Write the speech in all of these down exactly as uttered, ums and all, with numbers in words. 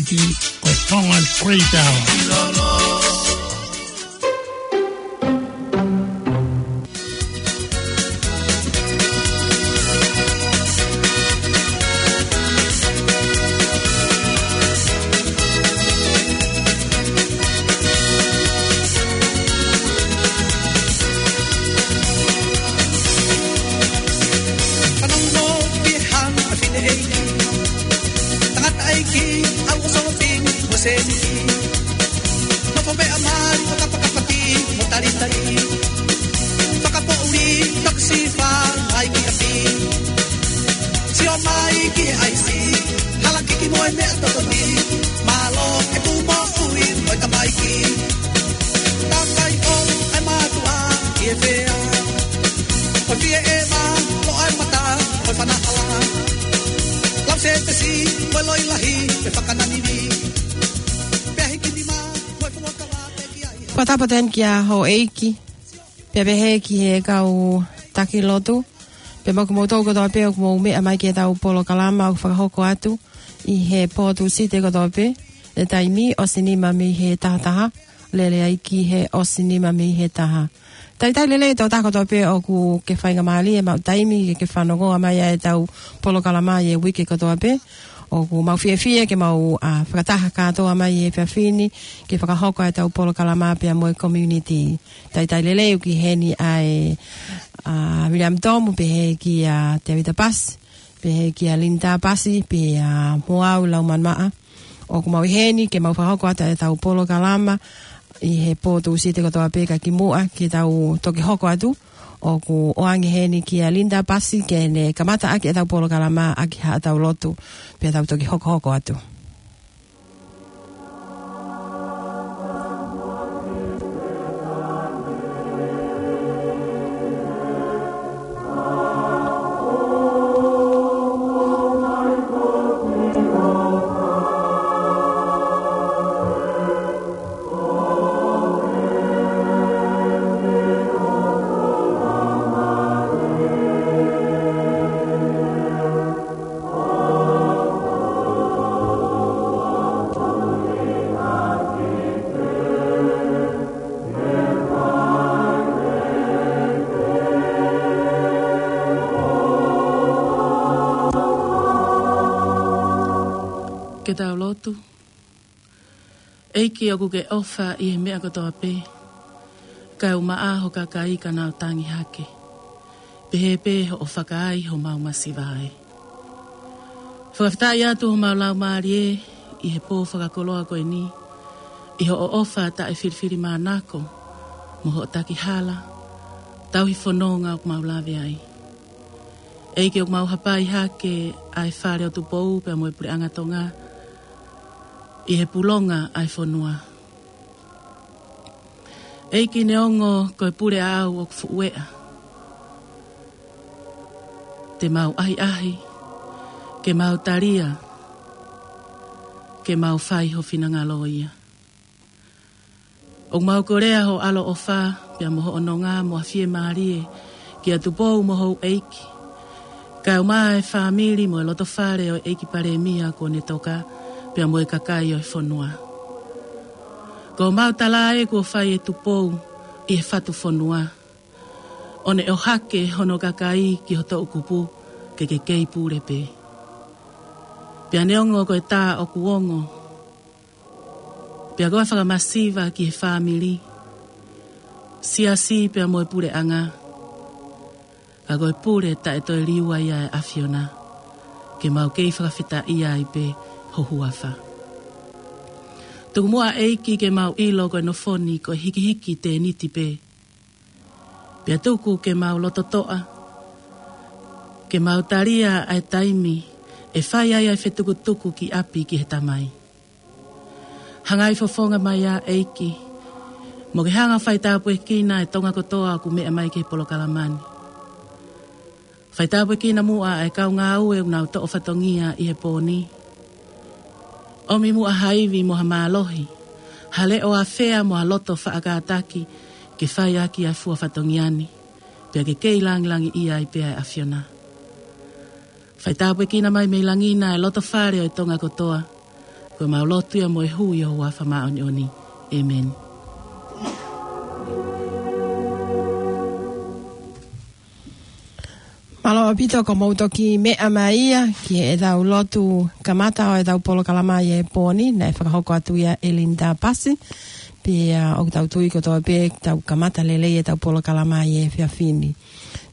Ko e Tongan Great Hour. Fanongo ki he hanga ʻa e fineʻeiki, tangataʻeiki, ʻa e ʻosofi mo e sēniti. Nofo meʻa mali mo kapakapaki mo talitali. Fakapoʻuli, fakasifa, ʻai ki ʻapi. Sio mai ki he ʻaisi, hala kiki mo e meʻa totonu. Mālō e tuʻu moʻui mo e tamaiki. Kakai ʻo e mātuʻa ʻi he fea. Ko e fie ʻeva, ko e mata, ko e fana hala. Lau se pesi, ko e loi lahi, ko e fakananini. Pea hiki nima, ko e fuakava, pea ki ai. Fakatapu atu heni kia houʻeiki, pea pehē ki he kau taki lotu, pea mo kimoutolu kotoa pē ʻoku mou meʻa mai ki heʻetau polokalama ʻoku fakahoko atu ʻi he pō Tūsite kotoa pē, ʻi he taimi ʻosi nima mei he taha taha, lele ai ki he ʻosi nima mei he taha. Talitali lelei e tokotaha kotoa pē ʻoku ke faingamālie maʻu taimi ke ke fanongoa mai ʻa ʻetau polokalama ʻi he uike kotoa pē. ʻOku mau fiefia ke mau, ʻa, fakataha kātoa mai he efiafi ni ke fakahoko ʻetau polokalama pea mo e community. Talitali lelei ʻoku ʻi heni ʻa e, ʻa, William Tomu, pehē kia Tevita Pasi, pehē kia Linda Pasi, pea mo au Laumānumaʻa. ʻOku mau ʻi heni ke mau fakahoko atu ʻetau polokalama ʻi he pō Tūsite kotoa pē, ka kimuʻa ke tau toki hoko atu, ʻoku ʻoange heni kia Linda Pasi ke ne kamata ʻaki ʻetau polokalama ʻaki haʻatau lotu, pea tau toki hokohoko atu. Ke tau lotu. ʻEiki, ʻoku ke ʻofa ʻi he meʻa kotoa pē, kae ʻumaʻā ho kakai ka nau tangi hake, pehē pē hoʻo fakaai homau masiva ai. Fakafetaʻi atu homau laumālie ʻi he pō fakakoloa ko eni, ʻi hoʻo ʻofa taʻefilifilimānako mo hoʻo takihala, tauhi fononga ʻoku mau lave ai. ʻEiki, ʻoku mau hapai hake ʻa e Fale ʻo Tupou pea mo e Puleʻanga Tonga ʻi he pulonga ʻa e fonua. ʻEiki, neongo ko e pule ʻaʻau ʻoku fuʻu eʻa, te mau ʻahiʻahi ke mau talia, ke mau fai ho finangalo ia. ʻOku mau kolea ho ʻaloʻofa pea mo hoʻo nonga mo ha fiemālie kia Tupou mo houʻeiki, kae ʻumaʻā e fāmili mo e lotofale ʻo e ʻEiki Palēmia kuo ne toka, pea mo e kakai ʻo e fonua. Ko homau tala ē kuo fai ʻe Tupou ʻi he fatu fonua, ʻo ne ʻohake hono kakai ki ho toʻukupu ke ke kei pule pē. Pea neongo ko e tā ʻoku ongo, pea ko e fakamasiva ki he fāmili, siasi pea mo e puleʻanga, ka ko e pule taʻe toe liua ia ʻa e ʻAfiona, ke mau kei fakafetaʻia ai pē ho huafa. Tuku muʻa ʻEiki ke mau ʻilo ko e nofo ni ko e hikihiki tēniti pē. Pea tuku ke mau lototoʻa, ke mau talia ʻa e taimi ʻe fai ai ʻa e fetukutuku ki ʻapi ki he Tamai. Hangai fofonga mai ā ʻEiki, mo ke hanga faitāpuekina e Tonga kotoa ʻoku meʻa mai ki he polokalama ni. Faitāpuekina muʻa ʻa e kau ngāue ʻoku nau toʻo fatongia ʻi he pō ni. ʻOmi muʻa ha ivi mo ha mālohi, ha leʻo ʻafea mo ha loto faʻa kātaki ke fai ʻaki ʻa e fua fatongia ni, pea ke kei langilangiʻia ai pē ʻa e ʻAfiona. Faitāpuekina mai mei langi na e lotofale ʻo e Tonga kotoa, Ko ʻemau lotu ia mo e hū ʻi ho huafa māʻoniʻoni. ʻĒmeni. Mālō ʻaupito ko hoʻomou toki meʻa mai ia ki heʻetau lotu kamata ʻo ʻetau polokalama ʻi he pō ni, naʻe fakahoko atu ia ʻe Linda Pasi. Pea ʻoku tau tui kotoa pē tau kamata lelei ʻetau polokalama ʻi he efiafi ni.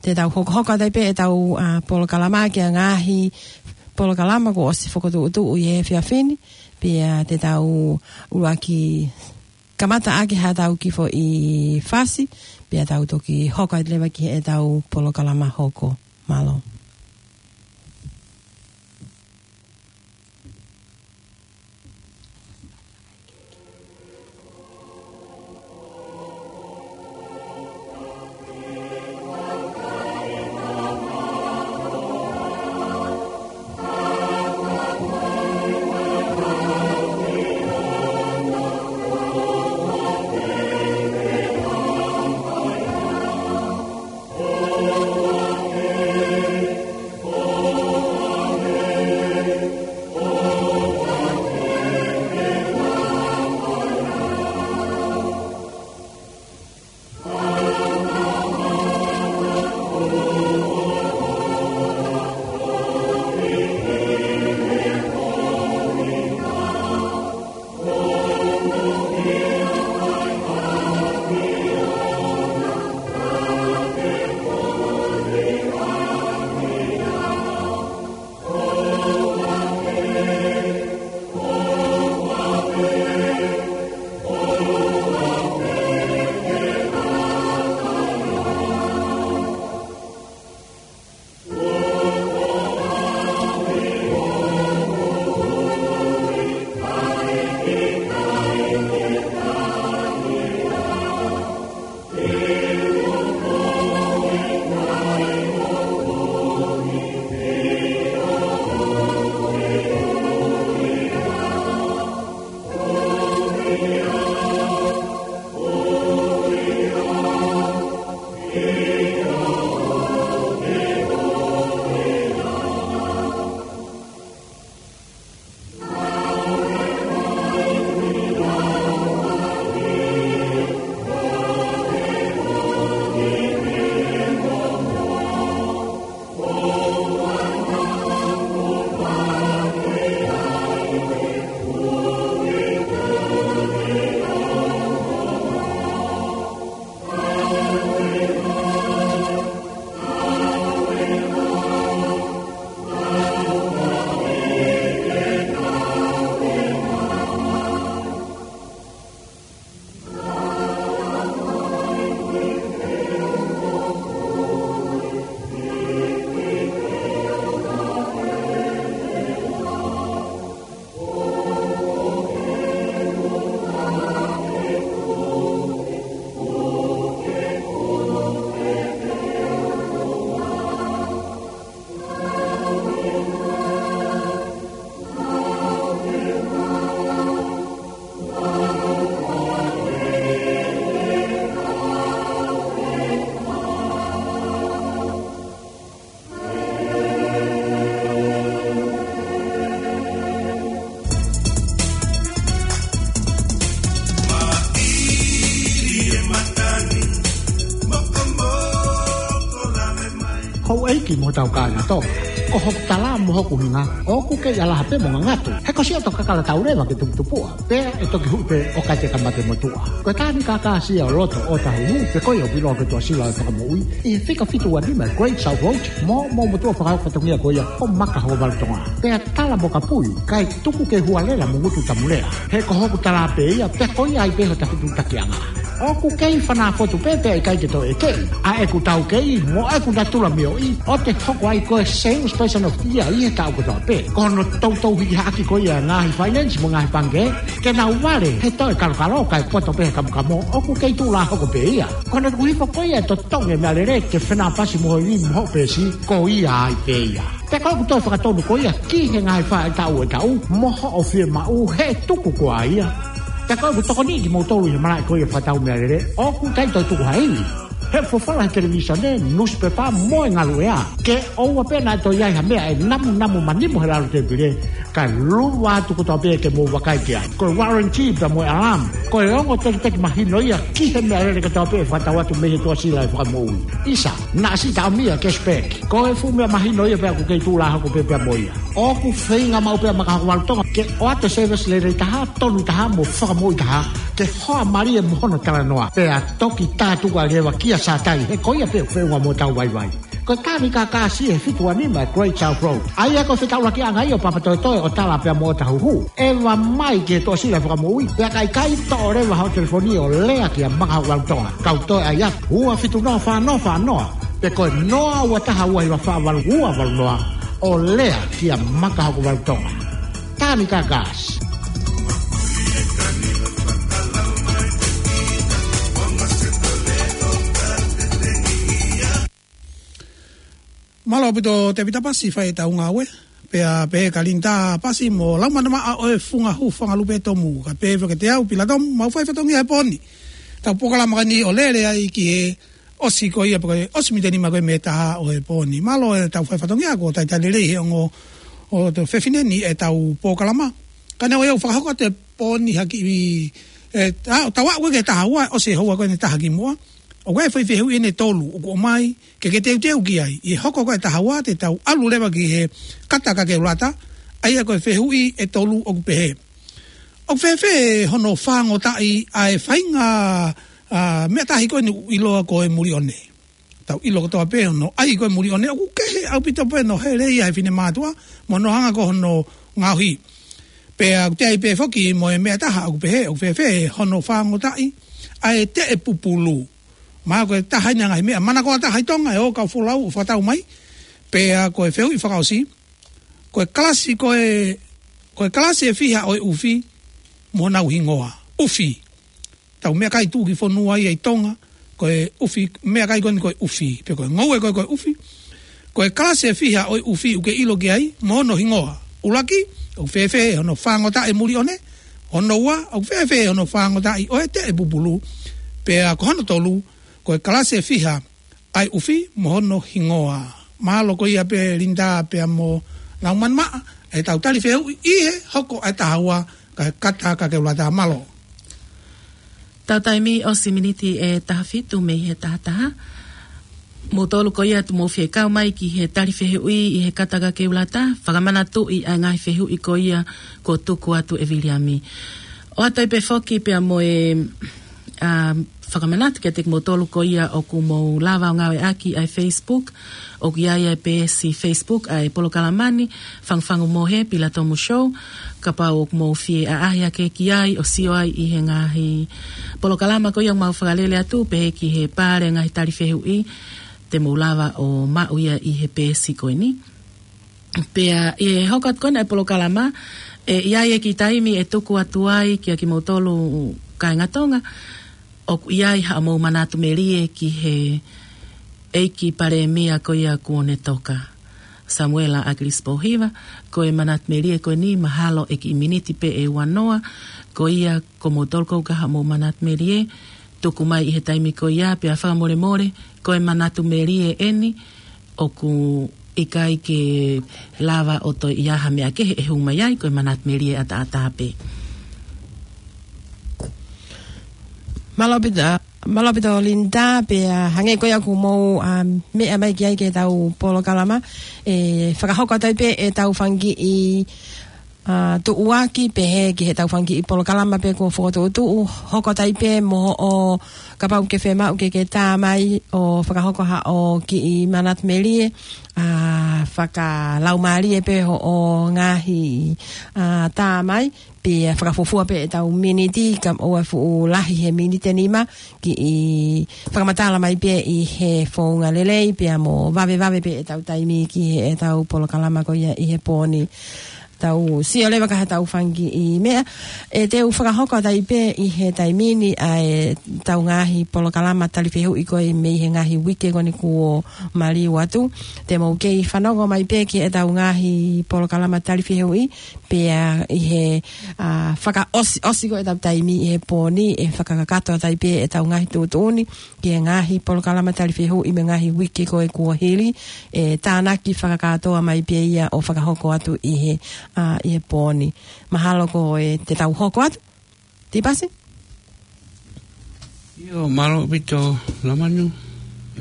Te tau hokohoko atu ai pē ʻetau, ʻa, polokalama ki he ngaahi polokalama kuo ʻosi fokotuʻutuʻu ʻi he efiafi ni. Pea te tau ʻuluaki kamata ʻaki haʻatau kiʻi foʻi fasi, pea tau toki hoko atu leva ki heʻetau polokalama hoko. Mālō. Houʻeiki mo hotau kāinga Tonga, ko hoku tala mo hoku hinga, ʻoku kei ʻalaha pē mo ngangatu. He ko siʻoto kakala tau leva ke tuputupuʻa, pea ʻe toki huʻi pē ʻo ka te ka mate motuʻa. Ko e tāni kākāsia ʻo loto ʻo tahuhu, pe ko ia ʻoku ʻiloa ko e Tuʻasila ʻo e Fakamoʻui, ʻi he fika fitu ua nima Great South Road, mo hoʻomou motuʻa fakahoko fatongia ko ia ko Maka Hokovalu Tonga. Pea tala mo kapui, kae tuku ke hualela mo ngutu tamulea. He ko hoku tala pē ia, pea ko ia ai pē hota fetuʻutakiʻanga. ʻOku kei fanā fotu pē pea ʻikai ke toe ʻeke ʻa ʻeku taukei mo ʻeku natula mioʻi ʻo te hoko ai ko e Salesperson of the Year ʻi he taʻu kotoa pē. Ko hono toutou hiki hake ko ia e ngaahi finance mo e ngaahi pangikē ke nau vale he toe kalokalo kae poto pē he kamokamo, ʻoku kei tuʻulā hoko pē ia. Ko hono tuku hifo ko ia e totongi e meʻalele ke fenāpasi mo ho ivi mo hoʻo peesi, ko ia ai pē ia. Pea ko ʻeku toe fakatonu ko ia ki he ngaahi faʻahitaʻu ʻo e taʻu mo hoʻo fiemaʻu he tuku ko ia. Pea ko ʻeku tokoniʻi kimoutolu ʻi he malaʻe ko ia fakatau meʻalele, ʻoku ʻikai toe tuku ha ivi. He folofola he televīsone, nusipepa mo e ngaluʻea, ke ʻoua pē naʻa toe ʻi ai ha meʻa ʻe namunamu manimo he lalo tēpile, Kae lava atu kotoa pē ke mou vakai ki ai. Ko e warranty pea mo e alarm, ko e ongo tekiteki mahino ia ki he meʻalele kotoa pē ʻe fakatau atu mei he Tuʻasila ʻo e Fakamoʻui. ʻIsa, naʻa si taʻomia cashback. Ko e fuʻu meʻa mahino ia pea ʻoku kei tuʻu lā hoko pē pea mo ia. ʻOku feinga maʻu pē ʻa Maka Hoko Valu Tonga ke ʻoatu e service lelei taha, tonu taha mo fakamoʻui taha, ke hoa mālie mo hono talanoa. Pea toki tā tuku ʻa Leva kia Sātai, he ko ia pē ʻoku feʻunga mo hotau vaivai. Ko e Tāmikakasi ʻi he fitu ua nima Great South Road. ʻA ia ko e fetaulakiʻanga ia ʻo Papatoetoe, ʻo Tala pea mo ʻOtahuhu. ʻEva mai ki he Tuʻasila Fakamoʻui, pea ka ʻikai, toʻo leva hoʻo telefoni ʻo lea kia Maka Hoko Valu Tonga. Kau toe ʻai atu, ua fitu noa fā noa fā noa, pe ko e noa ua taha ua hiva fā valu ua valu noa, ʻo lea kia Maka Hoko Valu Tonga. Tāmikakasi. Mālō ʻaupito Tēvita Pasi, fai ʻetau ngāue. Pea pehē kia Linda Pasi mo Laumana Maʻa ʻo e Funga Hū Fanga Lupe Tomu, kae pehē foki kiate au, Pila Tomu, mau fai fatongia he pō ni. Tau polokalama ko eni ʻo lele ai ki he ʻosi ko ia pe ko e ʻosi miniti nima ko ē mei he taha ʻo e pō ni. Mālō ʻetau fai fatongia, ko e talitali lelei he ongo ʻo e fefine ni ʻetau polokalama. Ka naʻe ʻosi ʻo fakahoko atu e pō ni ha kiʻi, ʻe, ʻa, tau aʻu ki he taha ua, ʻosi e houa ko eni ʻe taha kimuʻa. ʻOku ʻi ai e foʻi fehuʻi ʻe taha ʻoku ʻomai ke ke teuteu ki ai. ʻI he hoko ko ē taha ua te tau ʻalu leva ki he kata kakeulata, ʻa ia ko e fehuʻi ʻe tolu ʻoku pehē: ʻOku fēfē hono fāngotaʻi ʻa e faʻahinga, ʻa, meʻa tahi ko eni ʻoku ʻiloa ko e mulione? Tau ʻilo kotoa pē hono ʻai ko e mulione, ʻoku kehe ʻaupito pē hono hele ia he finemātuʻa mo hono hanga ko hono ngaohi. Pea ʻoku toe ʻi ai pē foki mo e meʻa ʻe taha ʻoku pehē: ʻOku fēfē hono fāngotaʻi ʻa e teʻe pupulu? Mahalo ko e taha eni e ngaahi meʻa manakoa taha ʻi Tonga ʻe ō kau folau ʻo fakatau mai. Pea ko e fehuʻi fakaʻosi: Ko e kalasi ko e, ko e kalasi ʻe fiha ʻo e ʻufi mo honau hingoa? ʻUfi. Tau meʻakai tuʻukifonua ia ʻi Tonga, ko e ʻufi, meʻakai ko eni ko e ʻufi, pe ko e ngoue ko ē ko e ʻufi. Ko e kalasi ʻe fiha ʻo e ʻufi ʻoku ke ʻilo ki ai mo hono hingoa? ʻUluaki, ʻoku fēfē hono fāngotaʻi e mulione? Hono ua, ʻoku fēfē hono fāngotaʻi ʻo e teʻe pupulu? Pea ko hono tolu, ko e kalasi ʻe fiha ʻa e ʻufi mo hono hingoa? Mālō, ko ia pē Linda pea mo Laumana Maʻa, ʻetau tali fehuʻi ʻi he hoko ʻa e taha ua, kae kata kakeulata. Mālō. Tau taimi ʻosi miniti ʻe taha fitu mei he taha taha. Moutolu ko ia te mou fie kau mai ki he tali fehuʻi ʻi he kata kakeulata, fakamanatuʻi ʻa e ngaahi fehuʻi ko ia kuo tuku atu ʻe Viliami. ʻOatu ai pē foki pea mo e, ʻa, fakamanatu kiate kimoutolu ko ia ʻoku mou lava ʻo ngāueʻaki ʻa e Facebook, ʻoku ʻi ai ʻa e peesi Facebook ʻa e polokalama ni, Fangufangu mo e Pila Tomu Show. Kapau ʻoku mou fie ʻaʻahi hake ki ai ʻo sio ai ʻi he ngaahi polokalama ko ia ʻoku mau fakalele atu, pehē ki he pale ngaahi tali fehuʻi, te mou lava ʻo maʻu ia ʻi he peesi ko eni. Pea ʻi he hoko atu ko ena e polokalama, ʻe ʻi ai e kiʻi taimi ʻe tuku atu ai kia kimoutolu kāinga Tonga, ʻoku ʻi ai haʻamou manatu melie ki he ʻEiki Palēmia ko ia kuo ne toka, Samuela ʻAkilisi Pōhiva. Ko e manatu melie ko eni mahalo ʻe kiʻi miniti pē ʻe ua noa, ko ia ko moutolu ʻoku ʻikai haʻamou manatu melie, tuku mai ʻi he taimi ko ia. Pea fakamolemole, ko e manatu melie eni, ʻoku ʻikai ke lava ʻo toe ʻi ai ha meʻa kehe ʻe hū mai ai, ko e manatu melie ʻataʻatā pē. Mālō ʻaupito, mālō ʻaupito Linda, pea hangē ko ia ʻoku mou, ʻa, meʻa mai ki ai ki heʻetau polokalama, ʻe fakahoko atu ai pē ʻetau fanga kiʻi, ʻa, tuʻuaki pehē ki heʻetau fanga kiʻi polokalama pē kuo fokotuʻutuʻu, hoko atu ai pē mo hoʻo, kapau ʻoku ke fiemaʻu ke ke tā mai ʻo fakahoko haʻo kiʻi manatu melie, ʻa, fakalaumālie pē hoʻo ngaahi, ʻa, tā mai, pea fakafuofua pē ʻetau miniti, ka ʻoua ʻe fuʻu lahi he miniti ʻe nima, kiʻi fakamatala mai pē ʻi he founga lelei, pea mo vavevave pē ʻetau taimi ki heʻetau polokalama ko ia ʻi he pō ni. Tau sio leva ki heʻetau fanga kiʻi meʻa. ʻE teu fakahoko atu ai pē ʻi he taimi ni ʻa ʻetau ngaahi polokalama tali fehuʻi ko ē mei he ngaahi uike ko eni kuo maliu atu. Te mou kei fanongo mai pē ki heʻetau ngaahi polokalama tali fehuʻi, pea ʻi he, ʻa, fakaʻosi, ʻosi ko ē ʻetau taimi ʻi he pō ni, ʻe fakakakato atu ai pē ʻetau ngaahi tuʻutuʻuni ki he ngaahi polokalama tali fehuʻi mei he ngaahi uike ko ē kuo hili, ʻe tānaki fakakātoa mai pē ia ʻo fakahoko atu ʻi he ʻa, ʻi he pō ni. Mahalo ko e te tau hoko atu. Tipasi? ʻIo, mālō ʻaupito, Lamanu.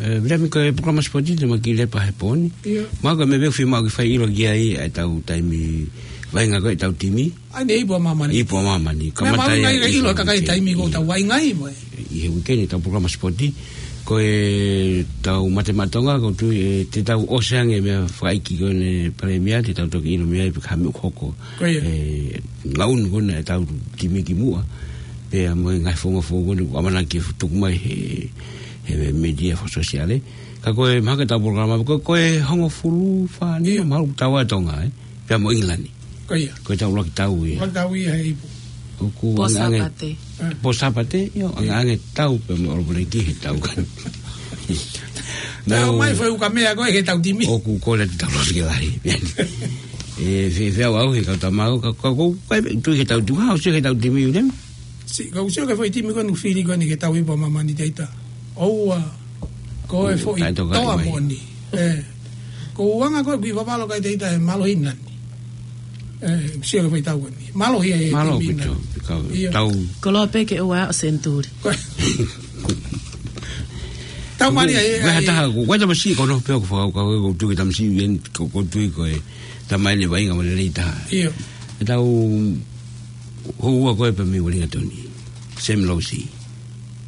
ʻE, Vilemi, ko e polokalama sipoti te mau kiʻi lepa he pō ni. ʻIo. Mahalo ko e meʻa pē ʻoku fiemaʻu ke fai ʻilo ki ai ʻa e tau taimi vaʻinga ko e tau timi. ʻA ia ne ipu ʻa māmani. Ipu ʻa māmani. Meʻa kamata māmani ia ngai ka ʻilo ʻi ka kai he taimi ko e tau vaʻinga ai mo e. ʻI he uike ni tau polokalama sipoti. Ko e tau Mate Maʻa Tonga, ʻoku ou tui ʻe te tau ʻosi ange meʻa fakaʻeiki ko eni Palēmia, te tau toki ʻilo meʻa ai pe ko e hā e meʻa ʻoku hoko. Ko ia. ʻE, ngaunu ko ena e tau timi ki muʻa. Pea mo e ngaahi founga founga ko eni ʻoku ʻamanaki ke tuku mai he, he media fakasōsiale. Ka ko e mahalo ko e tau polokalama, ko, ko e hongofulu fā nima, ʻio, mahalo ʻoku tau ʻa Tonga, ē? Pea mo ʻIngilani. Ko ia. Ko e tau ʻuluaki tau ia. ʻUluaki tau ia he ipu. ʻOku Pō ange, ange. Sāpate. Pō Sāpate, ʻio, ange, ʻio, ange tau pea mo ʻOlopeleki he tau kan. Tau mai foʻi ukamea ko e he tau timi. ʻOku kole te tau losi ke lahi. ʻE, fe-, feʻauʻau he kau tamau, ka, ka, ka, ka, tui he tau timi, ha, ʻosi he tau timi, Vilemi? Si, ka ʻosi ke foʻi timi ko eni fili ko eni ke tau ipu ʻa māmani te ita. ʻOua, ko e foʻi toa mai. Moʻoni. ʻE, ko e anga ko e kui vavalo kai te ita e mālohi nani. ʻE, ʻosi ke foʻi tau ko eni. Mālohi e mālō timi pito, nani. Ka ʻio. Tau. Koloa pē ke ua o senituli. Tau mali ai, ko e ai. Hataha, ko e tamasiʻi ko ena pē ʻoku fakau, ka ko e tui ke tamasiʻi ʻi heni, ko, ko e tui ko e tamai ne vaʻinga mo lelei taha. ʻIo. ʻE tau houa ko e pē mei Uelingatoni. Sam Losi.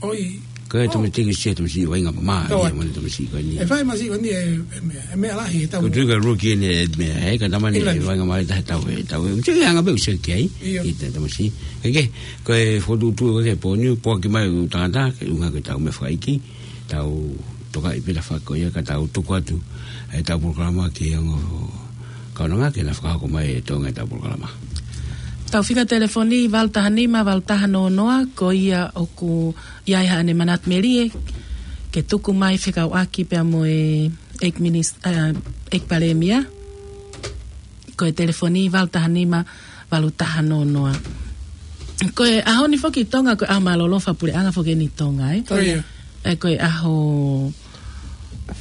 ʻOi. Ko e tamasiʻi sia tamasiʻi vaʻinga mā, ʻio, mo e tamasiʻi ko eni. ʻE fai masiʻi ko eni e, e meʻa, e meʻa lahi e tau. Ko e tui ka ruki eni e meʻa, ʻe ka tamai ne vaʻinga mā taha tau e, tau e. Masiʻi anga pē ʻosi ke ai. ʻIo. ʻI te tamasiʻi. Ke, ke, ko e fokotuʻutuʻu ke pō ni, pō ki mai ʻo tangata, ke ʻuhinga ke tau meʻa fakaʻeiki, tau tokaʻi pē lava ko ia ka tau tuku atu e tau polokalama ki he ongo kaunanga ke na fakahoko mai e Tonga e tau polokalama. Tau fika telefoni valu taha nima, valu taha noa noa, ko ia ʻoku ʻi ai haʻane manatu melie, ke tuku mai fekauʻaki pea mo e ʻEiki Minis-, ʻa, ʻEiki Palēmia. Ko e telefoni valu taha nima, valu taha noa noa. Ko e ʻaho ni foki Tonga, ko e ʻaho mālōlō fakapuleʻanga foki eni Tonga, ē? Ko ia. ʻE, ko e ʻaho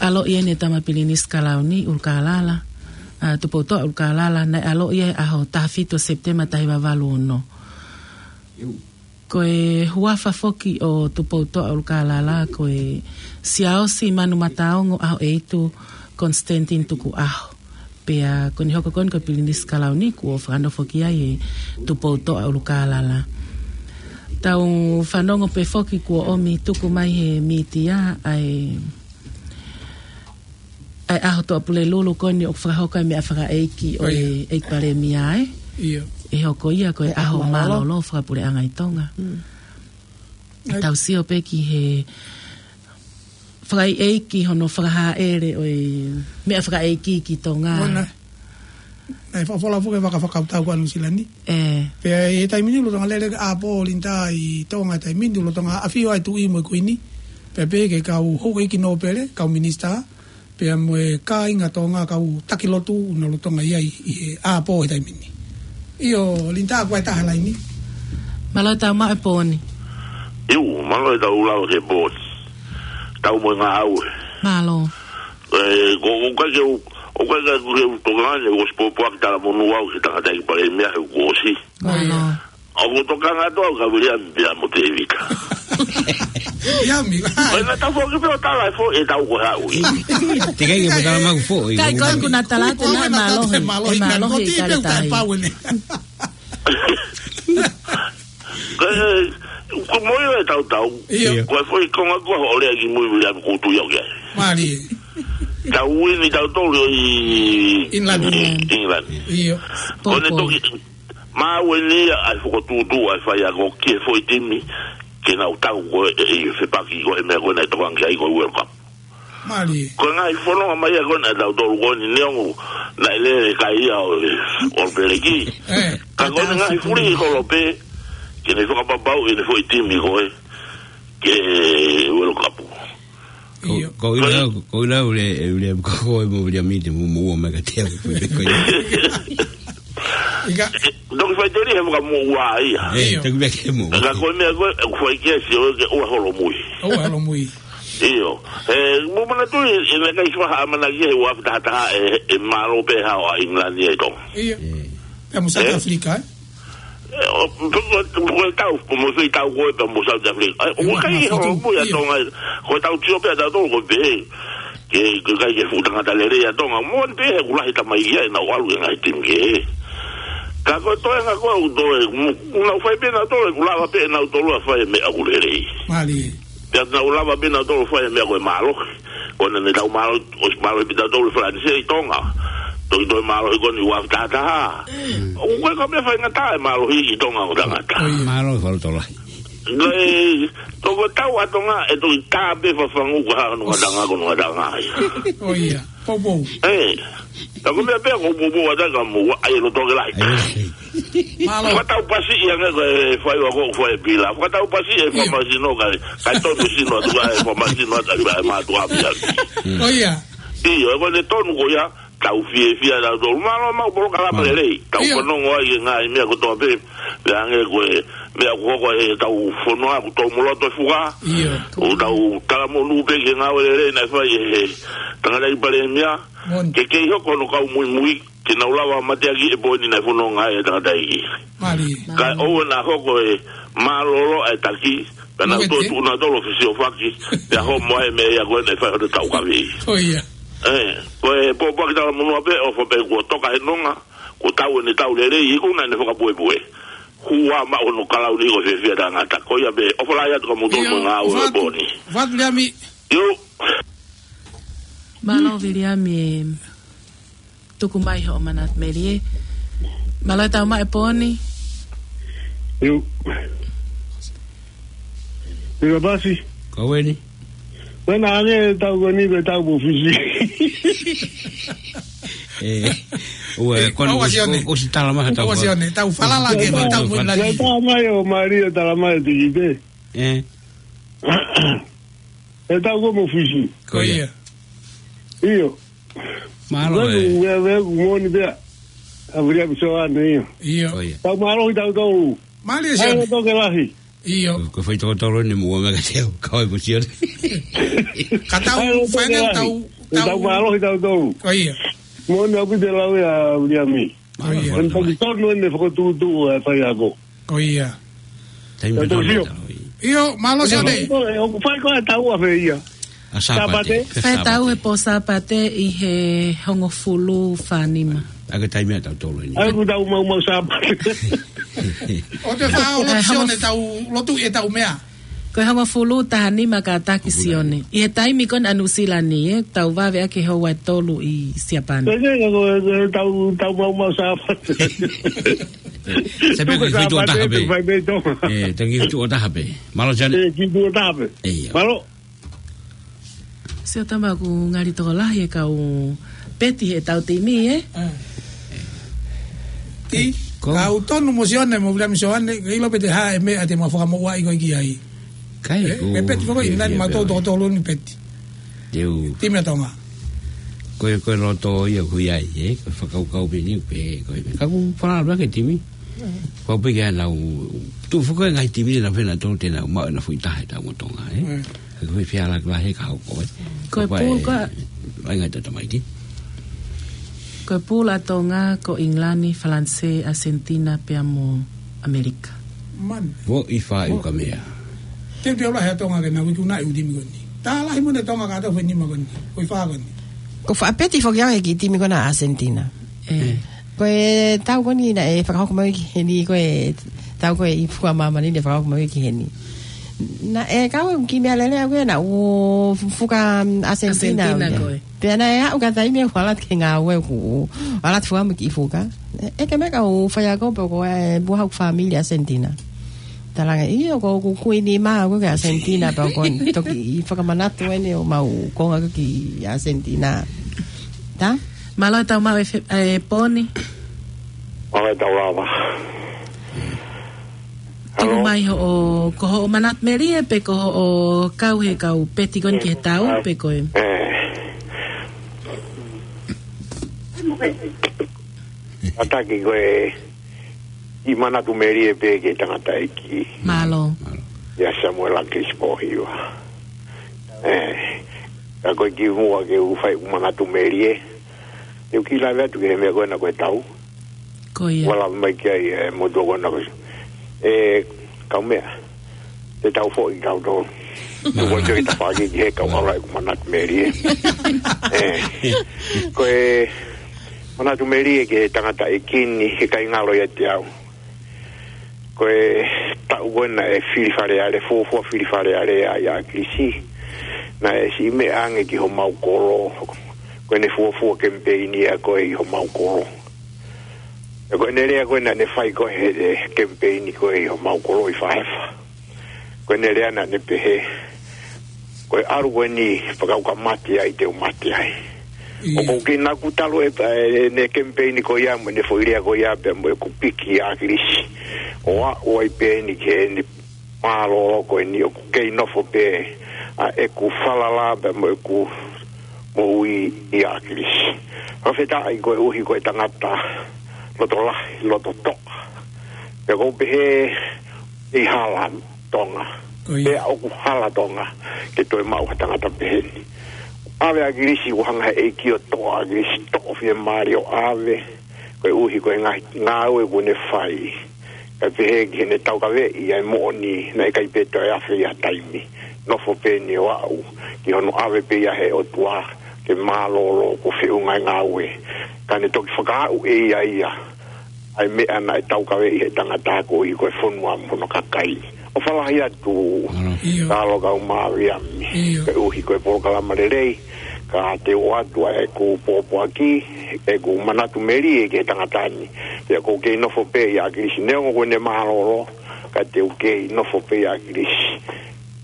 ʻaloʻi eni e Tama Pilinisi Kalauni ʻUlukālala, ʻa, Tupoutoʻa ʻUlukālala, naʻe ʻaloʻi e ʻaho taha fitu Sepitema taha hiva valu ono. Ko e huafa foki ʻo Tupoutoʻa ʻUlukālala, ko e Siaosi Manumataongo ʻAhoʻeitu Constantine Tukuʻaho. Pea ko ʻene hoko ko eni ko e Pilinisi Kalauni kuo fakanofo ki ai e Tupoutoʻa ʻUlukālala. Tau fanongo pē foki kuo ʻomi tuku mai he mītia ʻa e ʻa e ʻaho Tuʻapulelulu ko eni ʻoku fakahoko ai e meʻa fakaʻeiki ʻo e ʻEiki Palēmia, ē? ʻIo. ʻE hoko ia ko e ʻaho mālōlō fakapuleʻanga ʻi Tonga. Mm. ʻE tau sio pē ki he fakaʻeiki hono fakahāʻele ʻo e meʻa fakaʻeiki ki Tonga. Mona. Naʻe fakafola foki e vaka fakakautau ko ē ʻa Nuʻusila ni. ʻE. Pea ʻi he taimi ni lolotonga lele ʻa Paul Linda ʻi Tonga ʻi he taimi ni lolotonga ʻafio ai e Tuʻi mo e Kuini. Pea pehē ki he kau houʻeiki nōpele, kau minisitā. Pea mo e kāinga Tonga kau taki lotu ʻoku na lolotonga ʻi ai ʻi he ʻapō he taimi ni. ʻIo, Linda, ko e taha laini. Mālō e tau maʻu e pō ni. ʻIo, mālō e tau lau he pō ni. Tau mo e ngāue. Mālō. ʻE, ko, ko ka ke u, ko ka ke u, ke u tokanga ni, ko e ʻosi pōpoaki talamonū au ki he tangataʻeiki Palēmia he kuo ʻosi. Mālō. ʻOku tokanga atu au kia Viliami pea mo Tēvita. Viliami. ʻOi, naʻa tau foki pē ʻo tala e foʻi, e tau ko e haʻu. Teʻeki ai ke mo tala maʻu foʻi. Kai ko ē kuo na tala atu naʻe mālohi. Mālohi, mālohi, ko e tī pē ʻoku taʻepau eni. Ko e, ko e moʻoni e tau tau. ʻIo. Ko e foʻi konga ko ē ʻoku lea ki mui Viliami ʻoku ou tui au ki ai. Mālie. Tau uini tautolu ʻi England. England. ʻIo. Ko ʻene toki Maʻu eni ia ʻa e fokotuʻutuʻu ʻa e faiako ki he foʻi timi ke nau tau ko ē ʻi he fepaki ko ē meʻa ko ē naʻe tokanga ki ai ko e World Cup. Mālie. Ko e ngaahi fononga mai ia ko ē naʻa tautolu ko eni neongo naʻe lele e kai ia ʻo, ʻo Peleki. ʻE. Ka ko ʻene ngaahi fuli holo pē ke ne fakapapauʻi ʻene foʻi timi ko ē ki he World Cup. Ko, ʻio. Ko ʻIla, ko ʻIla ule, ule, ko ko e mo ule mite mo mo mai ka te ko ko. ʻIka. Toki faiteli he fakamoʻua ia. ʻE, ʻio. Toki meʻa ke mo. Ka ko e meʻa ko ē, ʻoku fai ke sio ke ʻoua holomui. ʻOua holomui. ʻIo. ʻE, mo manatuʻi, ʻe meʻa kai faha mana ki he ua fita hata e, e mālō pē hao ʻa England ʻi Tonga. ʻIo. ʻE. Pea mo South Africa, ē? Ē, ʻo, ko, ko, ko e tau, ko mo fei tau ko ē pea mo South Africa. Ē, ʻoku ʻikai ke hoko mui ʻa Tonga, ko e tau tio pē ʻa tautolu ko pē. Ke, ke ʻikai ke fuʻu tangata lelei ʻa Tonga. Mo ni pē he ʻoku lahi tamai ia ʻenau ʻalu e ngaahi timi kehe. Ka ko e toenga ko ē ʻoku toe, mo, ʻoku nau fai pē nautolu, ʻoku lava pē nautolu ʻa fai e meʻa ʻoku lelei. Mālie. Pea nau lava pē nautolu ʻa fai e meʻa ko e mālohi. Ko ena ne tau mālohi, ʻosi mālohi pē tautolu ʻi Falanisē ʻi Tonga. Toki toe mālohi ko eni ua taha taha. ʻOku ʻikai ko e meʻa faingataʻa e mālohi ʻi Tonga ʻo tangata. Mālohi fakalotolahi. Ko e, toko tau ʻa Tonga, ʻe toki tā pē fafangu ko ha nunga tanga, ko nunga tanga ia. ʻIo, poupou. Ē, tā ko e meʻa pē ko e poupou ʻa Tonga mo, ʻai e loto ke lahi. Mālō. Fakatau pasi ia nge ko e fai wa ko fai pila. Fakatau pasi e famasino kai, kai tonu sino atu kai famasino atu kai mātuʻa pia. ʻIo, ko ʻene tonu ko ia, tau fiefia tautolu. Mālō maʻu polokalama lelei. Tau fanongo ai e ngaahi meʻa kotoa pē. Pea hangē ko e meʻa ʻoku hoko he tau fonua ʻoku tau moloto e fuka. ʻOku tau talamonū pē ki he ngāue lelei naʻe fai ʻe he tangataʻeiki palēmia. Ke kei hoko hono kau muimui, ke nau lava mateaki e poini naʻe fononga ai e tangataʻeiki. Ka ʻoua naʻa hoko e mālōlō ʻa e taki, ka nau toe tuʻu nautolu ʻo fesiofaki, pea homo ai e meʻa ia ko ē naʻe fai hono taukaveʻi. Ē, ko e pōpoaki talamonū pē ʻofa pē kuo toka he nonga, kuo tau ʻene tau lelei, ʻikai ko ena ʻene fakapuepue. Hua maʻu hono kalauni ko e fiefia tangata. Ko ia pē, ʻofa lahi atu kia moutolu mo e ngāue e poini. Fatu Liami. ʻIo. Mālō Viliami e tuku mai hoʻo manatu melie. Mālō e tau maʻu e poini. ʻIo. ʻIo pasi. Ko eni. Ko ena ange tau ko eni pe tau mo Fisi. Ē, ua, ē, ko ena ʻosi, ʻosi tala mai ha tau. ʻOsi ʻo ne, tau falala ke, tau mo ina. Tala mai ʻo Mario, tala mai ʻo Tikite. Ē. ʻE tau ko mo Fisi. Ko ia. ʻIo. Mālō ē. Ue, ue, ue, moʻoni pea. ʻA Viliami Soane ia. ʻIo. Ko ia. Tau mālohi tautolu. Mālie Soane. Ai, toke lahi. ʻIo. Ko, ko fai tokotolu ne mua mea ka teu, ka oi mo Sione. Ka tau, ai, fai toke lahi. Tau, tau. Tau mālohi tautolu. Ko ia. Moʻoni ʻaupito e lau ia ʻa Viliami. ʻIo. Ko e tau tonu ʻene fakatuʻutuʻu e faiako. Ko ia. Taimi tau tonu sio. ʻIo, mālō Sione. ʻOku fai ko e tau ʻa fē ia. ʻA Sāpate. Sāpate. Fai tau he pō Sāpate ʻi he hongofulu fā nima. ʻA e taimi ʻa tautolu eni. ʻA ia ʻoku tau maumau Sāpate. ʻOku te fai ʻo lotu Sione tau lotu e tau meʻa. Ko e hongofulu taha nima kātaki Sione. ʻI he taimi ko ena ʻa Nuʻusila ni, ē, tau vave ʻaki houa ʻe tolu ʻi Siapani. Ko e, ko e, ko e, tau, tau maumau Sāpate. Sai pē ko e fai tuʻo taha pē. Ē, tau kiʻi tuʻo taha pē. Mālō Sione. Ē, kiʻi tuʻo taha pē. ʻIo. Mālō. Sio tama ʻoku ngali tokolahi e kau peti he tau timi, ē? Ti, kau tonu mo Sione mo Viliami Soane, ke ʻilo pē te hā e meʻa te mau fakamoʻua ʻi ko ē ki ai. Kai, ē, ko e peti foki, ina ni mau tokotolu ni peti. Timi ʻa Tonga. Ko e, ko e loto ia ʻoku ʻi ai, ē? Ko e fakakaukau pē ni pē, ko e, ka ʻoku falala ke timi. Ko pē ke ʻanau, tuʻu foki e ngaahi timi na fena tolu te nau maʻu ʻena foʻi taha ʻi he tau mo Tonga, ē? Ko e fia la kula he ka hoko, ē. Ko e pulu ka ai ngai tata mai ki. Ko e pulu ʻa Tonga, ko ʻIngilani, Falanisē, ʻAsentina, pea mo ʻAmelika. Man. Vo i fa i uka mea. Te u te ola he Tonga ke na wiki una i u timi ko eni. Tā lahi mo ne Tonga ka tau fenima ko eni. Ko i fa ko eni. Ko fa peti foki au he ki timi ko ena ʻAsentina. Ē. Ko e tau ko eni naʻe fakahoko mai ki heni ko e tau ko e ʻi Fuka Māmani ne fakahoko mai ki heni. Naʻe kau ki mea lele au ke na u fuka ʻAsentina au ia. Ko e. Pea naʻe aʻu ka taimi ʻoku ala ke ngāue ʻoku ala fua mo ki fuka. ʻE ke meka u fai ako pe ko e buha ʻoku fāmili ʻAsentina. Talanga ʻio ko ʻoku kuini mā ko ke ʻAsentina pe ko toki fakamanatu ʻeni ʻo mau konga ko ki ʻAsentina. Tā? Mālō e tau maʻu e fe-, e poni. Mālō e tau lava. Tuku mai hoʻo, ko hoʻo manatu melie pe ko hoʻo kau he kau peti ko eni ki he tau pe ko e. Ataki ko e ʻi manatu melie pē ke tangataʻeiki. Mālō. Ia Samuela Kisipohiva. Ē, ka ko e ki muʻa ke u fai ʻeku manatu melie. Te u kiʻi lave atu ki he meʻa ko ena ko e tau. Ko ia. Ua lava mai ki ai, e, mo tuʻa kona ko ia. E, kau meʻa. Te tau foʻi kau tō. Tuʻa kona ki tafaʻaki ki he kau ʻalu ʻeku manatu melie. E, ko e manatu melie ki he tangataʻeiki ni, he ʻikai ngalo ia te au. Ko e taʻu ko ē naʻe fili Fale Alea, fuofua fili Fale Alea ʻa ʻAkilisi. Naʻe siʻi meʻa ange ki homau kolo. Ko ʻene fuofua kemipeini ia ko ē ʻi homau kolo. ʻE ko ʻene lea ko ē naʻa ne fai ko ē he, he kemipeini ko ē ʻi homau kolo ʻi Fahefa. Ko ʻene lea naʻa ne pehē, ko e ʻalu ko eni, fakauka mate ai te u mate ai. ʻIo. ʻOku ou kei naku talu e, e, ʻene kemipeini ko ia mo ʻene foʻi lea ko ia pea mo ʻeku piki ʻa ʻAkilisi. ʻO aʻu ai pē eni ki heʻene mālōlō ko eni ʻoku kei nofo pē ʻa ʻeku falala pea mo ʻeku moʻui ʻia ʻAkilisi. Fakafetaʻi koeʻuhi ko e tangata loto lahi, loto toʻa. Pea ʻoku ou pehē ʻi hala Tonga. Ko ia. Pea ʻoku hala Tonga ke toe maʻu ha tangata pehē ni. ʻAve ʻAkilisi, ʻoku hanga he ʻEiki ʻo toʻo ʻAkilisi, toʻo fiemālie ʻo ʻave. Koeʻuhi ko e ngaahi ngāue kuo ne fai. Kae pehē ki heʻene taukaveʻi ʻa e moʻoni, naʻe ʻikai pē toe afe ia taimi. Nofo pē eni ʻo aʻu ki hono ʻave pē ia he ʻOtua ke mālōlō, ko e feʻunga e ngāue. Ka ne toki fakaaʻu ʻe ia ia ʻa e meʻa naʻe taukaveʻi he tangata ko ia ko e fonua mo hono kakai. ʻOfa lahi atu. ʻIo. Talo kau Maliami. ʻIo. Koeʻuhi ko e polokalama lelei, ka te u ʻoatu ʻa ʻeku pōpoaki, ʻeku manatu melie ki he tangata ni. Pea ʻoku ou kei nofo pē ʻia ʻAkilisi, neongo ko ʻene mālōlō, ka te u kei nofo pē ʻia ʻAkilisi.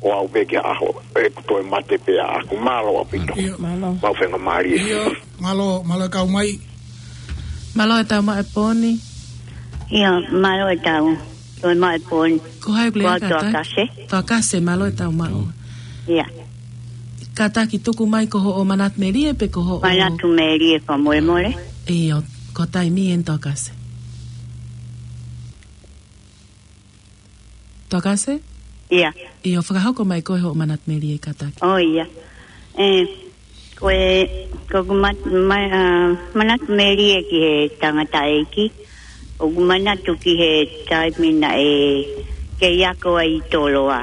ʻO aʻu pē ki he ʻaho ʻeku toe mate pē ʻaʻaku. Mālō ʻaupito. ʻIo. Mālō. Mau fenga mālie. ʻIo, mālō, mālō e kau mai. Mālō e tau mai e pōni. ʻIo, mālō e tau. Toe mai e pōni. Ko hai ʻoku lea? Ko au Toa Kase. Toa Kase, mālō e tau mai. ʻIa. Kātaki tuku mai ko hoʻo manatu melie pe ko hoʻo manatu melie fakamolemole. ʻIo, ko e taimi eni Toa Kase. Toa Kase? ʻIa. ʻIo, fakahoko mai ko hoʻo manatu melie kātaki. ʻOi, ʻia. E, ko e, ko ʻeku mat-, ma-, a, manatu melie ki he tangataʻeiki. ʻOku ou manatu ki he taimi naʻe kei ako ai ʻi Toloa.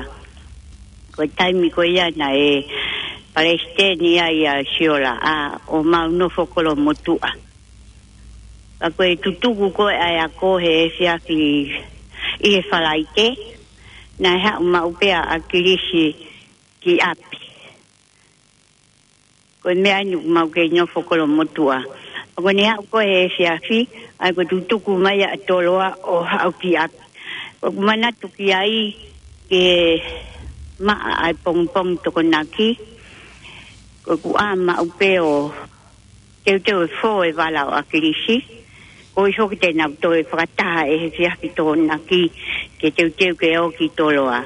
Ko e taimi ko ia naʻe palesiteni ai ʻa Siola, ʻa, ʻo mau nofo Kolomotuʻa. Pea ko e tutuku ko ē ʻa e ako he efiafi ʻi he Falaite, naʻe haʻu maʻu pē ʻa ʻAkilisi ki ʻapi. Ko e meʻa eni ʻoku mau kei nofo Kolomotuʻa. Pea ko ʻene haʻu ko ē he efiafi, ʻa ia ko e tutuku mai ʻa Toloa ʻo haʻu ki ʻapi. ʻOku ou manatu ki ai ke maʻa ʻa e pongipongi Tokonaki, ko ʻeku ʻā maʻu pē ʻo teuteu e fō e vala ʻo ʻAkilisi, koeʻuhi foki te nau toe fakataha ʻi he efiafi Tokonaki ke teuteu ke ō ki Toloa.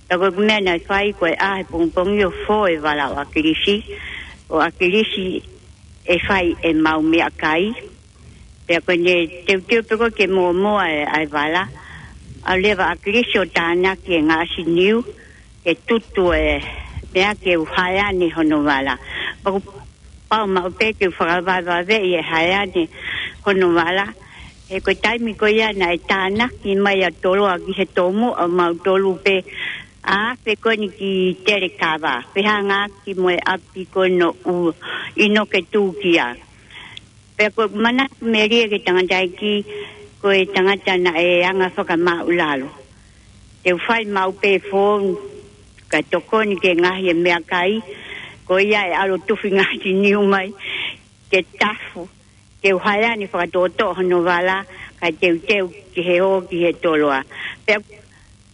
Pea ko ʻeku meʻa naʻe fai ko e ʻā he pongipongi ʻo fō e vala ʻo ʻAkilisi, ʻo ʻAkilisi ʻe fai ʻemau meʻakai. Pea ko ʻene teuteu pē ko ē ke mōmoa e, ʻa e vala, ʻalu leva ʻa ʻAkilisi ʻo tānaki e ngaahi niu, ke tutu e meʻa ke u haeane hono vala. Pea ʻoku pau maʻu pē ke u fakavavevaveʻi e haeane hono vala. He ko e taimi ko ia naʻe tānaki mai ʻa Toloa ki he tomuʻa ʻo mautolu pē ʻa afe ko eni ki Telekava, pea hangē ki mo e ʻapi ko ē ʻo ʻInoke Tūkia. Pea ko ʻeku manatu melie ki he tangataʻeiki, ko e tangata naʻe anga fakamāʻulalo. Te u fai maʻu pē fō, kae tokoni ki he ngaahi e meʻakai, ko ia ʻe ʻalu ʻo tufi ngaahi niu mai, ke tafu, ke u haeane fakatoʻotoʻo hono vala, kae teuteu ki he ō ki he Toloa. Pea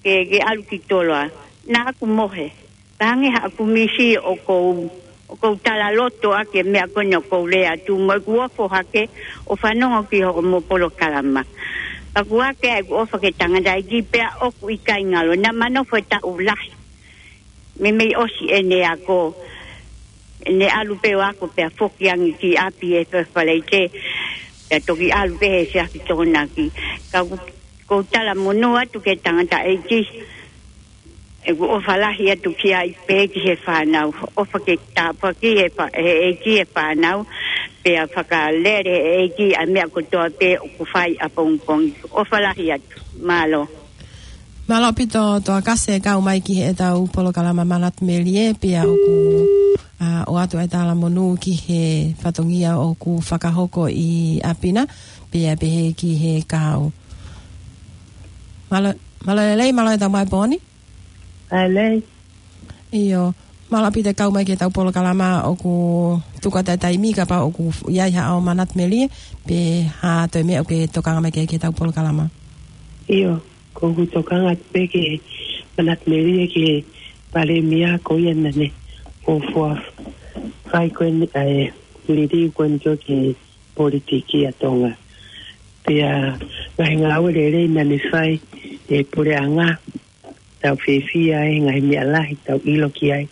ke, ke ʻalu ki Toloa. Naʻa ku mohe. Pea hangē haʻaku misi ʻoku ou, ʻoku ou talaloto ʻaki e meʻa ko eni ʻoku ou lea atu mo ʻeku ofo hake ʻo fanongo ki hoʻomo polokalama. Pea ʻoku ʻohake ʻeku ʻofa ki he tangataʻeiki pea ʻoku ʻikai ngalo. Naʻa ma nofo e taʻu lahi. Meimei ʻosi ʻene ako, ʻene ʻalu pē ʻo ako pea foki ange ki ʻapi he Falaite, pea toki ʻalu pē he efiafi Tokonaki. Ka ʻoku ou talamonū atu ki he tangataʻeiki, ʻeku ʻofa lahi atu ki ai pea ki he fānau, ʻofa ke tāpuakiʻi he fa-, he ʻEiki e fānau, pea fakalele ʻe he ʻEiki ʻa e meʻa kotoa pē ʻoku fai ʻapongipongi. ʻOfa lahi atu. Mālō. Mālō ʻaupito Toa Kasi e kau mai ki heʻetau polokalama Manatu Melie, pea ʻoku, ʻa, ʻoatu e talamonū ki he fatongia ʻoku fakahoko ʻi ʻapi na, pea pehē ki he kahaʻu. Mālō, mālō e lelei, mālō e tau mai pōni. Mālō e lelei. ʻIo, mālō ʻaupito e kau mai ki heʻetau polokalama, ʻoku tuku atu e taimi kapau ʻoku ʻi ai haʻo Manatu Melie, pe ha toe meʻa ʻoku ke tokanga mai ki ai ki heʻetau polokalama. ʻIo, ko ʻeku tokanga atu pē ki he Manatu Melie ki he Palēmia ko ia naʻa ne fuofua fai ko eni ʻa e liliu ko eni ki he politiki ʻa Tonga. Pea ngaahi ngāue lelei naʻa ne fai ʻe he puleʻanga, tau fiefia ai, ngaahi meʻa lahi tau ʻilo ki ai.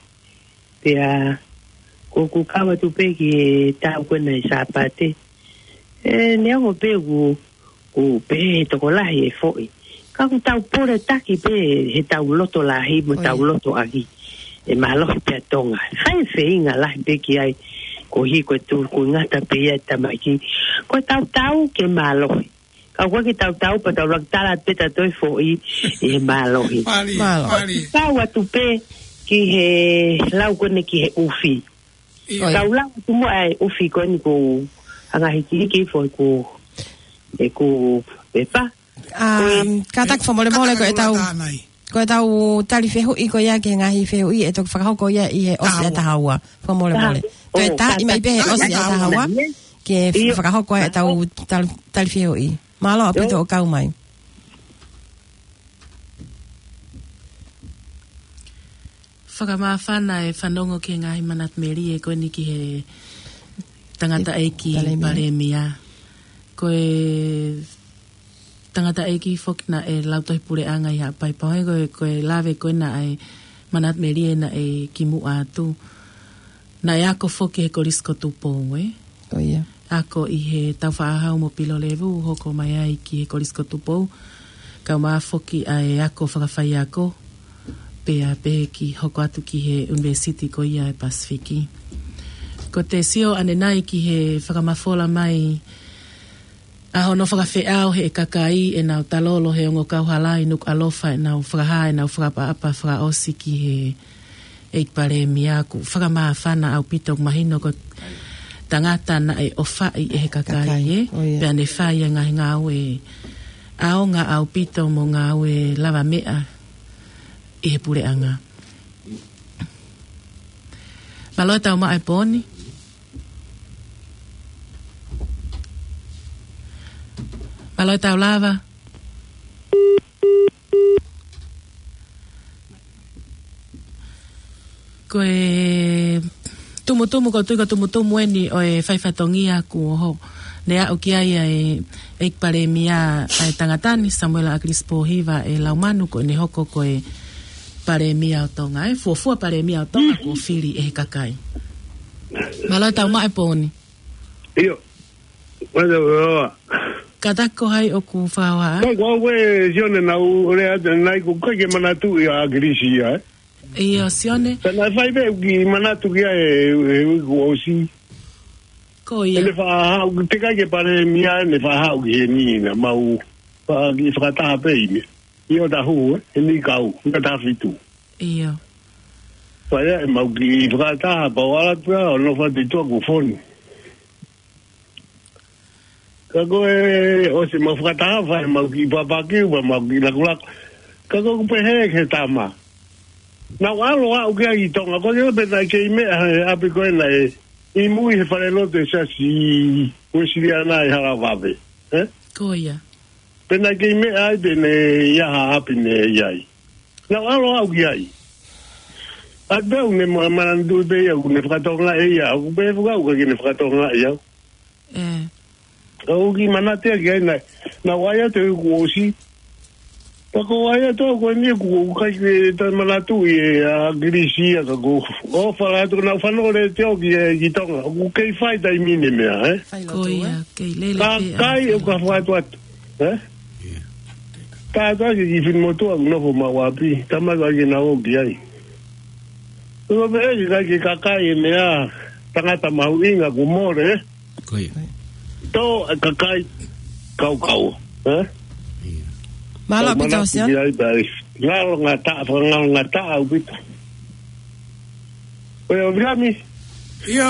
Pea ko ʻeku kau atu pē ki he tau ko ena ʻi Sāpate. ʻE, neongo pē ʻoku, ʻoku pehē ʻe he tokolahi ʻe foʻi, ka ʻoku tau pole taki pē heʻetau loto lahi mo ʻetau loto ʻaki ʻe mālohi pē ʻa Tonga. Fai feinga lahi pē ki ai, koeʻuhi ko e tūkuingata pē ia ʻe tamaiki. Ko ʻetau tau ke mālohi. Ka ʻoku ʻikai ke tau tau pea tau laki tala pē ta toe foʻi ʻi he mālohi. Mālō. Mālō. Kau atu pē ki he lau ko eni ki he ʻufi. ʻIo. Kau lau atu mo e ʻufi ko eni ko anga hiki hiki foʻi ko e ko e pa. Um, kātaki fakamolemole ko ʻetau, ko ʻetau tali fehuʻi ko ia ki he ngaahi fehuʻi ʻe toki fakahoko ia ʻi he ʻosi ʻa e taha ua. Fakamolemole. Toe taha, ʻi mai pē he ʻosi ʻa e taha ua. Ke fakahoko ʻetau tali, tali fehuʻi. Mālō ʻaupito hoʻo kau mai. Fakamāfana e fanongo ki he ngaahi Manatu Melie ko eni ki he tangataʻeiki Palēmia. Palēmia. Ko e tangataʻeiki foki naʻe lautohi puleʻanga ʻi Haʻapai Pau, he ko e, ko e lave ko ena ʻa e Manatu Melie naʻe kimuʻa atu. Naʻe ako foki he Kolisi ko Tupou, ē? Ko ia. Ako ʻi he Taufaʻāhau mo Pilolevu, hoko mai ai ki he Kolisi ko Tupou. Kau mai foki ʻa e ako fakafaiako, pea pehē ki hoko atu ki he ʻUnivēsiti ko ia ʻa e Pasifiki. Ko te sio ʻanenai ki he fakamafola mai ʻa hono fakafeʻao he kakai ʻenau talolo he ongo kauhala ʻi Nukuʻalofa ʻenau fakahā ʻenau fakaʻapaʻapa fakaʻosi ki he ʻEiki Palēmia, ʻoku fakamāfana ʻaupito, ʻoku mahino ko e tangata naʻe ʻofaʻi ʻe he kakai, kakai, ē? ʻO ia. Pea ne fai e ngaahi ngāue ʻaonga ʻaupito mo ngāue lavameʻa ʻi he puleʻanga. Mālō e tau maʻu e pōni. Mālō e tau lava. Ko e tumutumu, ko e tui ko e tumutumu eni ʻo e faifatongia kuo hoko. Ne aʻu ki ai ʻa e ʻEiki Palēmia ʻa e tangata ni, Samuela ʻAkilisi Pōhiva ʻe Laumanu, ko ʻene hoko ko e Palēmia ʻo Tonga, ē, fuofua Palēmia ʻo Tonga kuo fili ʻe he kakai. Mālō e tau maʻu e pōni. ʻIo. Mālō e tau lava. Kātaki, ko hai ʻoku fakahoha ai? Ko au ē, Sione, naʻá ku lea atu ʻanenai ʻoku ʻikai ke manatuʻi ʻa ʻAkilisi ia, ē? ʻIo, Sione. Ka naʻe fai pē ʻeku kiʻi manatu ki ai he, he uike kuo ʻosi. Ko ia. ʻEne faʻa haʻu, teʻeki ai ke Palēmia, ʻene faʻa haʻu ki heni naʻa mau faʻa kiʻi fakataha pē ʻi he, ʻi ʻOtahuhu, ē, he niʻihi kau, niʻihi taha fitu. ʻIo. Pea ʻi ai ʻemau kiʻi fakataha, pea u ʻalu atu ʻo nofo atu ʻi tuʻa kuo fonu. Ka ko e ʻosi ʻemau fakataha, fai ʻemau kiʻi papakiu, pea mau kiʻi lakulaku. Ka ko ʻeku pehē ki he tama, naʻá ku ʻalu ʻo aʻu ki ai ʻi Tonga, ko e pē naʻe kei meʻa he ʻapi ko ē naʻe ʻi mui he falelotu ʻo e Siasi Uēsiliana ʻi Halavave, ē? Ko ia. Pea naʻe kei meʻa ai pē ne ʻi ai ha ʻapi ne ʻi ai. Naʻá ku ʻalu ʻo aʻu ki ai. ʻA ia pea u ne ma-, manatuʻi pē ia, ʻoku ne fakatokangaʻi ia, ʻoku pehē foki ʻoku ʻikai ke ne fakatokangaʻi au. ʻE. Ka ʻoku ou kiʻi manatu ki ai naʻe, naʻá ku ʻai atu he uike kuo ʻosi. Pea ko e ʻai atu ko eni ʻoku, ʻoku ʻikai ke toe manatuʻi ʻe ʻAkilisi ia ka ko, ʻofa lahi atu naʻá ku fanongo lelei atu ki, ē, ki Tonga. ʻOku kei fai taimi ni e meʻa, ē? Fai lotu, ē? Ko ia, kei lele pē ʻa e kakai ʻoku ka fai lotu. Fai atu atu, ē? Tātā ki he kiʻi finemotuʻa ʻoku nofo maʻu ʻapi, tama ka ke na o ki ai. Ko e pehē ki he kakai, kakai e meʻa, tangata mahuʻinga kuo mole, ē? Ko ia. Tō e kakai kaukau. Eh? Mālō ʻaupito, Sione. Ngalo ngata, ngalo ngata ʻaupito. Ko ia, ʻo Vilami. ʻIo.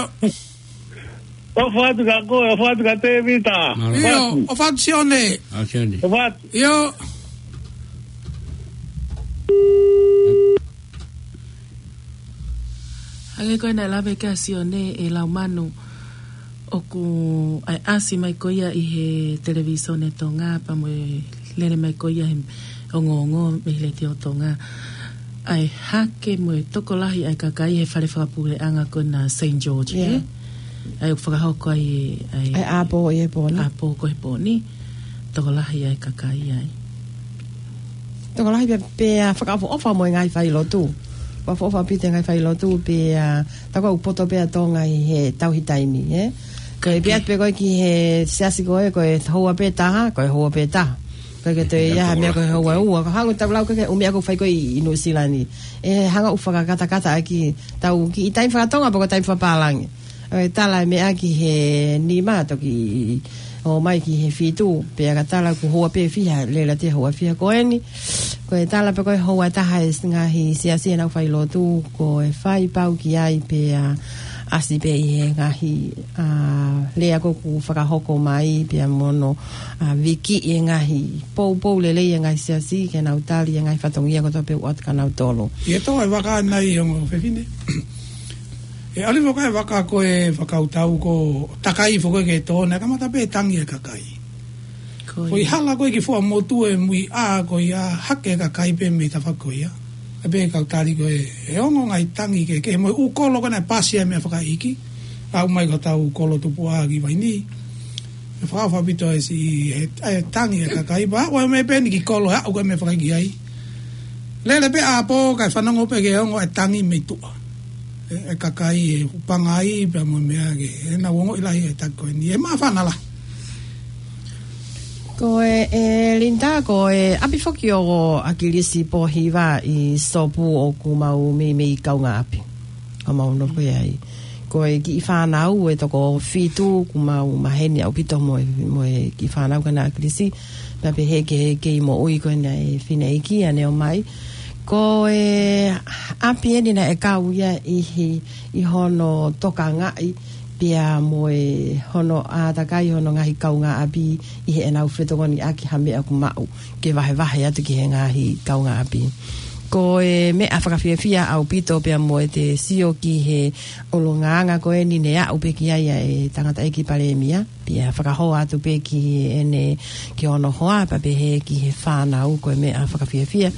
ʻOfa atu kia koe, ʻofa atu kia Tēvita. Mālō. ʻIo, ʻofa atu Sione. ʻA Sione. ʻOfa atu. ʻIo. Hangē ko ena naʻe lave ki ai ʻa Sione, ʻe Laumanu, ʻoku ʻai ʻasi mai ko ia ʻi he televīsone Tonga, pea mo e lele mai ko ia he ongoongo mei he Letiō Tonga. ʻAi hake mo e tokolahi ʻa e kakai he fale fakapuleʻanga ko ena Saint George, ʻIo. ʻE? ʻAi ʻoku fakahoko ai ʻa e ʻApō ʻi he pō ni. ʻApō ko e pō ni. Tokolahi ʻa e kakai ai. Tokolahi pē, pea fakaʻofoʻofa mo e ngaahi failotu. Fakaʻofoʻofa ʻaupito e ngaahi failotu, pea tā ko ē ʻoku poto pē ʻa Tonga ʻi he tauhi taimi, ē? Ko e pehē atu pē ko ē ki he siasi ko ē, ko e houa pē taha, ko e houa pē taha. Ko e ke toe ia ha meʻa ko e houa ua, ko e hangē ʻoku tau lau ko ē ki he ʻū meʻa ʻoku fai ko ē ʻi, ʻi Nuʻusila ni. ʻE hanga ʻo fakakatakata ʻaki ʻetau kiʻi taimi faka-Tonga, pe ko e taimi fakapālangi. ʻE tala e meʻa ki he nima toki ō mai ki he fitu, pea ka tala kuo houa pē fiha, lele atu e houa fiha ko eni. Ko e tala pē ko e houa taha e ngaahi siasi ʻenau failotu, ko e fai pau ki ai pea ʻasi pē ʻi he ngaahi, ʻa, lea ko ē ʻoku fakahoko mai, pea mo hono, ʻa, viki e ngaahi poupou lelei e ngaahi siasi, ke nau tali e ngaahi fatongia kotoa pē ʻoku ʻoatu kia nautolu. ʻI he tō e vaka nai ongo fefine. ʻE ʻalu foki e vaka ko e fakakautau ko e takai foki ke tō, naʻe kamata pē tangi e kakai. Ko ia. Ko e hala ko ē ki Fuaʻamotu e muiʻa ko ia hake e kakai pē mei tafaʻaki ko ia. ʻA pē kau tali ko ē, ʻe ongo ngaahi tangi kehekehe mo e ʻū kolo ko ē naʻe pasi ai e meʻa fakaʻeiki. ʻAu mai ko hotau kolo tupuʻa ki Vainī. ʻE fakaʻofoʻofa ʻaupito e siʻi, ʻe, ʻe tangi e kakai. Pea ʻoku ʻi ai e meʻa pē eni ki kolo, ʻe aʻu ko ē e meʻa fakaʻeiki ai. Lele pē ʻapō kae fanongo pē ke ongo e tangi mei tuʻa. ʻE, e kakai ʻe hūpanga ai pea mo e meʻa ke, ʻenau ongoʻi lahi e taki ko eni. ʻE māfana lahi. Ko e, ʻe Linda, ko e ʻapi foki ʻo ʻAkilisi Pōhiva ʻi Sopu ʻoku mau meimei kaungāʻapi. ʻOku mau nofo ai. Ko e kiʻi fānau ʻe toko fitu ʻoku mau maheni ʻaupito mo e, mo e kiʻi fānau ko ena ʻa ʻAkilisi. Pea pehē ki he kei moʻui ko ena e fineʻeiki ʻa ʻene ō mai. Ko e ʻapi eni naʻe kau ia ʻi he, ʻi hono tokangaʻi pea mo e hono ʻātakai hono ngaahi kaungāʻapi ʻi heʻenau fetokoniʻaki ha meʻa ʻoku maʻu ke vahevahe atu ki he ngaahi kaungāʻapi. Ko e meʻa fakafiefia ʻaupito pea mo ʻete sio ki he ʻulungaanga ko eni ne aʻu pē ki ai ʻa e tangataʻeiki palēmia, pea fakahoa atu pē ki heʻene, ki hono hoa, pea pehē ki he fānau ko e meʻa fakafiefia,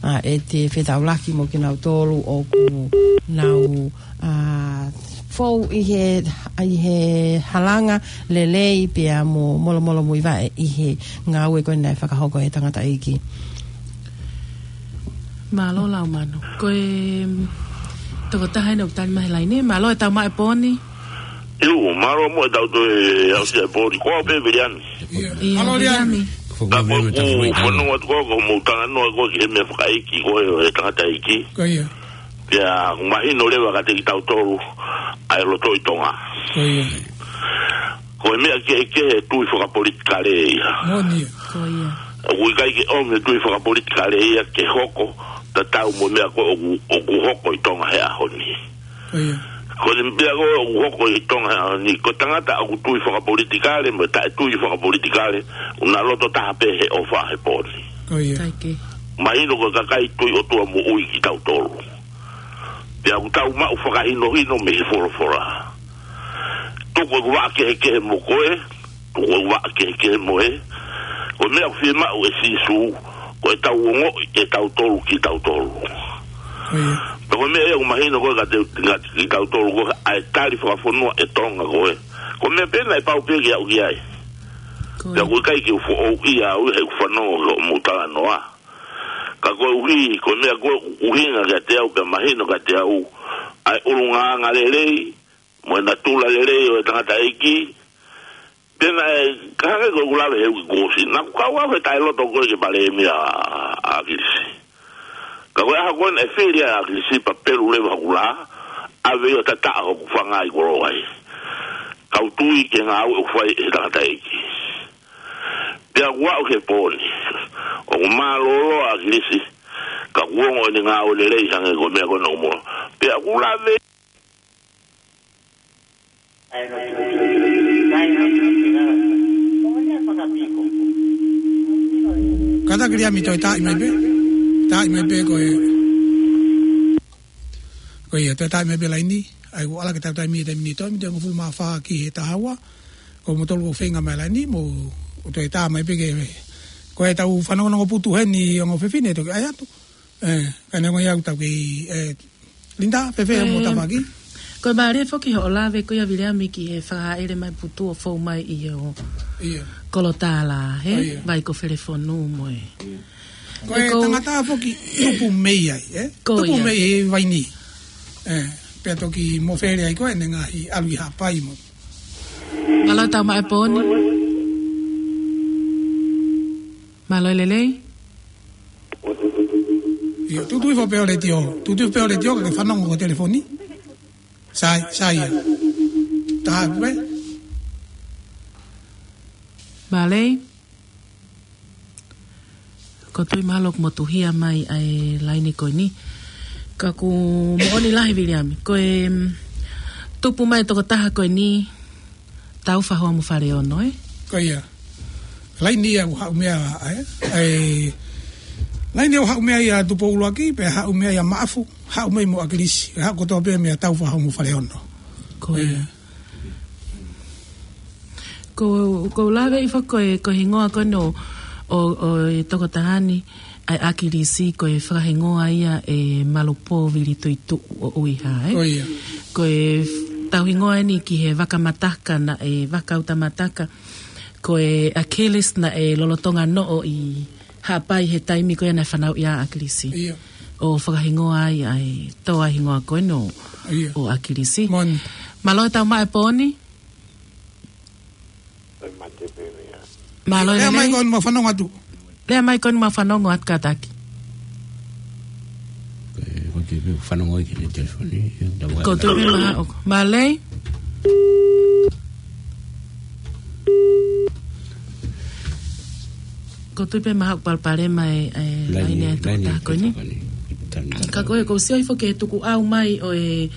ʻa, ʻete fetaulaki mo kinautolu ʻoku nau, ʻa, fou ʻi he, ʻi he halanga lelei pea mo molomolomuivaʻe ʻi he ngāue ko ē naʻe fakahoko ʻe he tangataʻeiki. Mālō Laumanu. Ko e tokotaha eni ʻoku tali mai he laine. Mālō e tau maʻu e pō ni. ʻIo, mālō mo e tau toe aʻusia e pō ni. Ko au pē Viliami. ʻIo. ʻIo, mālō Viliami. Viliami. Ka ko e ʻū fanongo atu ko ē, ko hoʻomou talanoa ko ē ki he meʻa fakaʻeiki ko ē ʻo e tangataʻeiki. Ko ia. Pea ʻoku mahino leva kiate kitautolu ʻa e loto ʻi Tonga. Ko ia. Ko e meʻa kehekehe e tui fakapolitikale ia. Moʻoni ia. Ko ia. ʻOku ʻikai ke ʻomi e tui fakapolitikale ia ke hoko tatau mo e meʻa ko ē ʻoku, ʻoku hoko ʻi Tonga he ʻaho ni. Ko ia. Ko e meʻa ko ē ʻoku hoko ʻi Tonga he ʻaho ni, ko e tangata ʻoku tui fakapolitikale mo e taʻetui fakapolitikale, ʻoku nau loto taha pē he ʻofa he pō ni. Ko ia. Mahino ko e kakai tui ʻOtua moʻui kitautolu. Pea ʻoku tau maʻu fakahinohino mei he folofola. Tuku ʻeku vaʻa kehekehe mo koe, tuku ʻeku vaʻa kehekehe mo ē. Ko e meʻa ʻoku fiemaʻu ʻe Sīsū, ko ʻetau ongoʻi ʻe tautolu kitautolu. Ko ia. Pea ko e meʻa ia ʻoku mahino ko ē kiate, kiate kitautolu ko ē, ʻa e tali fakafonua ʻe Tonga ko ē. Ko e meʻa pē naʻe pau pē ke aʻu ki ai. Ko ia. Pea ʻoku ʻikai ke u foʻou ia au he ʻoku fanongo ki hoʻomou talanoa. Ka koeʻuhi, ko e meʻa ko ē ʻoku ʻuhinga kiate au, pea mahino kiate au, ʻa e ʻulungaanga lelei, mo e natula lelei ʻo e tangataʻeiki, pea naʻe, ka hangē ko ʻeku lave he uike kuo ʻosi, naʻa ku kau au he taʻeloto ko ē ki he palēmia ʻa, ʻa ʻAkilisi. Ka ko e ʻaho ko ē naʻe fili ai ʻa ʻAkilisi pea pelu leva hoku lā, ʻave ia ʻo tataʻo hoku fanga ʻi koloa ai. kau tui ki he ngāue ʻoku fai ʻe he tangataʻeiki. Pea kuo aʻu ki he pō ni, ʻoku mālōlō ʻa ʻAkilisi, ka kuo ongo ʻene ngāue lelei hangē ko e meʻa ko ena ʻoku mō. Pea ʻoku lave. Kātaki Viliami, toe taaʻi mai pē. Taaʻi mai pē ko e, ko ia, toe taaʻi mai pē laini. ʻAi, ʻoku ʻalu ki he tau taimi, taimi ni, toe miniti hongofulu mā fā ki he taha ua. Ko moutolu ʻoku feinga mai laini, mou toe tā mai pē ke, ko e tau fanongonongo putu heni ongo fefine toki ʻai atu. ʻE, ka neongo ia ʻoku tau kei, ʻe, Linda, fēfē hoʻomo tafaʻaki? Ko e mālie foki hoʻo lave ko ia Viliami ki he fakahaʻele mai putu ʻo fou mai ʻi he ʻo Ia. Kolotala, he? ʻO ia. Vai ko Felefonu mo e. Ko e Ko tangata foki tupu mei ai, ʻe? Ko Tupu ia. mei he vai ni. ʻE, pea toki mofele ai ko ē ʻene ngaahi ʻalu ʻi Haʻapai mo. Mālō e tau maʻu e pō ni. Mālō e lelei. Ia, tuʻu tuʻu hifo pē ho letiō. Tuʻu tuʻu hifo pē ho letiō, ka ke fanongo ko e telefoni. Sai, sai ia. Taha pē. Mālō. ʻOku ou tui mahalo kuo motuhia mai ʻa e laini ko eni. Ka ʻoku moʻoni lahi Viliami. Ko e, mm, tupu mai tokotaha ko eni, Taufahoa mo Faleono, ʻe? Ko ia. Laini ia ʻoku haʻu mei ai, ʻe? ʻE, laini ia ʻoku haʻu mei ai ʻa Tupou ʻUluaki, pea haʻu mei ai ʻa Maʻafu, haʻu mei ai mo ʻAkilisi, haʻu kotoa pē mei ai ʻa Taufahoa mo Faleono. Ko ia. ʻE. Ko, ʻoku ou lave hifo ko e, ko e hingoa ko ena ʻo, ʻo, ʻo e tokotaha ni, ʻa e ʻAkilisi ko e fakahingoa ia ʻe Malupō Vili Tuituʻu ʻo ʻUiha, ʻe? Ko ia. Ko e f-, tau hingoa eni ki he vaka mataka naʻe, vaka uta mataka. Ko e Achilles naʻe lolotonga noʻo ʻi Haʻapai he taimi ko ia naʻe fanauʻi ai ʻa ʻAkilisi. Ia. ʻO fakahingoa ai ʻa e toa hingoa ko ena ʻo, Ia. ʻo ʻAkilisi. Moʻoni. Mālō e tau maʻu e pō ni. Mālō e Lea mai lelei. Ko eni mo fanongo atu. Lea mai ko eni mo fanongo atu kātaki. Ko e, ko e fanongo ki he telefoni, ʻe, tau ʻOku ou tui pē maha ʻoku. Mālō e. ʻOku ou tui pē maha ʻoku palopalema e, e, Laini, laini atu laini tā ko eni. tā ko eni. Ka ko e, ʻoku ou sio hifo ki he tukuʻau mai ʻo e,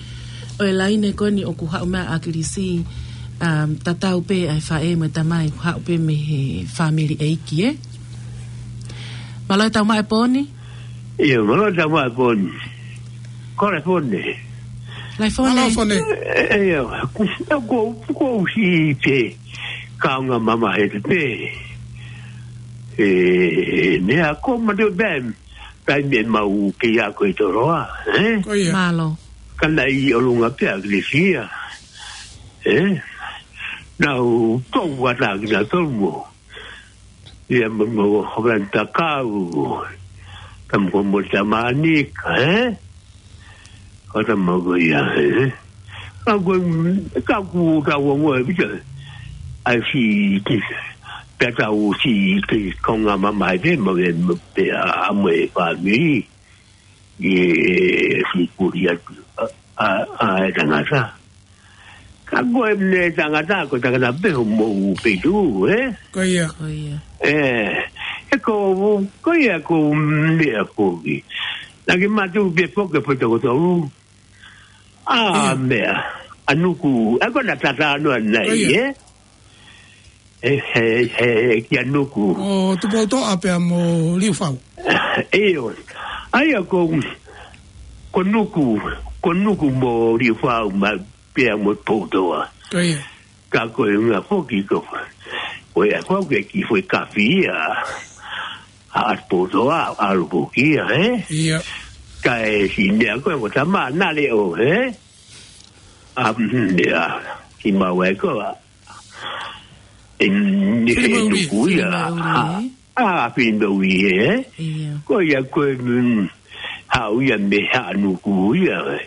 ʻo e laini ko eni ʻoku haʻu mei ai ʻa ʻAkilisi, um, tatau pē ʻa e faʻē mo e tamai, haʻu pē mei he fāmili ʻeiki, ʻe? Mālō e tau maʻu e pō ni. Ia, mālō e tau maʻu e pō ni. Ko e fone. Laifone. Mālō fone. ʻE, ʻe, ia, ku, ku, ku si te kaunga mama he te pe. ʻE, ne a ko ma te bem. Taimi ʻe mau kei ako ʻi Toloa, ʻe? Ko ia. Mālō. Ka naʻe ʻi ʻolunga pē ʻa ʻAkilisi ia. ʻE? Naʻa ku ʻatā kinautolu mo. Ia mo, mo, Hoven Takau. Tamu ko mo Tamanika, ʻe? Ko tama ko ia, ʻe? Ka ko, ka ku ka wango e pita. ʻAi si ki, pea tau si ki kaunga mama ʻi te mo e, mo pea mo e fāmili. ʻE, si kuri atu, ʻa, ʻa, ʻa e tangata. Ka ko e ne tangata, ko e tangata pē hoʻomou peitu, ʻe? Ko ia. Ko ia. ʻE, ʻe ko, ko ia ko meʻa foki. Naʻa ke matu pē foki, pē toko tolu. ʻA, Ia. meʻa. ʻA Nuku, ʻa ko na tata noa nai, Ko ia. ʻe? ʻE, he, he, kia Nuku. ʻO Tupoutoʻa pea mo Liufau. ʻIo. ʻA ia ko, ko Nuku, ko Nuku mo Liufau ma pea mo Tupoutoʻa. Ko ia. Ka ko e ʻuhinga foki ko, ko e ʻa ko ke ki foʻi kafi ia. ʻA Tupoutoʻa, ʻalu foki ia, ʻe? Ia. Ka e si meʻa ko e ko tama na leʻo, ʻe? ʻA, mm, ia. Ki mau e ko, ʻe, ni Fili he Mauli, Nuku Fili ia. Mauli, ʻA, ʻe? ʻa, Fili Mauli, ʻe? Ia. Ko ia ko e, mm, haʻu ia mei Haʻanuku ia, ʻe?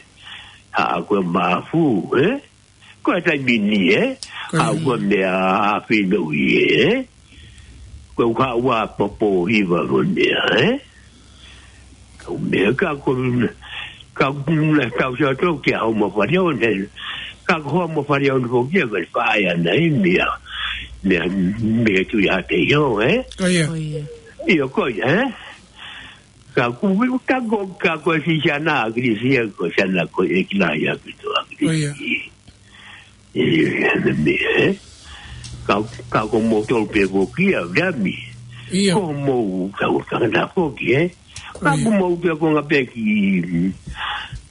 Haʻa ko e Maʻafu, ʻe? Ko e taimi ni, ʻe? Ko ia. Haʻu ko e meʻa ʻa Fili Mauli, ʻe? Ko e haʻu ʻa Popo Hiva ko e meʻa, ʻe? Ko e meʻa ka ko, ka ko na tau sa tau kia hau ma fari o ne. Ka ko Hoa mo Faleonu foki ia, ko e faʻē ʻana ia mei, mei, mei he Tuʻi Haʻapeio, ē? Ko ia. Ko ia. ʻIo, ko ia, ē? Ka ko e, ka ko, ka ko e siʻi siana ʻa ʻAkilisi ia, ko e siana ko e ʻeiki lahi ʻaupito ʻa ʻAkilisi. Ko ia. ʻIo, ʻio, ʻio, ʻio, ʻio. Ka, ka ko moutolu pē foki ia, Viliami. ʻIo. Ko mou, ka, ka, ka foki, ē? Ka ʻIo. ko mou pē ko ngā pē ki,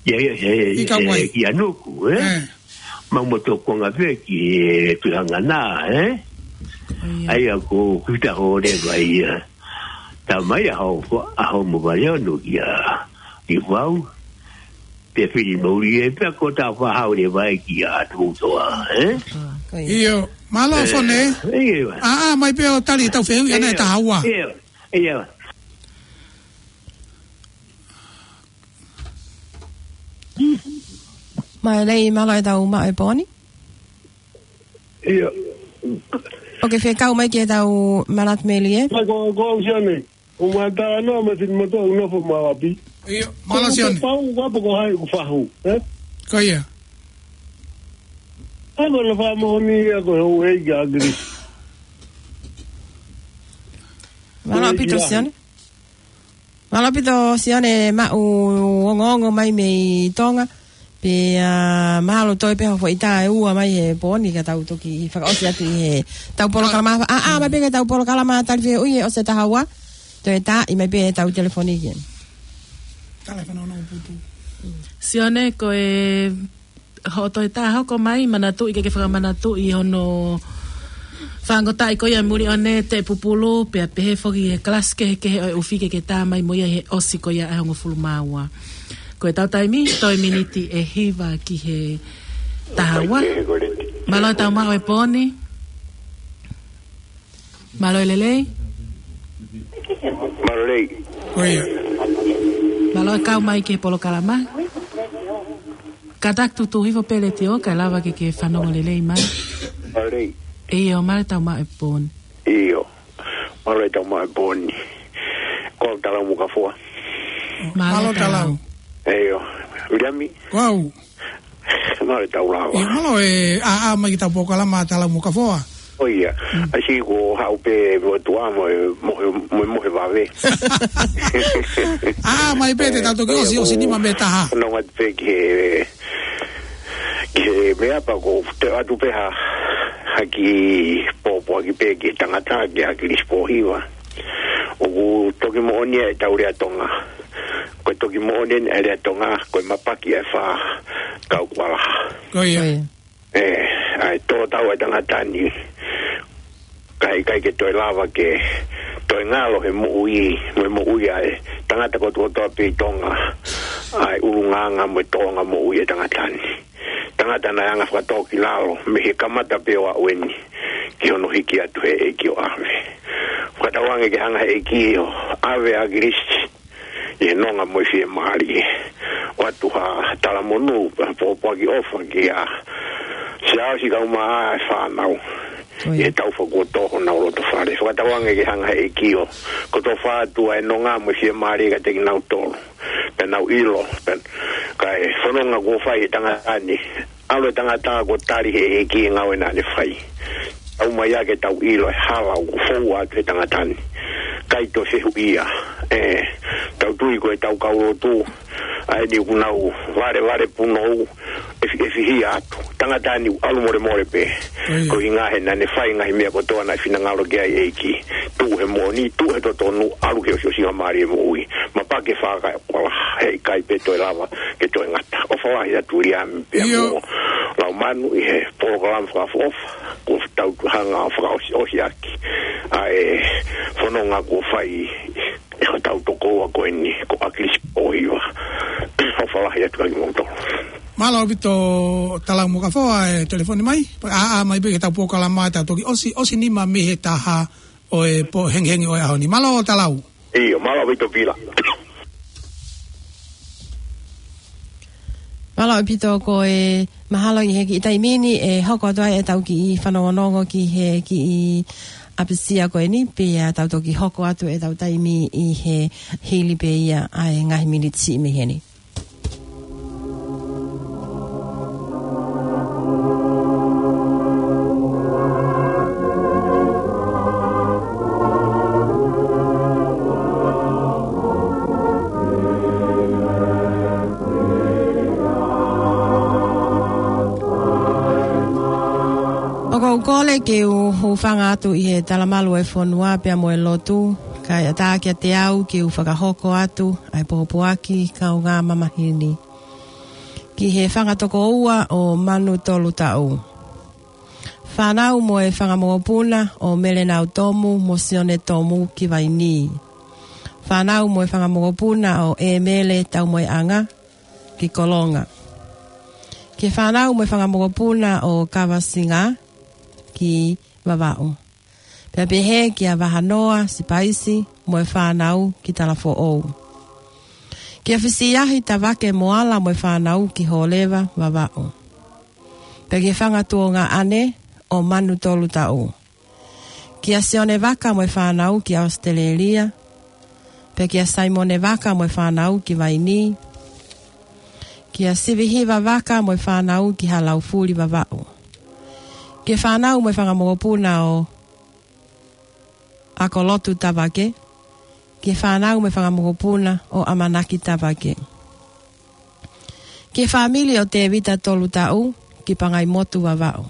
ia, ia, he, ʻI ka he, wai. ki ʻAnuku, ē? Ē. Mau mo toko ngā pē ki he Tuʻi Hangana, ē? ʻIo. ʻAia ko kita ho leva ia. Tā mai ʻa Hoa, ʻa Hoa mo Faleonu kia, ki Vau. Pea fili mo uli ē, pea ko tā fahau leva ē kia Tuʻutoa, ē? Ko ia. ʻIo, mālō Ē, Fone. ʻIo. ʻĀ, ʻā mai pē ʻo tali ʻetau fehuʻi ʻana ʻe taha ua. ʻIo, ʻio. Mālō e, mālō e tau maʻu e pōni. ʻIo. ʻOkei, fekau mai ki heʻetau manatu melie. Mai ko, ko au Sione. ʻO mai tā noa mai fini moto au nofo mau ʻapi. ʻIo, mālō Sione. Ko pau, ko apa ko hai ko fahu, ē? Ko ia. Ai ko na fa mo ni ia ko hou e ia gri. Mālō ʻaupito Sione. Mālō ʻaupito Sione maʻu ongoongo mai mei Tonga. Pea, ā, mahalo toe pē ha foʻi tā ʻe ua mai he pōni ka tau toki fakaʻosi atu ʻi heʻetau polokalama. ʻĀ, ʻā, mai pē ki heʻetau polokalama tali fehuʻi he ʻosi e taha ua. Toe tā, ʻi mai pē heʻetau telefoni ki ai. Tala e fanongo putu. Sione, ko e hoʻo toe tā hoko mai, manatuʻi ke ke fakamanatuʻi hono fāngotaʻi ko ia muli ʻo ne te pupulu, pea pehē foki he kalasi kehekehe ʻo e ʻufi ke ke tā mai mo ia he ʻosi ko ia ʻe hongofulu mā ua. Ko ʻetau taimi, toe miniti ʻe hiva ki he taha ua. Mālō e tau maʻu e pōni. Mālō e lelei. Mālō e lelei. Ko ia. Mālō e kau mai ki he polokalama. Kātaki tutu hifo pē letiō, kae lava ke ke fanongo lelei mai. Mālō e lelei. ʻIo, mālō e tau maʻu e pōni. ʻIo. Mālō e tau maʻu e pōni. Ko au Talau Mokafoa. Mālō Mālō Talau. Talau. ʻIo. Viliami. Ko au. Mālō e tau lava. ʻIo, mālō e, ʻā, ʻā, mai ki heʻetau polokalama Talau Mokafoa. ʻO ia. Mm. ʻAsi ko haʻu pē mo tua mo e, mo e, mo e, mo e vave. ʻĀ, mai pē te tau toki ʻosi, ʻosi nima mei he taha. Nonga pē ki he, ki he meʻa pea ko u toe ʻoatu pē ha, ha kiʻi pōpoaki pē ki he tangata, ki ʻAkilisi Pōhiva. ʻOku toki moʻoni ʻetau lea Tonga. Ko e toki moʻoni ʻeni e lea Tonga, ko e mapaki e fā kau kualaha. Ko ia. Ko ia. ʻE, ʻa e tō tau e tangata ni, ka ʻikai ke toe lava ke toe ngalo he moʻui, mo e moʻui ʻa e tangata kotokotoa pē ʻi Tonga, ʻa e ʻulungaanga mo e tōʻonga moʻui e tangata ni. Tangata naʻe anga fakatōkilalo, mei he kamata pē ʻo aʻu eni, ki hono hiki atu he ʻEiki ʻo ʻave. Fakatauange ke hanga he ʻEiki ʻo ʻave ʻa ʻAkilisi, ʻi he nonga mo e fiemālie. ʻOatu ha talamonū, ha pōpoaki ʻofa kia Siaosi kae ʻumaʻā e fānau. Ko ia. ʻI he tau fakuoto honau loto fale. Fakatauange ke hanga he ʻEiki ʻo kotofa atu ʻa e nonga mo e fiemālie kiate kinautolu. Pea nau ʻilo, pea, kae fononga kuo fai he tangata ni. ʻAlu e tangata kuo tali he ʻEiki e ngāue naʻa ne fai. Tau mai ake tau ʻilo e hala ʻoku foua atu he tangata ni. ʻIkai toe fehuʻia. ʻE, tau tui ko e tau kau lotu. ʻA eni ʻoku nau valevale punou. ʻE fi-, ʻe fihia atu. Tangata ni ʻalu molemole pē. Ko ia. Ko e ʻuhinga he naʻa ne fai ngaahi meʻa kotoa naʻe finangalo ki ai e ʻEiki. Tuʻu he moʻoni, tuʻu he totonu, ʻalu ki he ʻosiʻosingamālie moʻui. Mapaki e fā kau kualaha, heʻikai pē toe lava ke toe ngata. ʻOfa lahi atu Viliami pea ʻIo. mo Laumanu ʻi he polokalama fakaʻofoʻofa, kuo tau hanga ʻo fakaʻosiʻosi ʻaki ʻa e fononga kuo fai ʻe hotau tokoua ko eni, ko ʻAkilisi Pōhiva. ʻOfa lahi atu kiate kimoutolu. Mālō ʻaupito Talau Mokafoa e telefoni mai. ʻĀ, ʻā mai pē ki heʻetau polokalama, tau toki ʻosi, ʻosi nima mei he taha ʻo e pō hengihengi ʻo e ʻaho ni. Mālō Talau. ʻIo, mālō ʻaupito Vila. Mālō ʻaupito, ko e mahalo ʻi he kiʻi taimi ni ʻe hoko atu ai ʻetau kiʻi fanongonongo ki he kiʻi ʻapasia ko eni, pea tau toki hoko atu ʻetau taimi ʻi he hili pē ia ʻa e ngaahi miniti mei heni. Kole ke u hūfanga atu ʻi he talamalu ʻo e fonua pea mo e lotu, kae ʻatā kiate au ke u fakahoko atu ʻa e pōpoaki kaungā mamahi ni. Ki he fanga tokoua ʻo Manu Tolutaʻu. Fānau mo e fanga mokopuna ʻo Melenau Tomu mo Sione Tomu ki Vainī. Fānau mo e fanga mokopuna ʻo ʻEmele Taumoeʻanga ki Kolonga. Ki he fānau mo e fanga mokopuna ʻo Kavasinga ki Vavaʻu. Pea pehē kia Vahanoa Sipaisi mo e fānau ki Talafoʻou. Kia Fisiahi Tavake Moala mo e fānau ki Hōleva, Vavaʻu. Pea ki he fanga tuongaʻane ʻo Manu Tolutaʻu. Kia Sione Vaka mo e fānau ki Australia. Pea kia Saimone Vaka mo e fānau ki Vainī. Kia Sivihiva Vaka mo e fānau ki Halaufuli, Vavaʻu. Ki he fānau mo e fanga mokopuna ʻo ʻAkolotu Tavake. Ki he fānau mo e fanga mokopuna ʻo ʻAmanaki Tavake. Ki he fāmili ʻo Tēvita Tolutaʻu ki Pangaimotu, Vavaʻu.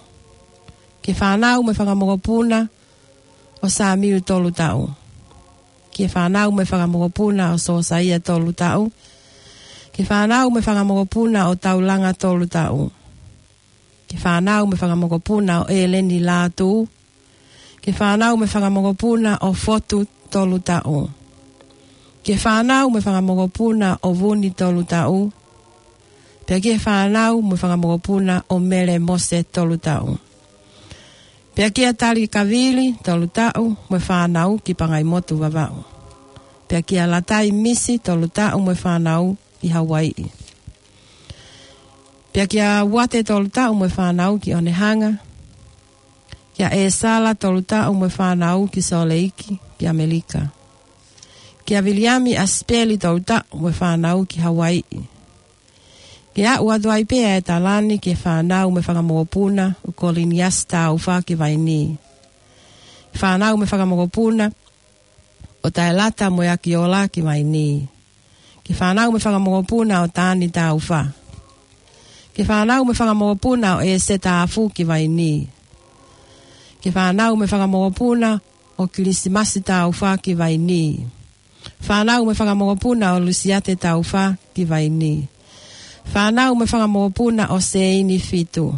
Ki he fānau mo e fanga mokopuna ʻo Samiu Tolutaʻu. Ki he fānau mo e fanga mokopuna ʻo Sosaia Tolutaʻu. Ki he fānau mo e fanga mokopuna ʻo Taulanga Tolutaʻu. Ki he fānau mo e fanga mokopuna ʻo ʻEleni Lātū. Ki he fānau mo e fanga mokopuna ʻo Fotu Tolutaʻu. Ki he fānau mo e fanga mokopuna ʻo Vuni Tolutaʻu. Pea ki he fānau mo e fanga mokopuna ʻo Mele Mose Tolutaʻu. Pea kia Tali Kavili Tolutaʻu mo e fānau ki Pangaimotu, Vavaʻu. Pea kia Latai Misi Tolutaʻu mo e fānau ki Hauaiʻi. Pea kia Uate Tolutaʻu mo e fānau ki Onehunga. Kia ʻEsala Tolutaʻu mo e fānau ki Sōleiki ki ʻAmelika. Kia Viliami ʻAsipeli Tolutaʻu mo e fānau ki Hauaiʻi. Ke aʻu atu ai pē ʻa e tala ni ki he fānau mo e fanga mokopuna ʻo Koliniasi Taufa ki Vainī. Fānau mo e fanga mokopuna ʻo Taelata mo e Akiola ki Vainī. Ki he fānau mo e fanga mokopuna ʻo Tani Taufa. Ki he fānau mo e fanga mokopuna ʻo ʻEse Tafu ki Vainī. Ki he fānau mo e fanga mokopuna ʻo Kilisimasi Taufa ki Vainī. Fānau mo e fanga mokopuna ʻo Lusiate Taufa ki Vainī. Fānau mo e fanga mokopuna ʻo Seini Fitu.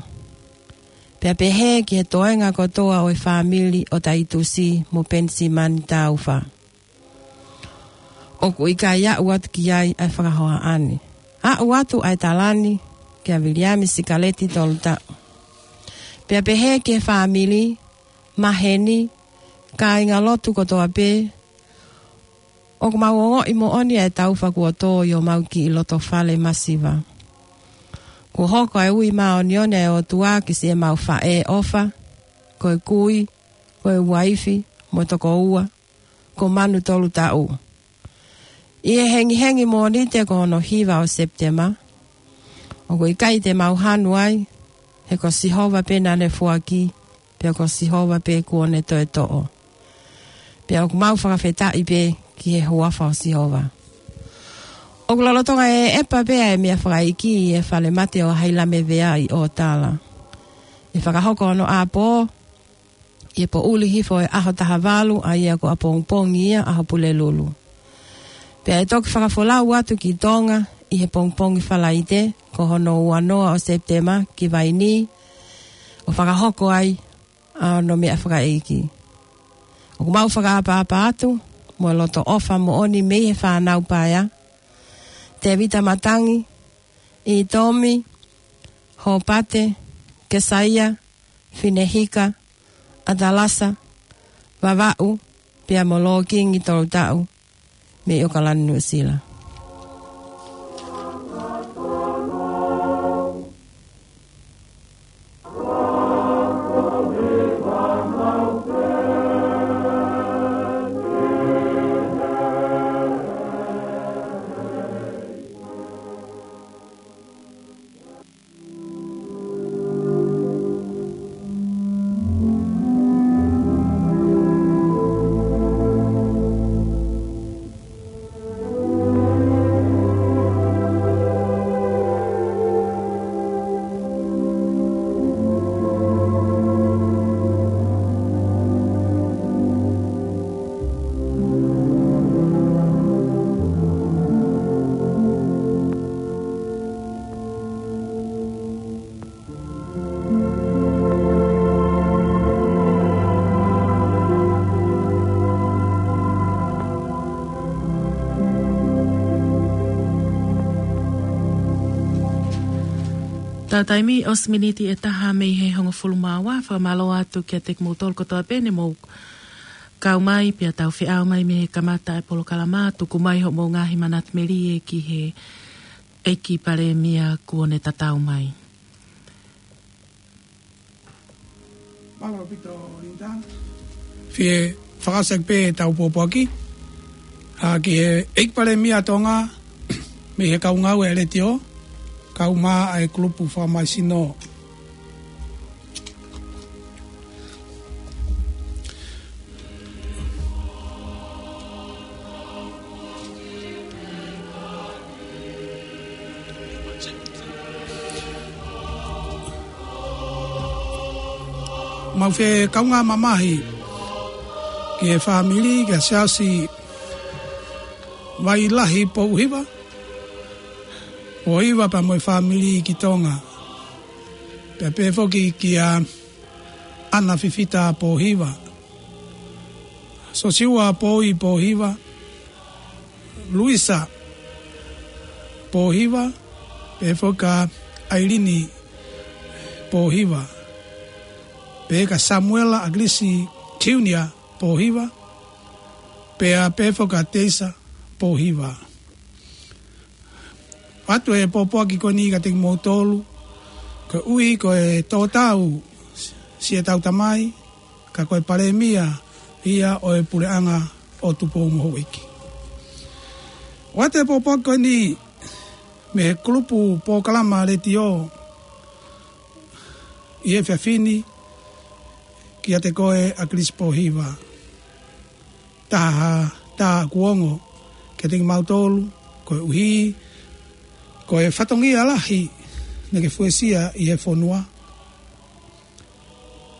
Pea pehē ki he toenga kotoa ʻo e fāmili ʻo Taitusi mo Penisimani Taufa. ʻOku ʻikai aʻu atu ki ai ʻa e fakahohaʻa ni. Aʻu atu ʻa e tala ni kia Viliami Sikaleti Tolutaʻu. Pea pehē ki he fāmili, maheni, kāingalotu kotoa pē, ʻoku mau ongoʻi moʻoni ʻa e taufa kuo tō ʻi homau kiʻi loto fale masiva. Kuo hoko ʻa e ui māʻoniʻoni ʻa e ʻOtua ki siʻemau faʻē ʻofa, ko e kui, ko e uaifi, mo e tokoua, ko Manu Tolutaʻu. ʻI he hengihengi Mōnite ko hono hiva ʻo Sepitema, ʻoku ʻikai te mau hanu ai, he ko Sihova pē naʻa ne foaki, pea ko Sihova pē kuo ne toe toʻo. Pea ʻoku mau fakafetaʻi pē ki he huafa ʻo Sihova. ʻOku lolotonga ʻeʻepa pē ʻa e meʻa fakaʻeiki ʻi he falemate ʻo Hailame Vea ʻi ʻOtala. ʻE fakahoko hono ʻapō ʻi he poʻuli hifo ʻo e ʻaho taha valu, ʻa ia ko ʻapongipongi ia, ʻaho Pulelulu. Pea ʻe toki fakafolau atu ki Tonga ʻi he pongipongi Falaite, ko hono uanoa ʻo Sepitema ki Vainī, ʻo fakahoko ai ʻa hono meʻa fakaʻeiki. ʻOku mau fakaʻapaʻapa atu mo e loto ʻofa moʻoni mei he fānau paea, Tēvita Matangi, ʻItomi, Hopate, Kesaia, Finehika, ʻAtalasa, Vavaʻu, pea mo Lōkingi Tolutaʻu mei ʻOkalani, Nuʻusila. Tau taimi ʻosi miniti ʻe taha mei he hongofulu mā ua, fakamālō atu kiate kimoutolu kotoa pē ne mou kau mai, pea tau feʻao mai mei he kamata e polokalama, tuku mai hoʻomou ngaahi manatu melie ki he ʻEiki Palēmia kuo ne tatau mai. Mālō ʻaupito, Linda. Fie fakaʻosi pē ʻetau pōpoaki. ʻA, ki he ʻEiki Palēmia Tonga, mei he kau ngāue ʻa e letiō, kau mai ʻa e kulupu fakamaisino. Mau fie kaungā mamahi ki he fāmili, ki he Siasi Vailahi Pouhiva, Pouhiva pea mo e fāmili ki Tonga. Pea pehē foki kia Ana Fifita Pouhiva, Sosiua Poi Pouhiva, Luisa Pouhiva, pehē foki kia ʻAilini Pouhiva, pehē kia Samuela ʻAkilisi Junior Pouhiva, pea pehē foki kia Teisa Pouhiva. ʻOatu e pōpoaki ko eni kiate kimoutolu, koeʻuhi ko e tō tau siʻetau tamai, ka ko e Palēmia ia ʻo e Puleʻanga ʻo Tupou mo Houʻeiki. ʻOatu e pōpoaki ko eni mei he kulupu polokalama letiō ʻi he efiafi ni kiate koe ʻAkilisi Pouhiva. Taha, taha kuo ongo kiate kimautolu, koeʻuhi ko e fatongia lahi naʻa ke fuesia ʻi he fonua,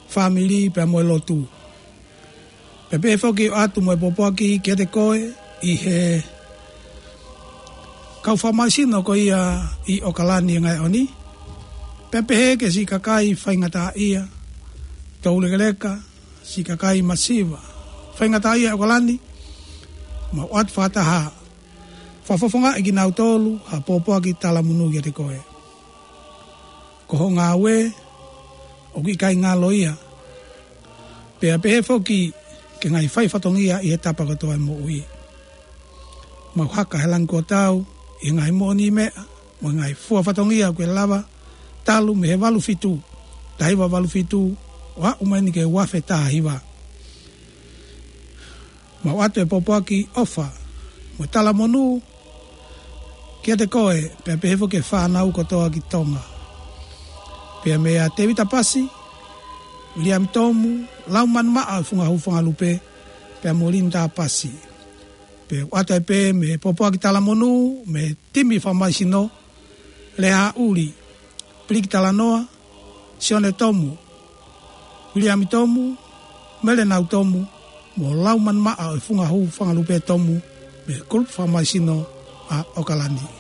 fāmili pea mo e lotu. Pea pehē foki ʻoatu mo e pōpoaki kiate koe ʻi he kau fakamaisino ko ia ʻi ʻOkalani he ngaahi ʻaho ni. Pea pehē ki he siʻi kakai faingataʻaʻia, toulekeleka, siʻi kakai masiva faingataʻaʻia ʻi ʻOkalani, mau ʻoatu fakataha fakafofongaʻi kinautolu ha pōpoaki talamonū kiate koe. Ko hoʻo ngāue ʻoku ʻikai ngalo ia. Pea pehē foki ki he ngaahi fai fatongia ʻi he tapa kotoa e moʻui. Mau haka he langi kuo tau ʻi he ngaahi moʻoniʻi meʻa mo e ngaahi fua fatongia ʻoku ke lava talu mei he valu fitu, taha hiva valu fitu, ʻo aʻu mai eni ki he ua afe taha hiva. Mau ʻoatu e pōpoaki ʻofa mo e talamonū kiate koe, pea pehē foki ki he fānau kotoa ki Tonga. Pea meia Tēvita Pasi, Viliami Tomu, Laumanu Maʻa Fungahū Fangalupe, pea mo Linda Pasi. Pea ʻoatu ai pē mei he pōpoaki talamonū mei he timi fakamaisino, Lea Uli, Piliki Talanoa, Sione Tomu, Viliami Tomu, Melenau Tomu, mo Laumanu Maʻa ʻo e Fungahū Fangalupe Tomu, mei he kulupu fakamaisino ʻa ʻOkalani.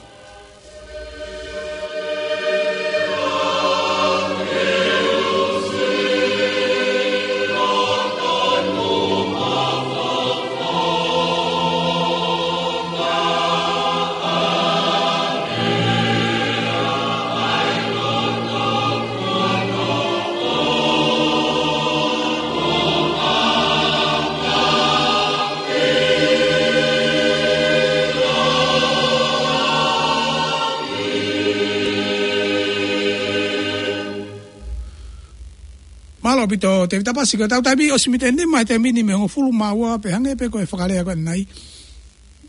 Mālō ʻaupito, Tēvita Pasi, ko ʻetau taimi ʻosi miniti ʻe nima he taimi ni mei he hongofulu mā ua, pea hangē pē ko e fakalea ko eni,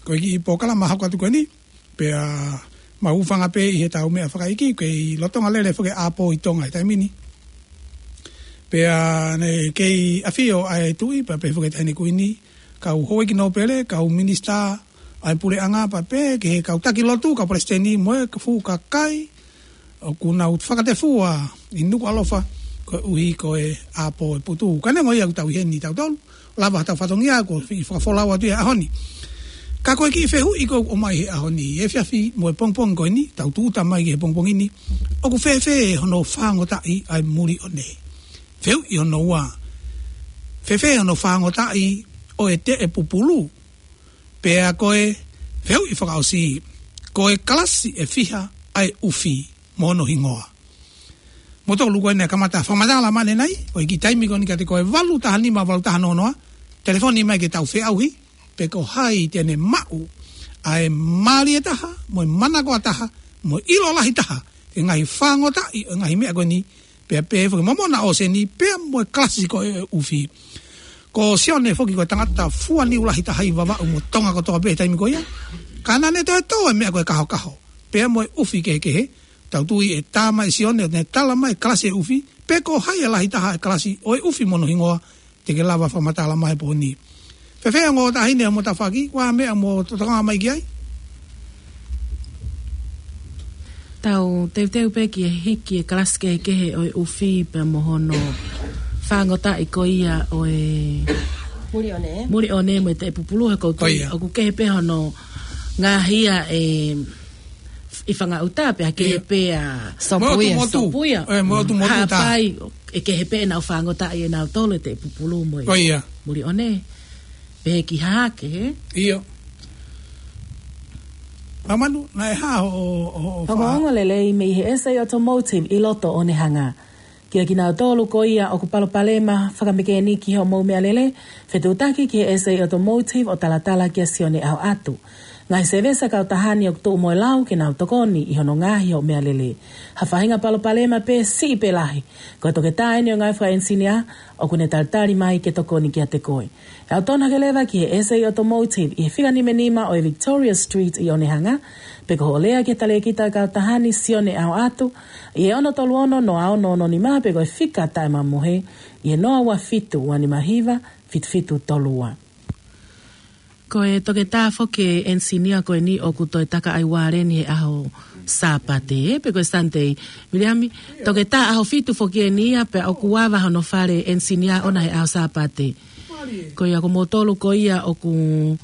ko e kiʻi polokalama hoko atu ko eni. Pea mau hūfanga pē ʻi heʻetau meʻa fakaʻeiki, kei lolotonga lele foki e ʻapo ʻi Tonga he taimi ni. Pea naʻe kei ʻafio ʻa e Tuʻi, pea pehē foki ki he Taʻahine Kuini, kau houʻeiki nōpele, kau minisitā ʻa e puleʻanga, pea pehē ki he kau taki lotu, kau palesiteni mo e fuʻu kakai ʻoku nau fakatefua ʻi Nukuʻalofa koeʻuhi ko e ʻapo ʻo e putu. Ka neongo ia ʻoku tau ʻi heni tautolu, lava ʻetau fatongia, ko e fakafolau atu ia he ʻaho ni. Ka ko e kiʻi fehuʻi ʻoku ou ʻomai he ʻaho ni, he efiafi mo e pongipongi ko eni, tau tūʻuta mai ki he pongipongi ni, ʻoku fēfē hono fāngotaʻi ʻa e muli ʻo ne? Fehuʻi hono ua, fēfē hono fāngotaʻi ʻo e teʻe pupulu? Pea ko e fehuʻi fakaʻosi, ko e kalasi ʻe fiha ʻa e ʻufi mo hono hingoa? Motolu ko ē naʻe kamata fakamatala mai ʻanenai, ʻo e kiʻi taimi ko eni kiate koe, valu taha nima, valu taha noa noa, telefoni mai ke tau feʻauhi, pe ko hai te ne maʻu ʻa e mālie taha, mo e manako ʻa taha, mo e ʻilo lahi taha, ki he ngaahi fāngotaʻi ʻo e ngaahi meʻa ko eni, pea pehē foki mo Mona ʻOseni, pea mo e kalasi ko ē ʻo e ʻufi. Ko Sione foki ko e tangata fua niu lahi taha ʻi Vavaʻu mo Tonga kotoa pē he taimi ko ia. Ka naʻa ne toe tō e meʻa ko e kahokaho, pea mo e ʻufi kehekehe, tau tui ʻe tā mai ʻe Sione, ʻo ne tala mai e kalasi ʻo e ʻufi, pe ko hai e lahi taha e kalasi ʻo e ʻufi mo hono hingoa, te ke lava fakamatala mai he pō ni. Fēfē ongo taʻahine ʻo Motafaki, ko e hā e meʻa mo tokanga mai ki ai? Tau teuteu pē ki he hiki e kalasi kehekehe ʻo e ʻufi pea mo hono fāngotaʻi ko ia ʻo e Muliʻone. Muliʻone mo e Teʻepupulu he ʻoku ou tui, ʻoku kehe pē hono ngaahi ia ʻe ʻi Fangaʻuta pea kehe pē ʻa Sopuia. Mo e ʻOtu Motu. Sopuia. ʻE, mo e ʻOtu Motu tā. Haʻapai, ʻe kehe pē ʻenau fāngotaʻi ʻenautolu e Teʻepupulu mo e Muliʻone. Pehē ki Hahake, hē? ʻIo. Laumanu, naʻe hā hoʻo, hoʻo, hoʻo fa- Ongoongo lelei mei he S A Automotive ʻi loto ʻo Onehunga. Kiate kinautolu ko ia ʻoku palopalema fakamekēniki hoʻomou meʻalele, fetuʻutaki ki he S A Automotive ʻo talatala kia Sione ʻAhoʻatu. Ngaahi sēvesi ʻa e kautaha ni ʻoku tuʻu mo e lau ke nau tokoni ʻi hono ngaohi hoʻo meʻalele. Ha faʻahinga palopalema pē siʻi pe lahi, ko e toketā eni ʻo e ngaahi fakaʻenisinia ʻoku ne talitali mai ke tokoni kiate koe. ʻE ʻautonu hake leva ki he S A Automotive ʻi he fika nima nima ʻo e Victoria Street ʻi Onehunga, pe ko hoʻo lea ki he talēkita ʻo e kautaha ni Sione ʻAhoʻatu, ʻi he ono tolu ono noa ono ono nima pe ko e fika taʻemamohe, ʻi he noa ua fitu ua nima hiva fitu fitu tolu ua. Ko e toketā foki e ʻenisinia ko eni ʻoku toe taka ʻa e ualeni he ʻaho Sāpate, pe ko e Sunday. Viliami, toketā ʻaho fitu foki eni ia pea ʻoku ava hono fale ʻenisinia ʻona he ʻaho Sāpate. Ko ia ko moutolu ko ia ʻoku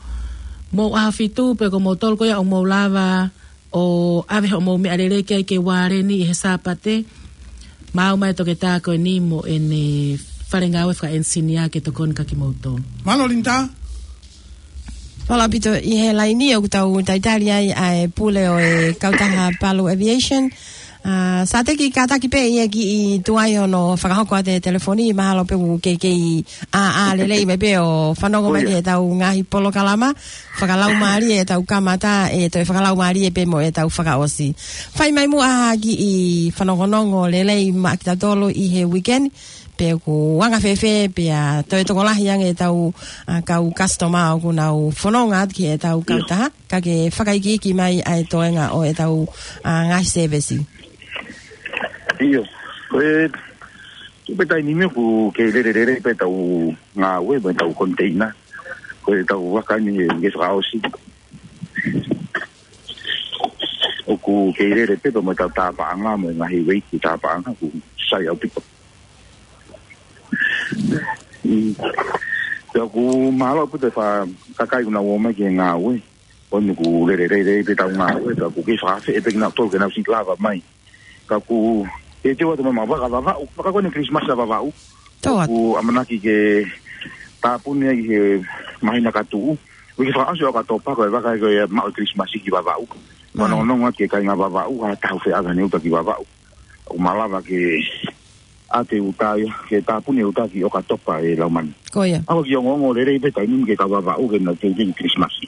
mou ʻaho fitu, pe ko moutolu ko ia ʻoku mou lava ʻo ʻave hoʻomou meʻalele ki ai ke ualeni ʻi he Sāpate, maʻu mai e toketā ko eni mo ʻene fale ngāue fakaʻenisinia ke tokoni kia kimoutolu. Mālō Linda. Mālō ʻaupito. ʻI he laini ʻoku tau talitali ai ʻa e pule ʻo e kautaha Palu Aviation. ʻA, Sateki, kātaki pē ʻe kiʻi tuai hono fakahoko atu e telefoni, mahalo pē ʻoku ke kei ʻā, ʻā lelei mai pē ʻo fanongo mai ki heʻetau ngaahi polokalama. Fakalaumālie ʻetau kamata, ʻe toe fakalaumālie pē mo ʻetau fakaʻosi. Fai mai muʻa ha kiʻi fanongonongo lelei maʻa kitautolu ʻi he weekend, pe ʻoku anga fēfē, pea toe tokolahi ange ʻetau, ʻa, kau customer ʻoku nau fononga atu ki heʻetau kautaha, ka ke fakaikiiki mai ʻa e toenga ʻo ʻetau, ʻa, ngaahi sēvesi. ʻIo, ko e, ko e taimi ni ʻoku kei lelelele pē ʻetau ngāue, pē ʻetau koniteina. Ko ʻetau vaka ni ʻe kei fakaʻosi. ʻOku kei lele pē pea mo ʻetau tāpaʻanga, mo e ngaahi ueiti tāpaʻanga, ʻoku sai ʻaupito. Mm. Pea ʻoku mālō ʻaupito e fā kakai ʻoku nau ō mai ki he ngāue. ʻOku lelelele pē ʻetau ngāue, pea ʻoku kei fakaafeʻi pē kinautolu ke nau siʻi lava mai. Ka ʻoku teuteu atu mai ʻa e vaka Vavaʻu, vaka ko eni Kilisimasi ʻa Vavaʻu. Tō atu. ʻOku ʻamanaki ke tāpuni ai he māhina ka tuʻu. ʻOku fakaʻosi ʻo ka tō pako e vaka ko ia maʻu Kilisimasi ki Vavaʻu. Mai. Fanongonongo atu ki he kāinga Vavaʻu, ha taha ʻoku feʻao ʻene uta ki Vavaʻu. ʻOku malava ke ʻave e uta ia, ke tāpuni e uta ki ʻOkatopa ʻe Laumani. Ko ia. ʻOku kei ongoongo lelei pē taimi ni ki he kau Vavaʻu ke nau teuteu Kilisimasi.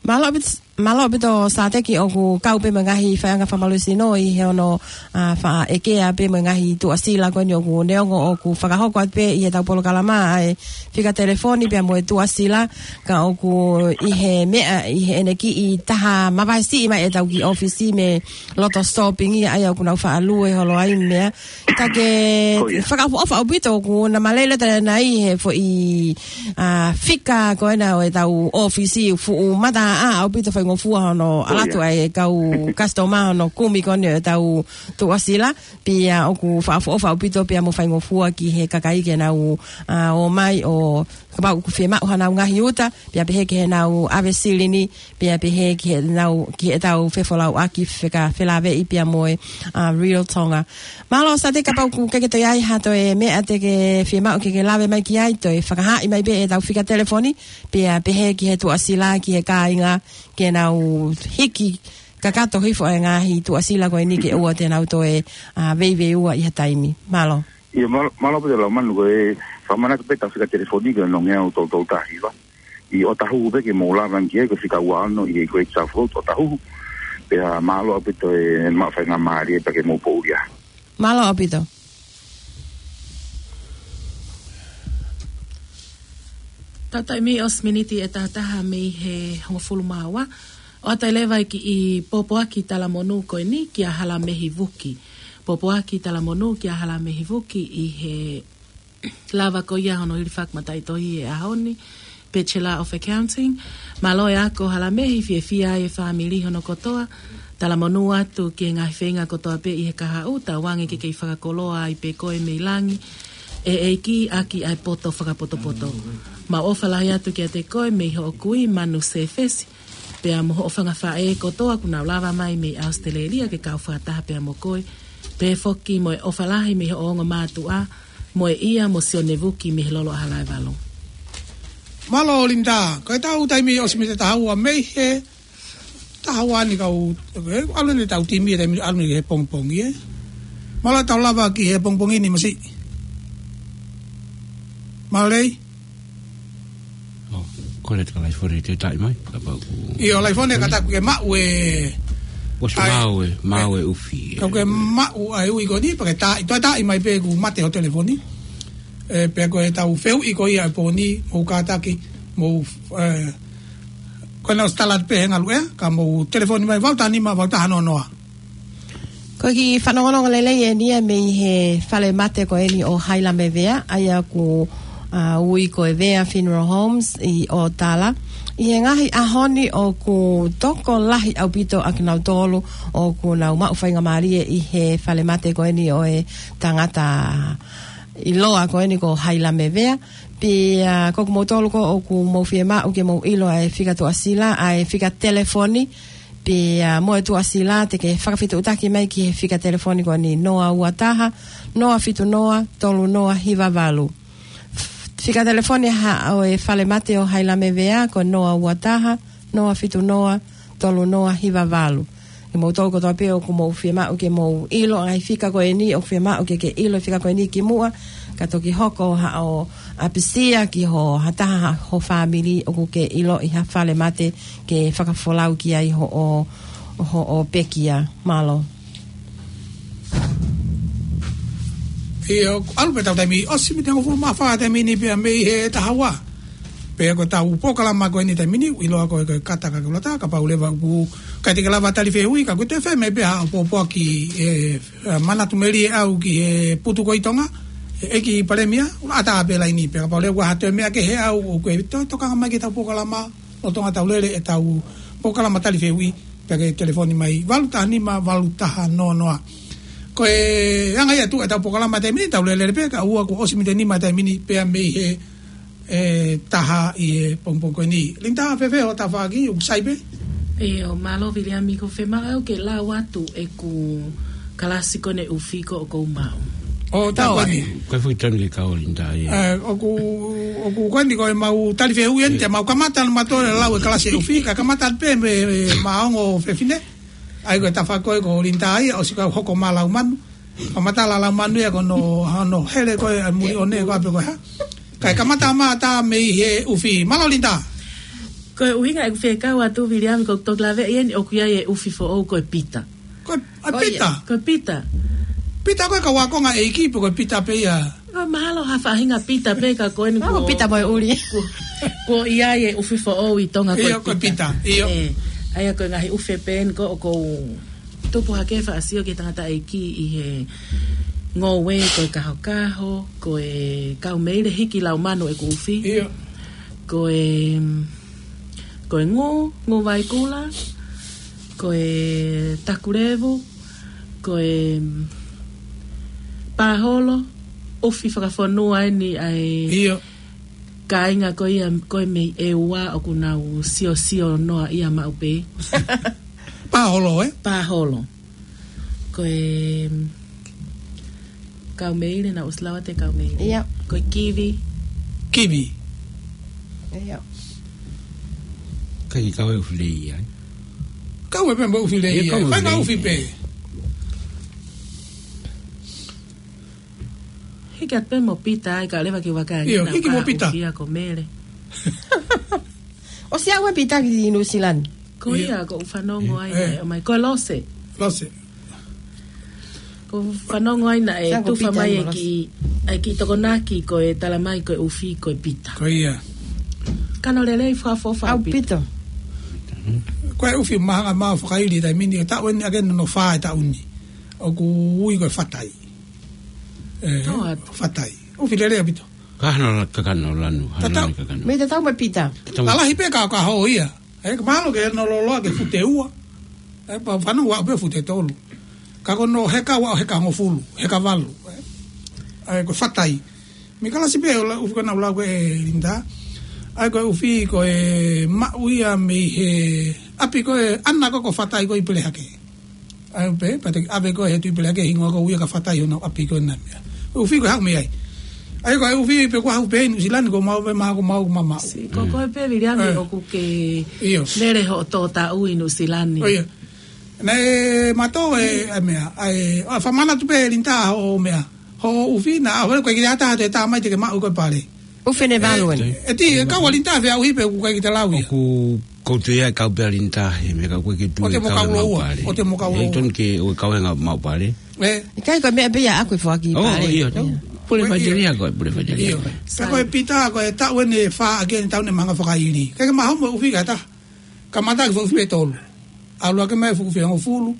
Mālō ʻaupito, mālō ʻaupito Sateki, ʻoku kau pē mo e ngaahi faiʻanga fakamaluʻi sino ʻi he ono, ʻa, faʻa ʻekea pē mo e ngaahi tuʻasila ko eni ʻoku neongo ʻoku fakahoko atu pē ʻi heʻetau polokalama ʻa e fika telefoni pea mo e tuʻasila, ka ʻoku ʻi he meʻa, ʻi heʻene kiʻi taha mavahe siʻi mai ʻetau kiʻi ʻōfisi mei loto shopping ia ʻa ia ʻoku nau faʻa lue holo ai meʻa. Ka ke fakaʻofoʻofa ʻaupito ʻoku na malele tala nai he foʻi, ʻa, fika ko ena ʻo ʻetau ʻōfisi fuʻu mata ʻa ʻaupito faingofua hono ʻalu atu ʻa e kau customer hono kumi ko eni ʻo ʻetau tuʻasila. Pea ʻoku fakaʻofoʻofa ʻaupito pea mo faingofua ki he kakai ke nau, ʻa, ō mai ʻo kapau ʻoku fiemaʻu hanau ngaahi uta, pea pehē ki heʻenau ʻave silini, pea pehē ki heʻenau, ki heʻetau fefolauʻaki fekauʻaki felāveʻi pea mo e, ʻa, Real Tonga. Mālō Sateki, kapau ʻoku ke ke toe ʻai ha toe meʻa te ke fiemaʻu ke ke lave mai ki ai, toe fakahaaʻi mai pē ʻetau fika telefoni, pea pehē ki he tuʻasila, ki he kāinga, ke nau hiki kakato hifo e ngaahi tuʻasila ko eni ke ʻoua te nau toe, ʻa, veiveiua ʻi ha taimi. Mālō. ʻIo, mālō, mālō pē Laumanu, ko e fakamanatu pē ʻetau fika telefoni ko e nongeau tolu tolu taha hiva. ʻI ʻOtahuhu pē ke mou lava ki ai, ko e fika ua ono ʻi he Great South Road ʻOtahuhu. Pea mālō ʻaupito e maʻu faingamālie pea ke mou poʻuli ā. Mālō ʻaupito. Tau taimi ʻosi miniti ʻe taha taha mei he hongofulu mā ua. ʻOatu leva e kiʻi pōpoaki talamonū ko eni kia Halamehi Vuki. Pōpoaki talamonū kia Halamehi Vuki ʻi he lava ko ia hono hilifaki mataʻitohi he ʻaho ni, Bachelor of Accounting. Mālō e ako Halamehi, fiefia ai e fāmili hono kotoa. Talamonū atu ki he ngaahi feinga kotoa pē ʻi he kahaʻu, tauange ke kei fakakoloa ai pē koe mei langi, ʻe ʻEiki, ʻaki ʻa e poto fakapotopoto. Mau ʻofa lahi atu kiate koe mei hoʻo kui Manu Sefesi, pea mo hoʻo fanga faʻē kotoa kuo nau lava mai mei ʻAositelēlia ke kau fakataha pea mo koe. Pea foki mo e ʻofa lahi mei hoʻo ongo mātuʻa, mo e ʻia mo Sione Vuki mei he Lolo ʻAhalaevalu. Mālō Linda, ko ʻetau taimi ʻosi miniti ʻe taha ua mei he taha ua ni kau, ʻalu eni ʻetau timi ʻi he taimi ʻalu eni he pongipongi, ē. Mālō ʻetau lava ki he pongipongi ni Masiʻi. Mālō Lei. ʻO, ko e lea ʻa Laifone te taʻi mai, kapau ʻoku. ʻIo, Laifone ka taku ke maʻu e. Kuo ʻosi ʻai, maʻu e, maʻu e ʻufi, ē. Ka ke maʻu ʻa e ui ko eni, pea ke taʻi, toe taʻi mai pē kuo mate ho telefoni. Ē, pea ko ʻetau fehuʻi ko ia ʻi he pō ni, mou kātaki, mou, ē, ko ena ʻosi tala pē he ngaluʻea, ka mou telefoni mai valu taha nima, valu taha noa noa. Ko e kiʻi fanongonongo lelei eni ia mei he falemate ko eni ʻo Hailame Vea, ʻa ia ʻoku, ʻa, ui ko e Vea Funeral Homes ʻi ʻOtala. ʻI he ngaahi ʻaho ni ʻoku tokolahi ʻaupito ʻa kinautolu ʻoku nau maʻu faingamālie ʻi he falemate ko eni ʻo e tangata ʻiloa ko eni ko Hailame Vea. Pea, ʻa, ko kimoutolu ko ē ʻoku mou fiemaʻu ke mou ʻilo ʻa e fika tuʻasila, ʻa e fika telefoni, pea, ʻa, mo e tuʻasila te ke fakafetuʻutaki mai ki he fika telefoni ko eni noa ua taha, noa fitu noa, tolu noa hiva valu. Fika telefoni ha, ʻo e falemate ʻo Hailame Vea ko noa ua taha, noa fitu noa, tolu noa hiva valu. ʻI moutolu kotoa pē ʻoku mou fiemaʻu ke mou ʻilo ʻa e fika ko eni, ʻoku fiemaʻu ke ke ʻilo e fika ko eni kimuʻa, ka toki hoko haʻo ʻapisia ki ho, ha taha ha, ho fāmili ʻoku ke ʻiloʻi ha falemate ke fakafolau ki ai hoʻo, hoʻo pekia. Mālō. ʻIo, ʻalu pē ʻetau taimi, ʻosi miniti hongofulu mā fā taimi ni pea mei he taha ua. Pea ko ʻetau polokalama ko eni taimi ni, ʻiloa ko e, ko e Kata Kakeulata, kapau leva ʻoku ʻikai te ke lava tali fehuʻi, ka ko e toe fai mai pē haʻo pōpoaki, ē, ē, manatu melie ʻau ki he putu ko ē ʻi Tonga, ʻe ʻEiki Palēmia, ʻoku ʻatā pē laini pē, kapau leva ʻoku ʻi ai ha toe meʻa kehe ʻau, ʻoku ke toe tokanga mai ki heʻetau polokalama, lolotonga ʻetau lele ʻetau polokalama tali fehuʻi, pea ke telefoni mai, valu taha nima, valu taha noa noa. Ko e anga ia ʻetau polokalama taimi ni, tau lele pē, ka ʻoku ʻosi miniti nima taimi ni, pea mei he, ē, taha ʻi he pongipongi ko eni. Linda, fēfē hoʻo tafaʻaki, ʻoku sai pē? ʻIo, mālō Viliami, ʻoku fiemaʻu ke lau atu ʻeku kalasi ko eni ʻufi ko ē ʻoku ou maʻu. ʻO, tā ko eni. Ko e fuʻu taimi ke kau Linda ia. Ē, ʻoku, ʻoku ko eni ko ʻemau tali fehuʻi eni, te mau kamata ʻa mautolu e lau e kalasi ʻufi, ka kamata pē mei, mei he ongo fefine. ʻA ia ko e tafaʻaki ko ē ko Linda ia, ʻosi kau hoko mai Laumanu. Kamata ʻa Laumanu ia ko hono, hono hele ko ē ʻa e muli ʻo ne ko ē pē ko e hā. Kae kamata mai ʻa e tā mei he ʻufi. Mālō Linda. Ko e ʻuhinga ʻeku fekau atu Viliami ko e toki laveʻi eni ʻoku ʻi ai e ʻufi foʻou ko e Pita. Ko e, ʻa, ʻIo. Pita? Ko e Pita. Pita ko e kau ākonga ʻeiki pe ko e Pita pē ia? Ko e mahalo ha faʻahinga Pita pē ka ko eni ko e Pita mo e ʻuli. Ko, ko e ʻi ai e ʻufi foʻou ʻi Tonga ko e Pita. ʻIo, ko e Pita, ʻio. Ē, ʻa ia ko e ngaahi ʻufi pē eni ko ē ʻoku ou tupu hake faʻa sio ki he tangataʻeiki ʻi he ngoue ko e Kahokaho, ko e Kaumeile hiki Laumanu ʻeku ʻufi. ʻIo. Ko e, ko e Ngū, Ngū Vaikula, ko e Takulevu, ko e Pāholo, ʻufi fakafonua eni ʻa e ʻIo. Kāinga ko ia, ko e mei ʻEua ʻoku nau siosio noa ia maʻu pē. Pāholo, ē? Pāholo. Ko e Kaumeile, naʻa ku ʻosi lau atu e Kaumeile. ʻIo. Ko e Kivi. Kivi. ʻIo. Kae kau e ʻufi lei ai. Kau e pē mo ʻUfi lelei. Ia, ia. Kau e pē mo ʻUfi lelei. Hiki atu pē mo Pita, ʻai ka leva ke vaka. Io, hiki mo Pita. ʻUfi ia ko Mele. ʻOsi aʻu ʻa Pita ki Nuʻu Sila ni? Ko ia, ko u fanongo ai, ʻomai, ko Lose. Lose. Ko u fanongo ai naʻe tufa mai e ki, ʻai ki Tokonaki ko e tala mai ko e ʻUfi ko e Pita. Ko ia. Kano lelei fakaʻofoʻofa ʻaupito. Ko e ʻUfi mahanga mau fakaili taimi ni, ʻo taʻu eni ake no fā e taʻu ni. ʻOku ui ko e Fatai. ʻE, Fatai. ʻUfi lelei ʻaupito. Ka hano la-, ka kano lanu, hano lanu ka kano. Mei te tau mai Pita. Lalahi pē ka, ka ho ia. ʻE, ka mahalo ke no loloa ke fute ua. ʻE, pa-, fanu ua pē fute tolu. Ka ko no heka ua, heka hongofulu, heka valu. ʻE, ko Fatai. Mei kalasi pē ʻo la ʻUfi ko na ula ko e Linda. ʻAi ko e ʻUfi ko e maʻu ia mei he ʻapi ko e ʻana ko ko Fatai ko ʻi Pelehake. ʻAi pē, pate ʻave ko e he tui Pelehake hingoa ko ia ka Fatai hona ʻapi ko e na mea. ʻUfi ko e haʻu mei ai. ʻAi ko e ʻUfi pē ko haʻu pē ʻi Nuʻu Sila ni ko mau pē mau ko mau ko mau mau. Ko, ko e pē viliangi ʻoku ke lele hoʻo tō taʻu ʻi Nuʻu Sila ni. ʻO ia. Naʻe mato e, ʻai mea, ʻai, ʻo fakamana tu pē Linda ho mea. Ho ʻUfi na, a, ko e ki ata te tā mai te ke maʻu ko e pale. ʻUfi ne valu eni. ʻE ti, e kau a Linda fea ʻUfi pē ʻoku kai ki te lau ia. ʻOku koutu ia kau pē a Linda, he mea kau ko e ke tui ʻo te mo kau loua, ʻo te mo kau loua. ʻE tonu ke ʻo kau e ngā mau pale. ʻE. ʻIkai ko e meʻa pē ia ʻaku e foaki pale. ʻIo, tonu. Pule faiteria ko e, pule faiteria. ʻIo. Pea ko e Pita, ko e taʻu eni fā ake eni taʻu ne mahanga fakaili. Ke ke maho mo ʻUfi kata. Kamata ke fuʻu ʻUfi pē tolu. ʻAlu ake mai fuʻu ʻUfi hongofulu.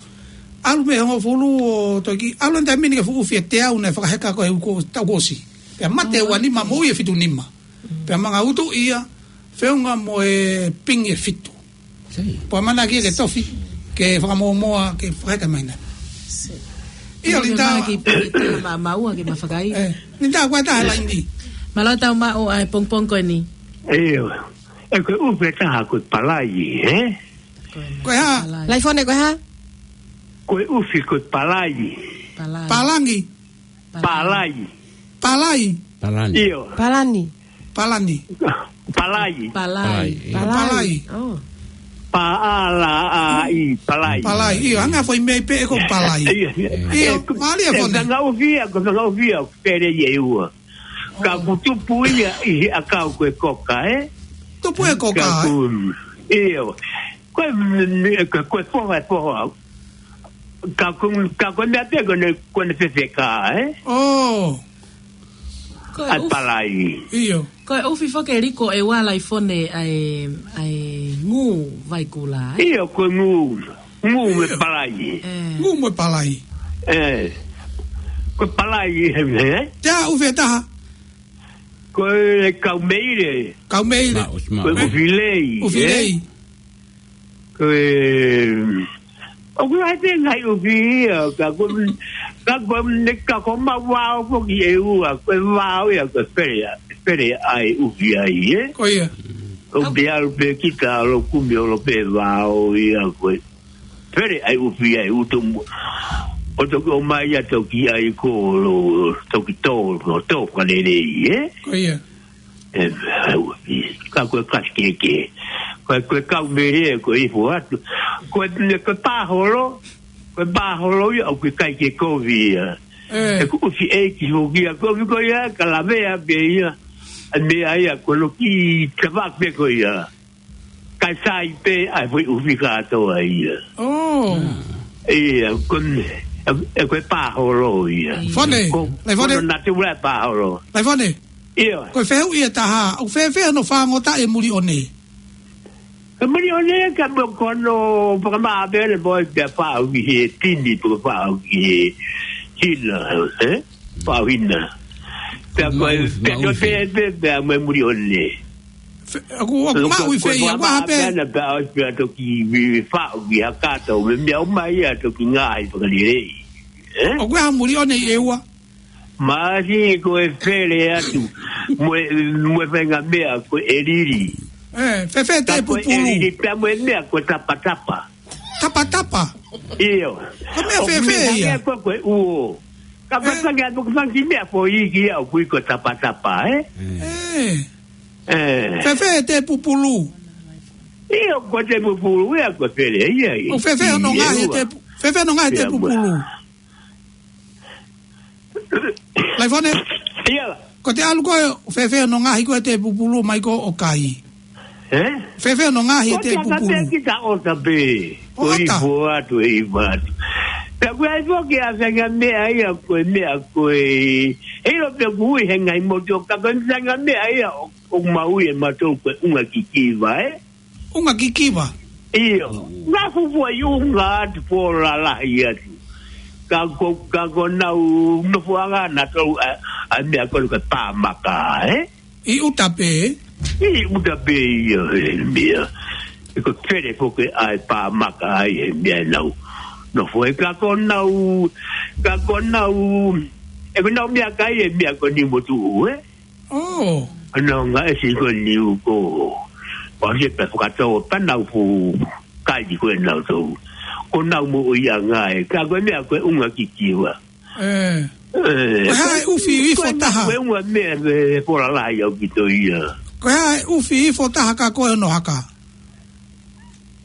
ʻAlu mei hongofulu ʻo toki. ʻAlu ʻi taimi ni ke fuʻu ʻUfi ʻe teau naʻe fakaheka ko e uko, taʻu kuo ʻosi. Pea mate ua nima mo ia fitu nima. Pea manga utu ia, feʻunga mo e pingi ʻe fitu. Pea mana kia ke tofi, ke fakamōmoa, ke fakaheka mai na. ʻIo, Linda. Ke maki piki tā ma, maua ke mafakai. ʻE, Linda, ko e tā laini. Mālō tau maʻu ʻa e pongpong ko eni. ʻIo. ʻE ko e ʻUfi ʻe taha ko e Palai, ē? Ko e hā? Laifone ko e hā? Ko e ʻUfi ko e Palai. Palai. Palangi. Palai. Palai. Palani. ʻIo. Palani. Palani. Palai. Palai. Palai. Palai. Oh. Palai. Palai. ʻIo, hanga foʻi mei pē ko Palai. ʻIo, ʻio. ʻIo, mālie e fone. Ko e ngaahi ʻUfi ia, ko e ngaahi ʻUfi ia, pele ia ʻe ua. Ka ʻoku tupu ia ʻi he ʻakau ko e koka, ē? Tupu e koka, ē? ʻIo. Ko e, ko e, ko e foha, e foha. Ka ko, ka ko e meʻa pē ko ʻene, ko ʻene fefeka, ē? ʻAi Palai. ʻIo. Ko e ʻUfi foki ʻe liko ʻe ua Laifone ʻa e, ʻa e ngū vaikula, ē? ʻIo, ko e ngū. Ngū mo e Palai. ʻĒ. Ngū mo e Palai. ʻĒ. Ko e Palai, ē, ē? Te ʻa ʻUfi ʻe taha. Ko e Kaumeile. Kaumeile. Ko e ʻUfilei, ʻUfilei. Ko e, ʻoku ʻi ai pē ngaahi ʻUfi ia, ka ko, ka ko, ne ka ko mau vao foki ʻe ua, ko e vao ia, ko e pele, pele ʻa e ʻUfi ai, ē? Ko ia. ʻOku te ʻalu pē kita ʻo kumi ʻo lo pē vao ia, ko e pele ʻa e ʻUfi ai, ʻutu mo. ʻO toki ʻomai ia toki ʻai ko lo, toki tō, tō fakalelei, ē? Ko ia. ʻE, ʻa e ʻUfi. Ka ko e kasi kehekehe. Ko e, ko e Kaumeile, ko e ifo atu. Ko e, ko e pāholo. Ko e pāholo ia, ʻoku ʻikai ke kovi ia. ʻĒ. ʻE ko e ʻUfi ʻeiki foki ia, ko e ʻUfi ko ia, ka lavea pē ia. ʻA e meʻa ia, ko e loki tava pē ko ia. Kae sai pē, ʻa e foʻi ʻUfi kātoa ia. ʻOi. ʻIo, ko e, ʻe, ʻe ko e pāholo ia. Fone, ko, Laifone. Ko e natula e pāholo. Laifone. ʻIo. Ko e fehuʻi ʻe taha, ʻoku fēfē hono fāngotaʻi e muliʻone? E muliʻone ka mo ko hono fakamāpele mo e pea faʻu ki he tini, pea faʻu ki he hina, ē? Faʻu hina. Pea ko e, pea ko e, pea, pea, pea mo e muliʻone. Fe-, ʻoku, ʻoku maʻu ʻi fē ia, ʻoku ʻaha pē. Pea na pea ʻosi pea toki vi-, vi-, faʻu ki ha kato, mo e meʻa ʻomai ia toki ngaahi fakalelei. Ē? ʻOku ʻaha muliʻone ʻi ʻEua. Masi ko e fele atu. Mo e, mo e faʻahinga meʻa ko e lili. Ē, fēfē te pupulu. Ka ko e lili pea mo e meʻa ko e tapatapa. Tapatapa? ʻIo. Ko e meʻa fēfē ia? Ko e meʻa ko e uo. Ka ko e faʻahinga, ko e faʻahinga meʻa foʻi ki ai ʻoku ui ko e tapatapa, ē? Ē. Ē. Fēfē te pupulu? ʻIo, ko e tēpupulu ia, ko e pele ia, ia. ʻOku fēfē hono ngaohi e tēpu-, fēfē hono ngaohi e tēpupulu? Laifone? ʻIo. Ko e ʻalu ko ē, fēfē hono ngaohi ko ē e tēpupulu mai ko ē ʻo kai? Ē? Fēfē hono ngaohi e tēpupulu? Ko e ʻata pē kita ʻota pē. Ko e ʻata? Ifo atu, e ifo atu. Pea ko e ʻai foki ʻa e faʻahinga meʻa ia, ko e meʻa ko ē, ʻilo pē ʻoku ui he ngaahi motu, ka ko e faʻahinga meʻa ia ʻo, ʻoku mau ui ʻe mautolu ko e ʻunga kikiva, ē? ʻUnga kikiva? ʻIo. Ngā fufua ʻi ʻunga atu, pō lalahi atu. Ka ko, ka ko ʻenau nofoʻanga naʻa tau ʻai, ʻai meʻa ko ē ko e pāmaka, ē? ʻI ʻuta pē? ʻI ʻuta pē ia, e meʻa. ʻE ko e pele foki ʻa e pāmaka ai, e meʻa ʻenau nofo ai. Ka ko ʻenau, ka ko ʻenau, ʻe ko ʻenau meʻakai e meʻa ko eni motuʻu, ē? ʻO. ʻEnau ngaahi ʻesi ko eni ʻoku. Pau ke pē fakatau, ka nau fuʻu kai ko ē nautolu. Ko ʻenau moʻuiʻanga ē. Ka ko e meʻa ko e ʻunga kikiva. Ē. Ē. Ko e hā e ʻufi ifo taha? Ko e ʻunga meʻa, e, pō lalahi ʻaupito ia. Ko e hā e ʻufi ifo taha ka ko hono haka?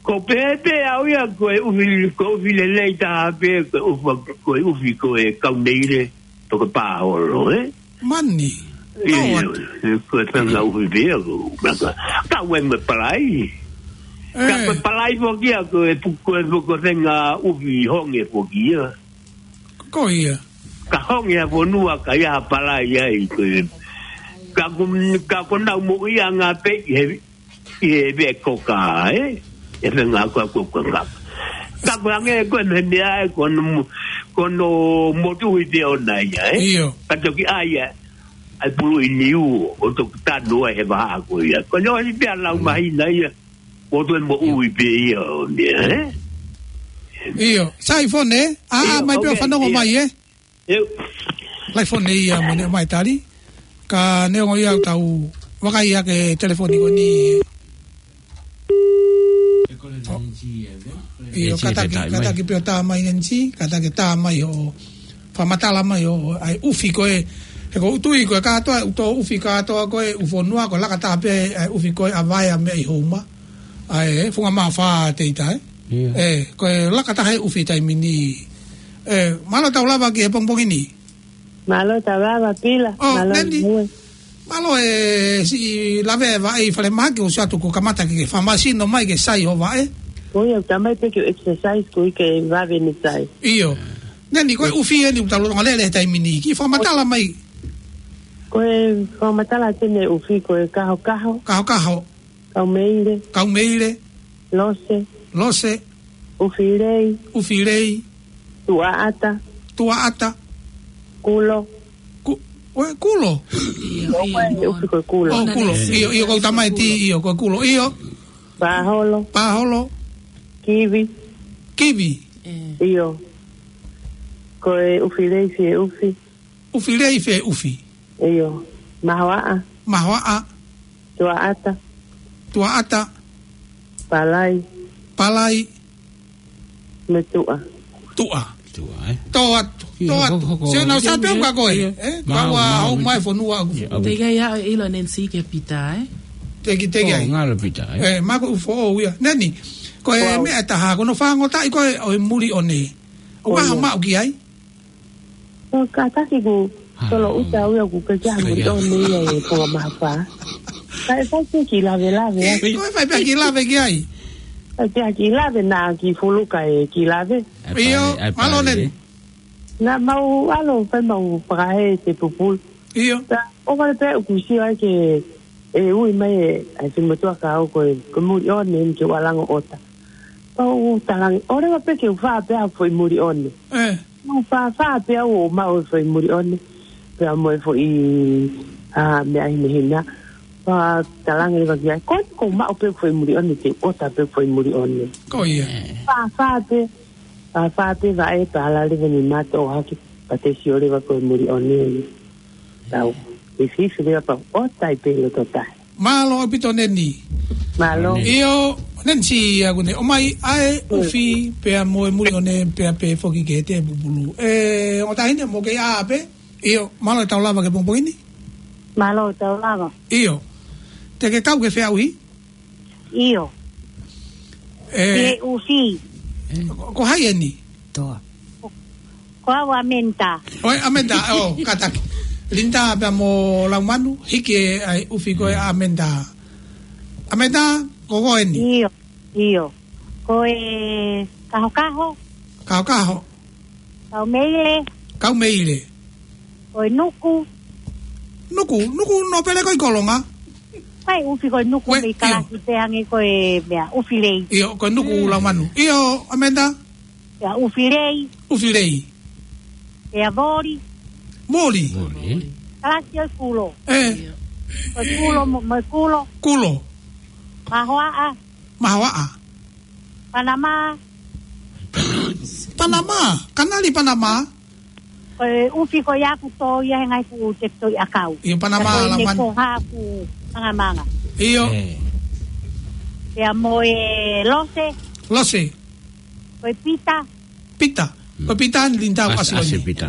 Ko e pehē pē au ia ko e ʻufi, ko e ʻufi lelei taha pē, ko e ʻufa, ko e ʻufi ko e kaumeile, pe ko e pāholo, ē? Mani. ʻIo, ko e faʻahinga ʻufi pē ia ko e maka. Ka ʻoku ʻi ai mo e palai. Ka ko e palai foki ia ko e pu-, ko e pu-, ko e faʻahinga ʻufi honge foki ia. Ko ia. Ka honge ʻa e fonua ka ʻi ai ha palai ai ko e. Ka ko, ka ko ʻenau moʻuiʻanga pē ʻi he ʻi he veʻe koka, ē? ʻE fenga ko, ko, ko, ka. Ka ko ange ko e meʻa ē, ko hono mo-, ko hono motuhi pē ʻona ia, ē? ʻIo. Ka toki ʻai ʻa e, ʻa e pulu ʻi niu, ʻo toki tanu ai he vahaʻa ko ia. Ko hono ʻosi pē ʻa e lau mahina ia, ʻo toe moʻui pē ia ʻo meʻa, ē? ʻIo. Sai fone, ʻa, ʻio, mai pē ʻo fanongo mai, ē? ʻIo. Laifone ia mo ʻene ʻomai tali. Ka neongo ia ʻoku tau vakai hake telefoni ko eni. ʻIo, kātaki, kātaki pē ʻo tā mai Nenisi, kātaki tā mai hoʻo fakamatala mai hoʻo ʻai ʻufi ko ē. He ʻoku ou tui ko e kātoa, ʻuto ʻufi kātoa ko ē ʻū fonua, ko e laka taha pē ʻai ʻufi ko ē ʻa Vaea mei Houma. ʻAi, ē, Funga Maʻafa te ita, ē? ʻIo. Ē, ko e laka taha e ʻufi taimi ni. Ē, mālō tau lava ki he pongipongi ni. Mālō tau lava Pila. ʻO, mālō Neni. Mālō e siʻi lave e vaʻe ʻi falemahaki ʻosi atu ko e kamata ke ke fakamasino mai ke sai hoʻo vaʻe. Ko ia, ʻoku tā mai pē ke u exercise ko ē ke vave ni sai. ʻIo. Neni, ko e ʻufi eni ʻoku tau lolotonga lele he taimi ni. Kiʻi fakamatala mai. Ko e fakamatala atu eni e ʻufi ko e kahokaho. Kahokaho. Kaumeile. Kaumeile. Lose. Lose. ʻUfilei. ʻUfilei. Tuʻaʻata. Tuʻaʻata. Kulo. Ku-, ʻo e kulo? ʻIo, ʻio, ʻufi ko e kulo. ʻO, kulo. ʻIo, ʻio, ko e tamaiti, ʻio, ko e kulo. ʻIo. Pāholo. Pāholo. Kivi. Kivi. ʻIo. Ko e ʻufilei fie ʻufi. ʻUfilei fie ʻufi. ʻIo. Mahoaʻa. Mahoaʻa. Tuʻaʻata. Tuʻaʻata. Palai. Palai. Mo e tuʻa. Tuʻa. Tuʻa, ē? Tō atu. ʻIo, tō atu. Hoko, hoko. Sio nau sa pē ka koe. ʻIo. Ē? Mau, mau, mau, mai fonua aku. ʻIo. Teʻeki ai ʻilo Neni ke pita, ē? Teʻeki, teʻeki ai. Ngalo pita, ē? Ē, māku ʻufi ia. Neni, ko e meʻa ʻe taha, ko hono fāngotaʻi ko ē ʻo e muli ʻone. ʻOku ʻi ai ha maʻu ki ai? ʻO kātaki ʻoku tolo ʻuta au ia ʻoku ʻikai ke ʻi ai ha muli ʻone ia ʻi Funga Maʻafa. Ka ʻe fai pē kiʻi lavelave, ē? Ko e fai pē kiʻi lave ki ai. Fai pē kiʻi lave naʻa kiʻi fuluka e kiʻi lave. ʻIo, mālō Neni. Naʻa mau ʻalu, fai mau fakahē e tēpupulu. ʻIo. Ka ʻoku vale pē ʻoku sio ai ke ʻe ui mai e, ʻa e finemotuʻa ka ʻoku ko e, ko e muli ʻone eni ke u ʻalu ʻo ʻota. Pea u talaange, ʻoua leva pē ke u fā pē ha foʻi muli ʻone. Ē. Mau fāfā pē au ʻo maʻu e foʻi muli ʻone. Pea mo e foʻi, ʻa, meʻa hinehina. Pea talaange leva ki ai, ko eni ʻoku ou maʻu pē foʻi muli ʻone, te u ʻota pē foʻi muli ʻone. Ko ia. Fāfā pē, fāfā pē vaʻe, pea ala leva ni mato hake, pea te sio leva ko e muli ʻone. Tau, ʻe fifi leva pea ʻota ai pē loto tahi. Mālō ʻaupito Neni. Mālō. ʻIo, Neni si ia kune. ʻOmai ʻa e ʻufi, pea mo e muli ʻone, pea pē foki ki he tēpupulu. Ē, ongo taʻahine mo ke ʻā pē. ʻIo, mālō e tau lava ki he pongipongi ni. Mālō e tau lava. ʻIo. Te ke kau ki he feʻauhi? ʻIo. ʻE. Ki he ʻufi. Ko, ko hai eni? Toa. Ko au ʻAmenta. ʻOi, ʻAmenta, ʻo, kātaki. Linda pea mo Laumanu, hiki e ʻai ʻufi ko e ʻAmenta. ʻAmenta, ko koe eni. ʻIo, ʻio. Ko e Kahokaho. Kahokaho. Kaumeile. Kaumeile. Ko e Nuku. Nuku, Nuku nō pele ko e Kolonga. Ko e ʻufi ko e Nuku. Ko e, mei ʻio. Kalasi pē hangē ko e meʻa, ʻufi lei. ʻIo, ko e Nuku. Mm. Laumanu. ʻIo, ʻAmenta. Pea ʻufi lei. ʻUfi lei. Pea Voli. Voli. Voli. Kalasi ʻo e Kulo. ʻE. Ko e Kulo, mo, mo e Kulo. Kulo. Mahoaʻa. Mahoaʻa. Panama. Panama. Kanali Panama. Ko e ʻufi ko ia ʻoku tō ia he ngaahi fuʻu tefitoʻi ʻakau. ʻIo, Panama. Ka ko e ne Laumanu. Ko haku mangamanga. ʻIo. ʻE. Pea mo e Lose. Lose. Ko e Pita. Pita. Ko e Pita ni Linda ʻoku ʻAsi, ʻasi ʻasi ʻeni. Pita.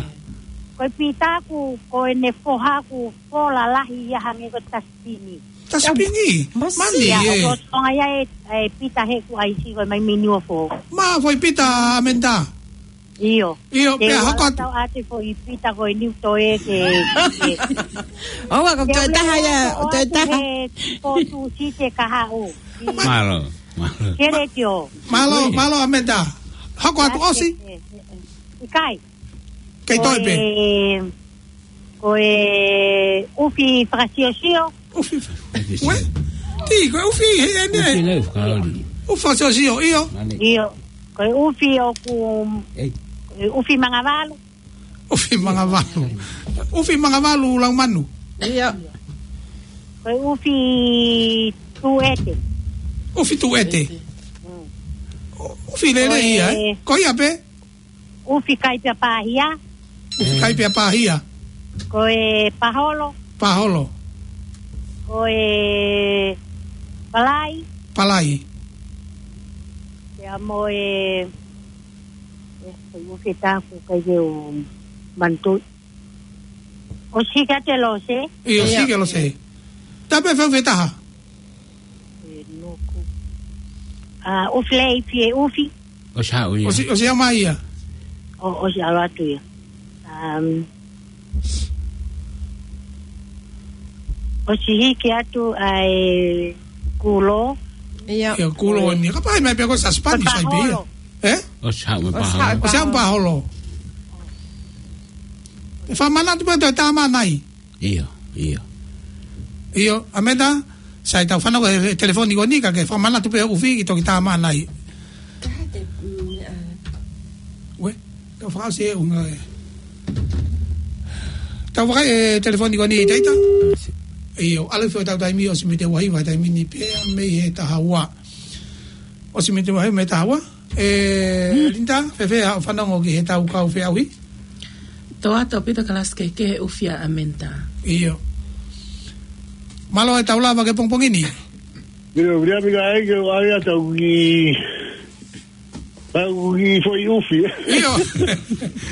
Ko e Pita ʻoku, ko ʻene foha ʻoku fola lahi ia hangē ko e tasipini. Tasipini? Masi. Mani, ia, ʻe. ʻOku tonga ia ʻe, ʻe Pita he ʻoku ʻai si ko e mai mini o fo. Mā foʻi Pita ʻAmenta. ʻIo. ʻIo, pea hoko atu. Tau ʻate foʻi Pita ko e niu toe ke, ke. ʻOua, ko e toe taha ia, ʻo toe taha. He ko tu si te kahaʻu. Mālō, mālō. Kele tio. Mālō, mālō ʻAmenta. Hoko atu ʻosi. ʻIkai. Kei toe pē. Ko e, ko e ʻufi fakasiosio. ʻUfi fa-, ue? Tī, ko e ʻufi, he, he, ne. ʻUfi lei, fakali. ʻUfi fakasiosio, ʻio. ʻIo. Ko e ʻufi ʻoku, Ei. Ko e ʻufi mangavalu. ʻUfi mangavalu. ʻUfi mangavalu Laumanu. ʻIo. Ko e ʻufi tuʻete. ʻUfi tuʻete. Mm. ʻUfi lelei ia, ʻe? Ko e Ko ia pē? ʻUfi kai pea pāhia. ʻUfi kai pea pāhia. Ko e paholo. Paholo. Ko e palai. Palai. Pea mo e, e, ko e ʻufi taku kai ke u mantu. ʻOsi ka te Lose? ʻIo, ʻosi ka Lose. Tape feu fetaha. E nuku. ʻA, ʻufi lei fie ʻufi. ʻOsi haʻu ia. ʻOsi, ʻosi haʻu mai ia. ʻO, ʻosi ʻalu atu ia. Um, ʻosi hiki atu ʻa e Kulo. ʻIo. ʻIo, Kulo ni. Ka pai mai pē ko e sasipani sai pē ia. Paholo. ʻE? ʻOsi haʻu mai paholo. ʻOsi haʻu mai paholo. ʻE fakamanatu pē toe tāmānai. ʻIo, ʻio. ʻIo, ʻAmenta, sai tau fanau e telefoni ko eni ka ke fakamanatu pē ʻufi ki toki tāmānai. Taha te, mm, ʻa. Ue, tau fakaʻosi e unga e. Tau vakai e telefoni ko eni ʻi taita. ʻIo, ʻalu fio tau taimi ʻosi mei te uahi vahe taimi ni pea mei he taha ua. ʻOsi mei te uahi mei he taha ua. ʻE, Linda, fēfē haʻo fanongo ki he tau kau feʻauhi? Tō atu ʻa Pita Kalasi ke ke ʻufi ʻa ʻAmenta. ʻIo. Mālō e tau lava ke pongipongi ni. ʻIo, via mi ka ai ke o ai a tau ki, tau ki foʻi ʻufi. ʻIo.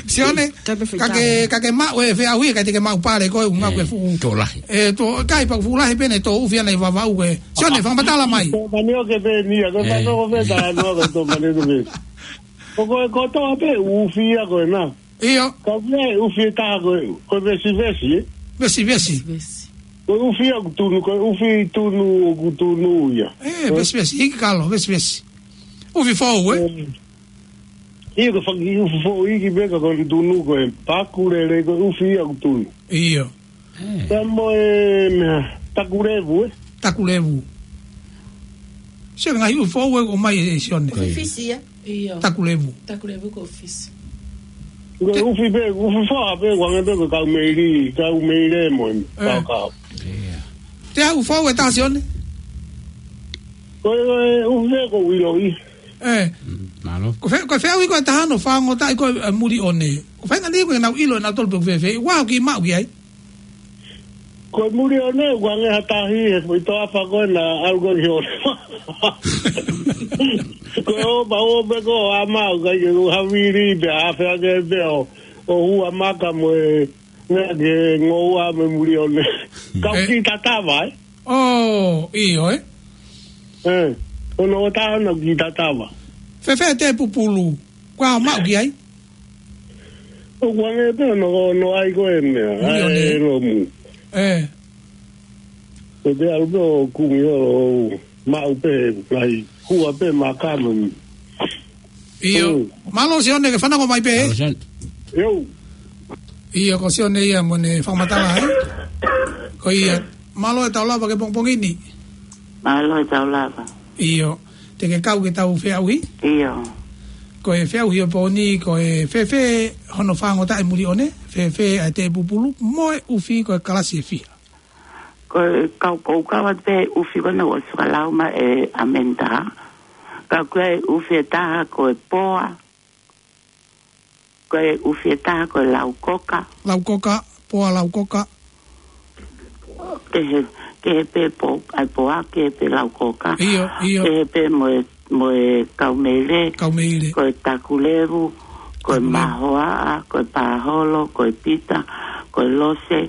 Sione, Tape fai ka ke, tau. Ka ke maʻu e feʻauhi, ka te ke maʻu pale ko e unga ko e fuʻu. Tō lahi. ʻE, tō, kai pa fuʻu lahi pē ne tō ʻufi ana ʻi Vavaʻu ko e. Sione, fakamatala mai. Tō mani o ke pē ni a, ko e fai tō ko fē tā noa ko e tō mani o ke pē. Ko ko e kotoa pē ʻufi ia ko e nā. ʻIo. Ka vea e ʻufi e taha ko e, ko e vesivesi, ē? Vesivesi. Vesivesi. Ko e ʻufi ia ʻoku tunu, ko e ʻufi tunu ʻoku tunu ia. ʻE, vesivesi, hiki kalo, vesivesi. ʻUfi fou, ē? ʻE. ʻIo, ko e fanga kiʻi ʻufi fou hiki pē ka ko e tunu ko e paku lele ko e ʻufi ia ʻoku tunu. ʻIo. ʻE. Pea mo e meʻa, takulevu, ē? Takulevu. Sio ngaahi ʻufi fou ē ʻomai ʻe Sione. Ko e fisi ia. ʻIo. Takulevu. Takulevu ko e fisi. Ko e ʻufi pē, ʻufi fou pē, ʻoku hangē pē ko e kaumeili, kaumeile mo e. ʻE. Kau kau. ʻIo. Te ʻufi fou e taha Sione? Ko e, ko e ʻufi pē ko e ʻiloʻi. ʻE. Mm, mālō. Ko e fe-, ko e feʻauhi ko e taha naʻe fanongo ai ko e, ʻe, Mulione. Ko e faʻahinga ni ko e nau ʻilo ʻe nautolu pe ʻoku fēfē. ʻOku ou kiʻi maʻu ki ai. Ko e Mulione, ʻoku hangē ha tahi, he foʻi toafa ko ē naʻa ʻalu ko ē ki he ʻoleva. Ko e ō, pea ō pē ko ē ʻo ʻamau, ʻikai ke u havili, pea ʻave ange pē ʻo, ʻo hua maka mo e, meʻa ke ngoua mo e Mulione. Kau ʻE. Ki tatava, ē? ʻŌ, ʻio, ē? ʻE. Ono o taha naʻa ku kiʻi tatava. Fēfē e teʻe pupulu? Kuo maʻu ki ai? ʻOku ʻange pē ono, ono ai ko e meʻa. Muli ʻo ʻAe ne. Lomu. ʻE. Ko te alu pē ʻo kumi ʻo maʻu pē, lahi, kua pē makano. ʻIo. Mm. Mālō Sione ke fanongo mai pē. Mālō Sione. ʻIo. ʻIo, ko Sione ia mo ʻene fakamatala, ē? Ko ia. Mālō e tau lava ki he pongipongi ni. Mālō e tau lava. ʻIo. Te ke kau ke tau feʻauhi? ʻIo. Ko e feʻauhi ʻo e pō ni, ko e fēfē hono fāngotaʻi e muli ʻo ne, fēfē ʻa e teʻe pupulu, mo e ʻufi ko e kalasi ʻe fiha? Ko e kau, ko u kau atu pē ʻufi ko ena ʻoku ʻosi fakalau mai ʻe ʻAmeni Taha. Ka ko e ʻufi ʻe taha ko e poa, ko e ʻufi ʻe taha ko e laukoka. Laukoka, poa laukoka. Kehe, kehe pē po, ʻai poa, kehe pē laukoka. ʻIo, ʻio. Kehe pē mo e, mo e kaumeile. Kaumeile. Ko e takulevu, ko e Takulevu. Mahoaʻa, ko e pāholo, ko e pita, ko e lose,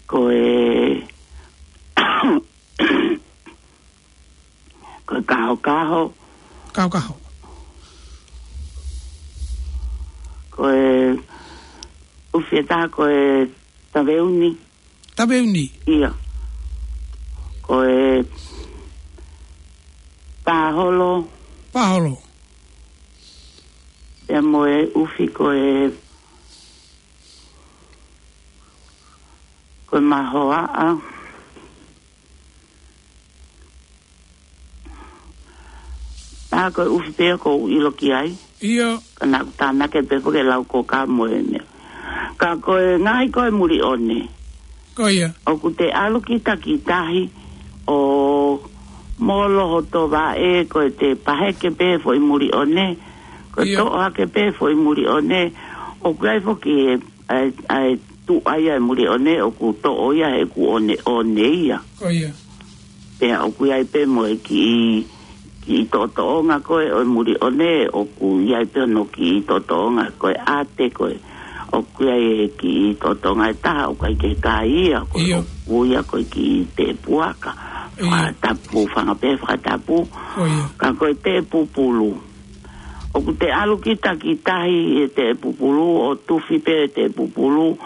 ko e, ko e kahokaho. Kahokaho. Ko e ʻufi ʻe taha ko e taveuni. Taveuni. ʻIo. Ko e pāholo. Pāholo. Pea mo e ʻufi ko e, ko e mahoaʻa. Pea ko e ʻufi pē ʻoku ou ʻilo ki ai. ʻIo. Ka naʻa ku tānaki pē foki e laukoka mo e meʻa. Ka ko e ngaahi ko e muli ʻo ne. Ko ia. ʻOku te ʻalu ki takitahi ʻo molo hoto vaʻe, ko e te paheke pē foʻi muli ʻo ne. Ko e ʻIo. Toʻo hake pē foʻi muli ʻo ne. ʻOku ʻi ai foki e ʻa e, ʻa e tuʻa ia e muli ʻo ne ʻoku toʻo ia he ʻoku ʻo ne, ʻo ne ia. Ko ia. Pea ʻoku ʻi ai pē mo e kiʻi, kiʻi toʻotoʻonga ko ē ʻo e muli ʻo ne ʻoku ʻi ai pē hono kiʻi toʻotoʻonga ko e ʻate ko ē. ʻOku ʻi ai e kiʻi toʻotoʻonga ʻe taha ʻoku ʻikai ke kai ia ko ē ʻIo. ʻOku ia ko e kiʻi tepuaka. ʻIo. Fakatapu, fanga pē fakatapu. Ko ia. Ka ko e teʻe pupulu. ʻOku te ʻalu ki takitahi e teʻe pupulu, ʻo tufi pē e teʻe pupulu,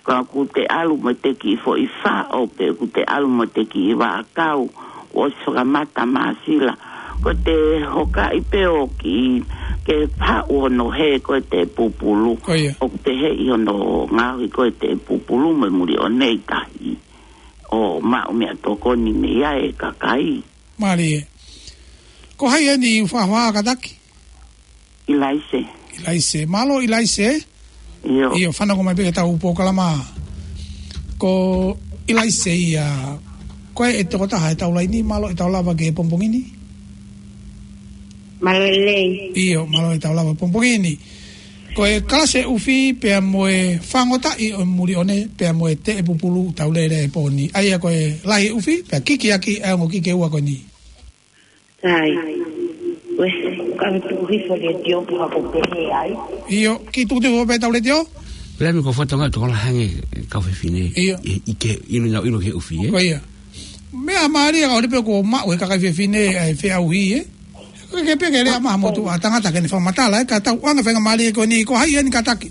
ka ʻoku te ʻalu mo te kiʻi foʻi faʻo pē, ʻoku te ʻalu mo te kiʻi vaʻakau, ʻosi fakamata māsila. Ko te hokaʻi pē ʻo kiʻi ke haʻu hono hē ko e teʻe pupulu. Ko ia. ʻOku te heʻi hono ngaohi ko e teʻe pupulu mo e muli ʻo ne ʻi tahi. ʻO maʻu meʻatokoni mei ai e kakai. Mālie. Ko hai eni ʻoku faʻa kātaki? ʻIlaise. ʻIlaise. Mālō ʻIlaise. ʻIo. ʻIo, fanongo mai pē ki heʻetau polokalama. Ko ʻIlaise ia, ko e tokotaha ʻi heʻetau laini, mālō e tau lava ki he pongipongi ni. Mālō lelei. ʻIo, mālō e tau lava pongipongi ni. Ko e kalasi ʻufi pea mo e fāngotaʻi ʻo e muli ʻo ne, pea mo e teʻe pupulu tau lele he pō ni. ʻA ia ko e lahi ʻufi, pea kiki ʻaki, ʻa e ongo kiki ʻe ua ko eni. Sai. Uē, ka me tuku hifo letiō pu hapo pehē ai. ʻIo, kiʻi tuku hifo pē ʻetau letiō. Pea me ko fotonga tokola hangē kau fefine. ʻIo. ʻI, ʻi ke, ʻilo na, ʻilo ki he ʻufi, ē? Ko ia. Meʻa mālie ka ʻoku ʻi ai pē ʻoku maʻu he kakai fefine ʻa e feʻauhi, ē? Ko e ke peke lea maha motu ʻa tangata ke ne fakamatala, ē, ka tau ʻoange faingamālie ko eni, ko hai eni kātaki?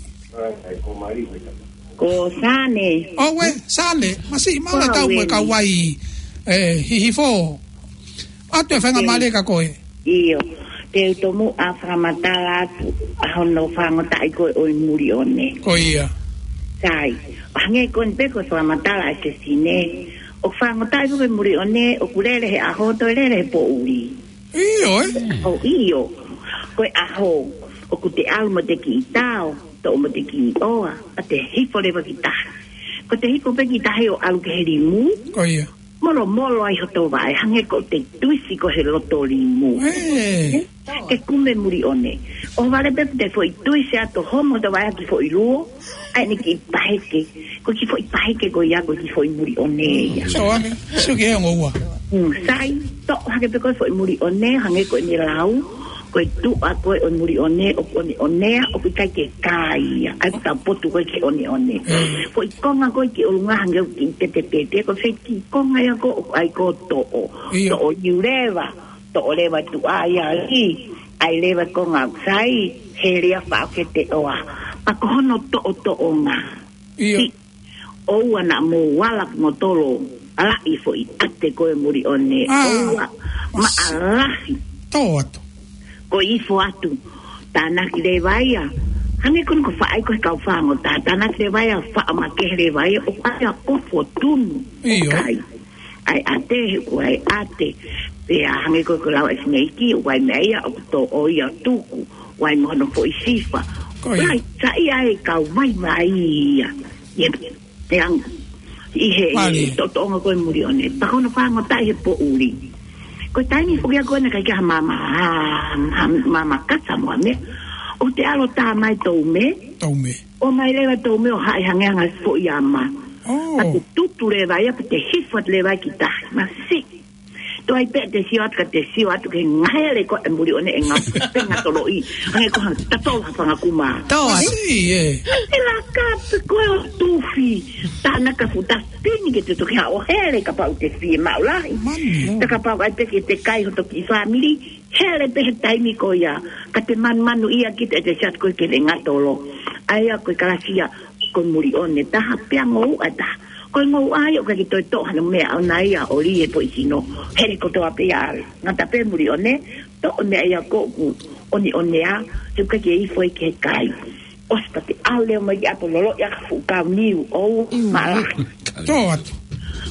Ko Sane. ʻOua, Sane, masiʻi mālō e tau mo e kau ai, ē, hihifo. ʻOatu e faingamālie kia koe. ʻIo. Te u tomuʻa fakamatala atu ʻa hono fāngotaʻi ko ē ʻo e muli ʻo ne. Ko ia. Sai. Hangē ko eni pē ko e fakamatala ʻa e fefine. ʻOku fāngotaʻi pē ko e muli ʻo ne, ʻoku lele he ʻaho, toe lele he poʻuli. ʻIo, ē? ʻO ʻio. Ko e ʻaho, ʻoku te ʻalu mo te kiʻi tao, toʻo mo te kiʻi ʻoa, ʻa te hifo leva ki tahi. Ko te hifo pē ki tahi ʻo ʻalu ki he limu. Ko ia. Molomolo ai hoto vaʻe, hangē ko te tuisi ko he loto limu. Ē. Ke kume muli ʻo ne. ʻOhovale pē te foʻi tuisi ʻa to homo hoto vaʻe ki foʻi luo, ʻa eni kiʻi paheke. Ko e kiʻi foʻi paheke ko ia ko e kiʻi foʻi muli ʻo ne ia. So, ane, so ke ongo ua. Mm, sai, toʻo hake pē ko e foʻi muli ʻo ne, hangē ko eni lau, ko e tuʻa ko ē ʻo e muli ʻo ne, ʻo, ʻo ne, ʻo ne, ʻoku ʻikai ke kai ia, ʻai ka potu ko ē ke ʻo ne ʻo ne. Mm. Foʻi konga ko ē ki ʻolunga hangē ʻoku kiʻi tete tete, ko e foʻi kiʻi konga ia ko ē ʻoku ʻai ko e toʻo, ʻIo. Toʻo iuleva. toʻo leva tuʻa ia li, ʻai leva ko ngau sai, hele ia faʻo ke te ʻoa. Pea ko hono toʻotoʻonga. ʻIo. Ti, ʻoua naʻa mou ala ki motolo, ala ʻi foʻi ʻate ko e muli ʻone. Ah. ʻOua, maʻalahi. Tō atu. Ko ifo atu. Tānaki leva ia. Hangē ko eni ko faʻai ko e kau fāngo tā. Tānaki leva ia, faʻo makehe leva ia. ʻO ʻai ʻa kofo tunu. ʻIo. ʻOku ʻai. ʻAi ʻate, he ʻoku ʻai ʻate. Pea hangē ko e ko lau e sineiki, ʻoku ʻai meʻa ia, ʻoku tō ʻo ia tuku. ʻOku ʻai mo hono foʻi sifa. Ko ia. ʻAi, saiʻia e kau vaivai ia. Ia, ʻe ang-, ʻi he, ʻi he Mali. Toʻotoʻonga ko e muli ʻone. Pea ko hono fāngotaʻi he poʻuli. Ko e taimi foki ia ko ena kai kia mama, ha, ha, mama kasa mo ame. ʻO te alo tā mai tō me. Tō me. ʻO mai leva tō me ʻo haʻi hangē hanga foʻi ama. Oh. Pea te tutu leva ia, pea te hifo atu leva ki tahi. Masiʻi. Toe ʻai pē te sio atu ka te sio atu ke ngahele ko e muli ʻone e ngā penga toloʻi. Hangē ko ha tatolo ha fanga kuma. Tō atu. Masiʻi, ē. Te laka pe ko e ʻo tufi. Tānaka futa pini ke te toki haʻo hele kapau te fie maʻu lahi. Mani. Te kapau ʻai pē ke te kai ho toki fāmili. Hele pē he taimi ko ia. Ka te manumanu ia ki te, te siat ko e ke le ngatolo. ʻAi ia ko e kalasia. Ko e muli ʻone taha pea ngou ʻa taha. Ko e ngou ʻai ʻo ka ke toe toʻo hano meʻa ʻona ia ʻo li e poʻi sino. Hele kotoa pē ia ʻave. Ngata pē muli ʻone, toʻo meʻa ia ko ʻoku ʻoniʻonea, te u ka ke ifo e ke kai. ʻOsi pea te ʻalu leva mai ki ʻapo lolo ia ka fuʻu kau niu, ʻo Mm. mala. Tō atu.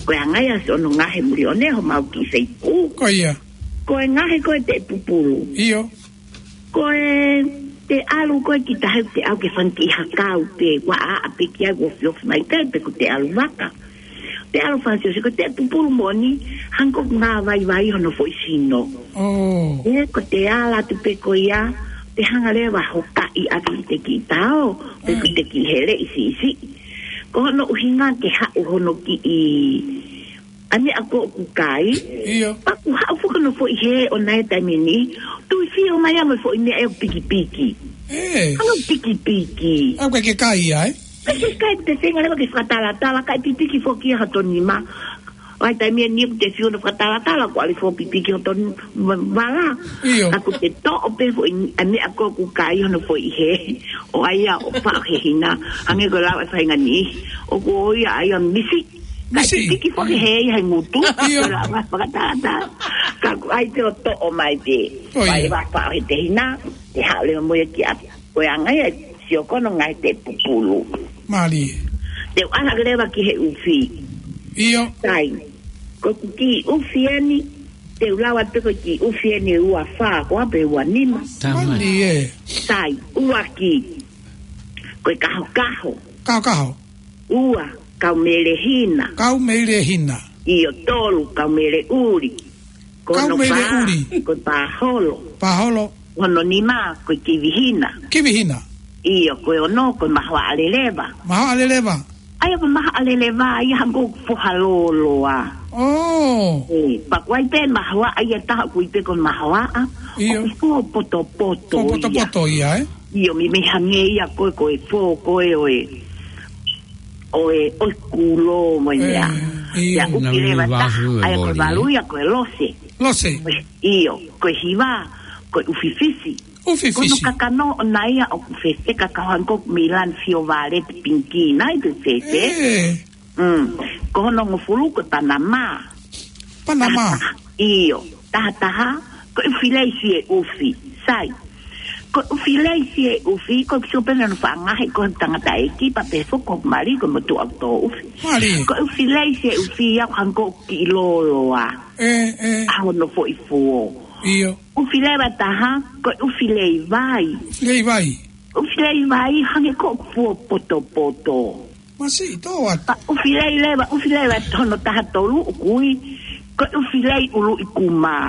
Ko e anga ia si ono ngahe muli ʻone, ho mau ki feiku. Ko ia. Ko e ngahe ko e te pupulu. ʻIo. Ko e te ʻalu ko e ki tahi te au ke fanti hakau pe, ua a a pe ki ai ua fiofi mai pe, pe ko te ʻalu vaka. Te ʻalu fanti o se ko te pupulu moni, hangē ko ngā vaivai hono foʻi sino. Oh. E ko te ala tu pe ko ia, te hanga leva ho kaʻi ʻaki te ki tao, pe ko Mm. te ki hele ʻi si ʻi si. Ko hono ʻuhinga ke haʻu hono ki ʻi ʻa meʻa ko ʻoku kai. ʻIo. Paku haʻu fuka no foʻi he ʻona e taimi ni. Tui fio mai amo foʻi meʻa e pikipiki. Ē. Ano pikipiki. Au ke ke kai ai? Ke ke kai te senga leva ke fakatalatala, kai pikipiki foki ha toni ma. Ai taimi ni te fio no fakatalatala, ko ali fo pikipiki ho toni ma-, vala. ʻIo. Aku te toʻo pe foʻi, ʻa meʻa ko ʻoku kai hono foʻi he. ʻO ai ia, ʻo faʻo he hina. Hangē ko lau e fainga ni. ʻOku ʻo ia ai a misi. Misi. Ka tiki foki he ia he ngutu. ʻIo. Ko la ma fakatata. Ka ku ai te o toʻo mai te. ʻO ia. Pai va pa he te hina. Te haʻu leva mo ia ki ʻapi. Ko e anga ia, sio kono ngai te pupulu. Mali. Te u ala ke leva ki he ufi. ʻIo. Tai. Ko ku ki ufi eni. Te u lau atu ko ki ufi eni ua fa, ko ape ua nima. Tamai. Mali ē. Tai. Ua ki. Ko e kahokaho. Kahokaho. Ua, kau melehina. Kau melehina. ʻIo tolu, kau meleʻuli. Kau meleʻuli. Ko e pāholo. Pāholo. Hono nima, ko e kivihina. Kivihina. ʻIo, ko e ono, ko e mahoaʻa leleva. Mahoaʻa leleva. ʻAi, ko e mahoaʻa leleva, ia hangē ko e foha loloa. Oh. E, paku ai pe mahoaʻa ia taha kui pe ko e mahoaʻa. ʻIo. ʻOku fo potopoto ia. Fo potopoto ia, ē? ʻIo, mi me hangē ia ko e, ko e fo, ko e ʻo e. ʻO e, ʻo e kulo mo e meʻa. ʻE, ʻio. Ia uki leva taha, ʻai ko e valu ia ko e lose. Lose. ʻIo, ko e hiva, ko e ʻufififi. ʻUfififi. Ko hono kakano ʻona ia ʻoku fefeka ka hangē ko e Milan Fiovale te pinki nai te fefe. ʻE. Mm. Ko hono ngofulu ko e Panama. Panama. Taha, ʻio, taha taha, ko e ʻufi lei fie ʻufi, sai. Ko e ʻufi lei fie ʻufi, ko e kiso pena no fangahe, ko e tangata ʻeiki, pa pe foko mali, ko e motu au tō ʻufi. Mali. Ko e ʻufi lei fie ʻufi, ia ko hangē ko e kiʻi loloa. ʻE, ʻe. ʻA hono foʻi fuo. ʻIo. ʻUfi leva taha, ko e ʻufi lei vai. Lei vai. ʻUfi lei vai, hangē ko e fuo potopoto. Masiʻi tō atu. Pea ʻufi lei leva, ʻufi lei leva hono taha tolu ʻoku ui, ko e ʻufi lei ʻuluʻi kumā.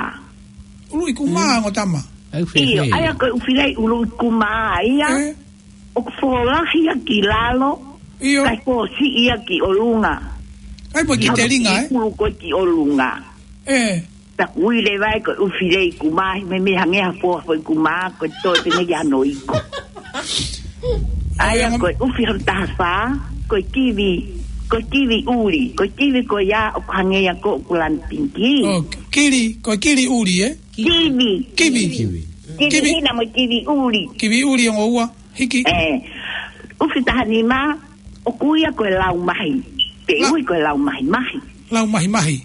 ʻUluʻi kumā, Mm. ongo tama. ʻAi ʻufi lei. ʻIo, ʻai ko e ʻufi lei ʻuluʻi kumā ia. ʻE? ʻOku folahi ia ki lalo, ʻIo. kae fosiʻi ia ki ʻolunga. ʻAi pē ki Hono telinga, ē? ʻulu ko e ki ʻolunga. ʻE. Taku ui leva ē ko e ʻufi lei kumā, me me hangē ha foha foʻi kumā, ko e toe pene ki ano iko. ʻAi ʻIo, ko e ʻufi hono taha fā, ko e kivi, ko e kivi ʻuli, ko e kivi ko ia ʻoku hangē ia ko ʻoku lani pinki. Ok. Kili, ko e kili ʻuli, ē? Kiwi. Kiwi. Kiwi. Kiwi Kiwi. Hina mo e kiwi ʻuli. Kiwi ʻuli ongo ua. Hiki. Ē, ʻufi taha nima, ʻoku ui ia ko e lau mahi. Pe La- ui ko e lau mahi mahi. Lau mahi mahi.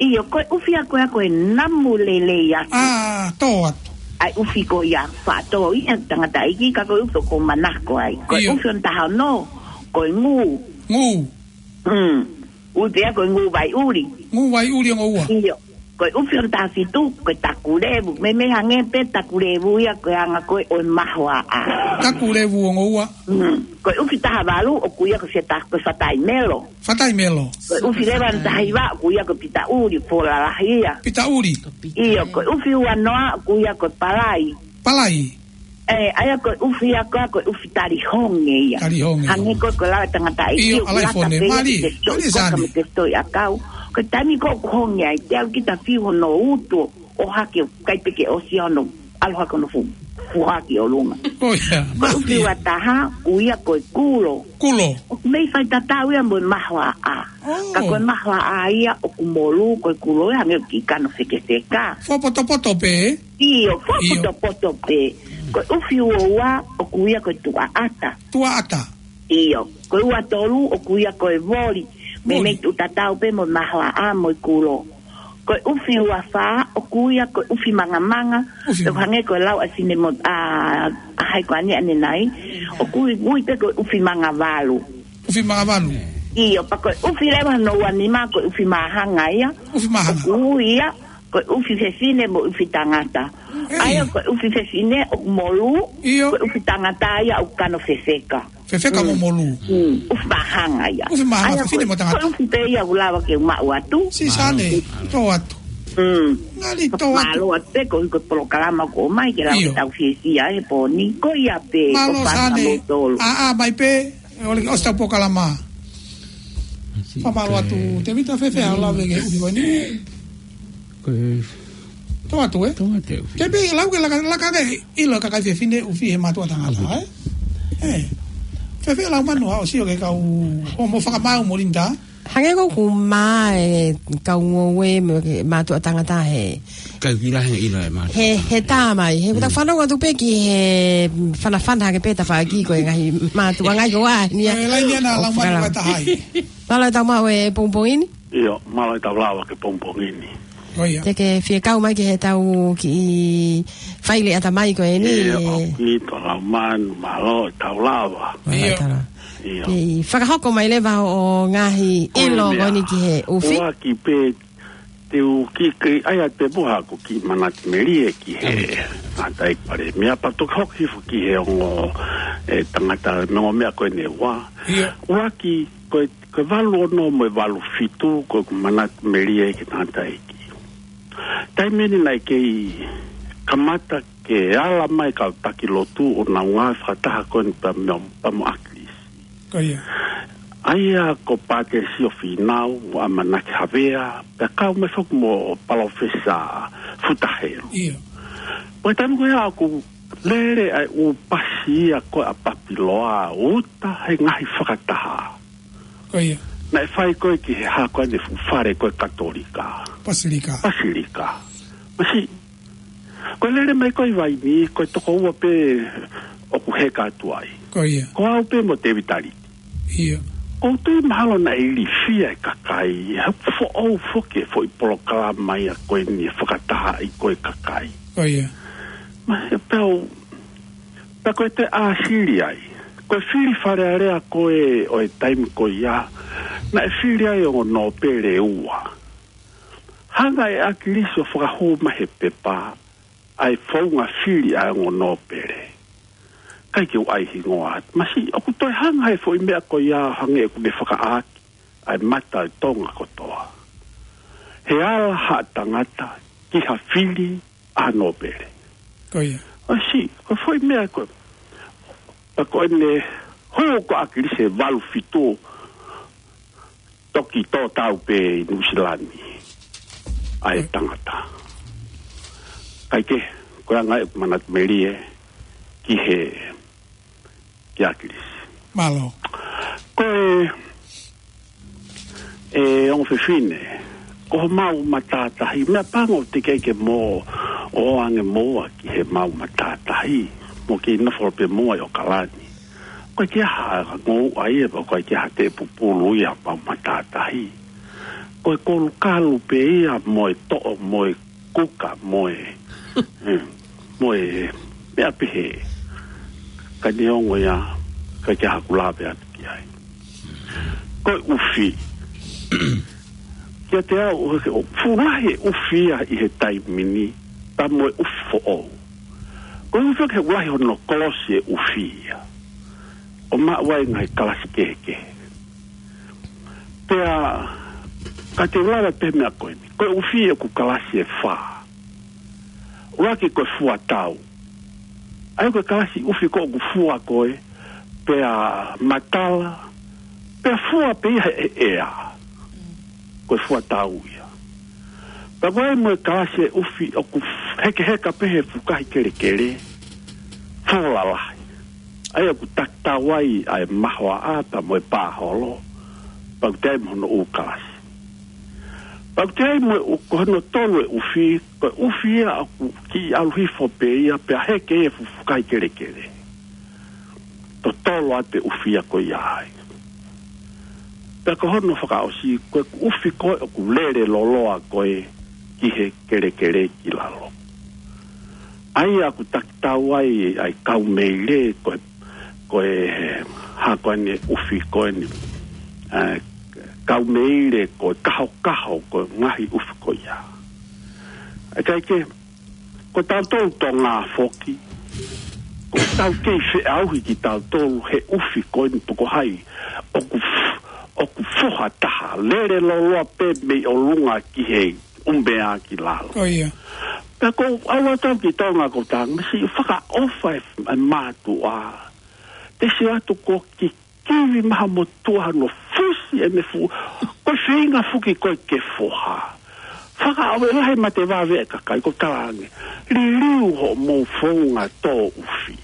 ʻIo, ko e ʻufi ia ko e, ko e namu lelei atu. ʻĀ, tō atu. ʻAi ʻufi ko ia faʻa tō ia tangataʻeiki, ka ko e ʻufi ʻoku ou manako ai. Ko e ʻIo. ʻufi hono taha ono, ko e ngū. Ngū. Mm. Ui pē ia ko e ngū vai ʻuli. Ngū vai ʻuli ongo ua. ʻIo. Ko e ʻufi hono taha fitu, ko e takulevu. Meimei hangē pē takulevu ia ko e anga ko ē ʻo e mahoaʻa. Takulevu ongo ua. Mm. Ko e ʻufi taha valu, ʻoku ui ia ko e feta-, ko e fataimelo. Fataimelo. Ko e ʻufi leva hono taha hiva, ʻoku ui ia ko e pitaʻuli, pō lalahi ia. Pitaʻuli. ʻIo, ko e ʻufi ua noa, ʻoku ui ia ko e palai. Palai. Ē, ʻa ia ko e ʻufi ia ko ē, ko e ʻufi tali honge ia. Tali honge. Hangē ko e, ko e lau ʻa e tangataʻeiki ʻIo, ʻoku ʻalai lata fone, pē ia mali, ki he mali soi, sani. Koka mo e soi ʻakau. Ko e taimi ko ē ʻoku honge ai, te u kita fiu hono utu, ʻohake ʻo kai pē ke ʻosi hono, ʻalu hake hono fu-, fuhaki ʻo lunga. ʻOi, ia, Ko e ʻufi mali. ua taha, ʻoku ui ia ko e kulo. Kulo. ʻOku mei faitatau ia mo e mahoaʻa. ʻŌ. Ka ko e mahoaʻa ia ʻoku molū, ko e kulo ia hangē ʻoku kiʻi kano fekefeka. Fuapotopoto pē. ʻIo, ʻIo. fuapotopoto pē. Ko e ʻufi ua ua, ʻoku ui ia ko e tuʻaʻata. Tuʻaʻata. ʻIo, ko e ua tolu, ʻoku ui ia ko e voli. Voli. Meimei tuʻu tatau pē mo e mahoaʻa mo e kulo. Ko e ʻufi ua fā, ʻoku ui ia ko e ʻufi mangamanga. ʻUfi. ʻOku hangē ko e lau ʻa Sine mo, ʻa, ʻa hai ko ʻanenai. ʻOku ui, ui pē ko e ʻufi mangavalu. ʻUfi mangavalu. ʻIo, pea ko e ʻufi leva hono ua nima, ko e ʻufi māhanga ia. ʻUfi māhanga. ʻOku ui ia, ko e ʻufi fefine mo e ʻufi tangata. ʻEi. ʻA ia ko e ʻufi fefine ʻoku molū, ʻIo. ko e ʻufi tangata ia ʻoku kano fefeka. Fefeka mo Mm. molū. Mm. ʻUfi māhanga ia. ʻUfi māhanga, ʻA ia fefine ko, mo tangata. ko e ʻufi pē ia ʻoku lava ke u maʻu atu. Sisane, Mālō. tō atu. Mm. Ngali tō atu. Mālō atu pē ko e, ko e polokalama ʻoku ʻomai ke lau ʻIo. ke tau fiefia he pō ni. Ko ia pē, Mālō ko fana Sane. mo tolu. ʻĀ, ʻā, mai pē, ʻe ʻole ke ʻosi ʻetau polokalama. Fakamālō atu, Tēvita, fēfē haʻo lave ki he ʻufi ko eni? Ko e Tō atu, ē? Tō atu e ʻufi. Ke pē lau ke laka, laka ke ʻilo e kakai fefine ʻufi he mātuʻa tangata, ʻUfi. ē? Ē. Fēfē lau manu haʻo sio ki he kau, ʻo mo fakamaau mo Linda? Hangē ko ʻeku mā e kau ngoue mo e mātuʻa tangata he Kai kila he ʻilo e mātuʻa. He, he tā mai. He kuta Mm. fanongo atu pē ki he fanafana hake pē tafaʻaki ko e ngaahi mātuʻa ngaahi ko ā ni a. Ē, laini ana ʻo lau manu fakala- ʻa Tahai. Mālō e tau maʻu e pongipongi ni. ʻIo, mālō e tau lava ki he pongipongi ni. ʻOi ia. Te ke fie kau mai ki heʻetau kiʻi faile ʻatamai ko eni. ʻIo, ʻoku ʻi to lau manu, mālō e tau lava. Mālō e ʻIo. tau lava. ʻIo. Pea fakahoko mai leva ʻo ngaahi Ko e ʻilo meʻa. ko eni ki he ʻufi. ʻUaki pē te u kiʻi, ʻai atu pē mo haʻaku kiʻi manatu melie ki he Amen. tangataʻeiki palēmia pea toki hoko hifo ki he ongo, ē, tangata mo e ongo meʻa ko eni ʻe ua. ʻIo. ʻUaki, ko e Ko e valu ono mo e valu fitu, ko ʻeku manatu melie ki he tangataʻeiki. Taimi ni naʻe kei kamata ke ala mai kau taki lotu ʻo nau ngāue fakataha ko eni pea mo, pea mo ʻAkilisi. Ko ia. ʻA ia ko Pātesio Fīnau, mo ʻAmanaki Havea, pea kau mai foki mo Palōfesa Futa Helu. ʻIo. Ko e taimi ko ia ʻoku lele ai ʻū pasi ia ko ē ʻa Papiloa, uta he ngaahi fakataha. Ko ia. Naʻe fai ko ē ki he hako ʻa e fuʻu fale ko ē Katolika. Pasilika. Pasilika. Masiʻi. Ko e lele mai ko ē ʻi Vainī, ko e toko ua pē ʻoku heka atu ai. Ko ia. Ko au pē mo Tēvita Liti. ʻIo. ʻOku ou tui mahalo naʻe ilifia e kakai, he foʻou foki e foʻi polokalama ia ko eni ʻe fakatahaʻi ko ē kakai. Ko ia. Masiʻi pea u Pea ko e toe ʻāsili ai. Ko e fili Fale Alea ko ē ʻo e taimi ko ia, naʻe fili ai ongo nōpele ʻe ua. Hanga ʻe ʻAkilisi ʻo fakahū mai he pepa, ʻa e founga fili ʻa e ongo nōpele. ʻIkai ke u ʻai hingoa atu. Masiʻi, ʻoku toe hanga he foʻi meʻa ko ia hangē ʻoku ne fakaʻaki ʻa e mata ʻo Tonga kotoa. He ala ha tangata ki ha fili ʻa nōpele. Ko ia. ʻOsi, ko e foʻi meʻa ko ē. Pea ko ʻene hū ko ʻAkilisi he valu fitu toki tō tau pē ʻi Nuʻusila ni ʻa e tangata. Kae kehe, ko e anga ʻeku manatu melie ki he, ki ʻAkilisi. Mālō. Ko e, ʻe ongo fefine, ko homau matātahi, meʻapango teʻeki ke mou ō ange moua ki he mau matātahi, mou kei nofo pē moua ʻi ʻAokalani. Ko e ʻikai ke ʻi ai ha ngouʻa ia, pe ko e ʻikai ke ʻi ai ha tēpupulu ia ʻi homau matātahi. Ko e kolukalu pē ia mo e toʻo, mo e kuka, mo e, eh, mo e meʻa pehē. Ka neongo ia, ʻikai ke ʻi ai haʻaku lave atu ki ai. Ko e ʻufi. Kiate au, ʻoku fuʻu lahi e ʻufi ia ʻi he taimi ni, pea mo e ʻufi foʻou. Ko e ʻufi ʻoku fuʻu lahi hono kolosi e ʻufi ia. ʻO maʻu ai e ngaahi kalasi kehekehe. Pea, ka te u lave pē he meʻa ko eni. Ko e ʻufi ʻoku kalasi ʻe fā. ʻUluaki ko e fua tau. ʻA ia ko e kalasi ʻufi ko ē ʻoku fua ko ē, pea matala, pea fua pē ia he ʻea. Ko e fua tau ia. Pea ko e mo e kalasi e ʻufi ʻoku hekeheka pē he fukahi kelekele, fō lalahi. ʻA ia ʻoku takitau ai ʻa e mahoaʻa pea mo e pāholo, pea ʻoku toe ʻi ai mo hono ʻū kalasi. Pea ʻoku toe ʻi ai mo e ʻū, ko hono tolu e ʻufi, ko e ʻufi ia ʻoku kiʻi ʻalu hifo pē ia, pea heke e fukahi kelekele. Totolo atu e ʻufi ia ko ia ai. Pea ko hono fakaʻosi, ko e ʻufi ko ē ʻoku lele loloa ko ē ki he kelekele ki lalo. ʻA ia ʻoku takitau ai ʻa e kaumeile, ko e, ko e, ha ko eni ʻufi ko eni. ʻA e kaumeile, ko e kahokaho, ko e ngaahi ʻufi ko ia. ʻIkai ke, ko tautolu Tonga foki, ʻoku tau kei feʻauhi kitautolu he ʻufi ko eni pe ko hai ʻoku f-, ʻoku foha taha, lele loloa pē mei ʻolunga ki he ʻumea ki lalo. Ko ia. Pea ko au atu ki Tonga ko Tonga, masi fakaʻofa e, e mātuʻa. Te sio atu ko e kikivi maha motuʻa hono fusi e meʻa fu-, ko e feinga foki ko ē ke foha. Fakaʻofa lahi mate vave e kakai ko e talaange. Liliu hoʻomou founga tō ʻufi.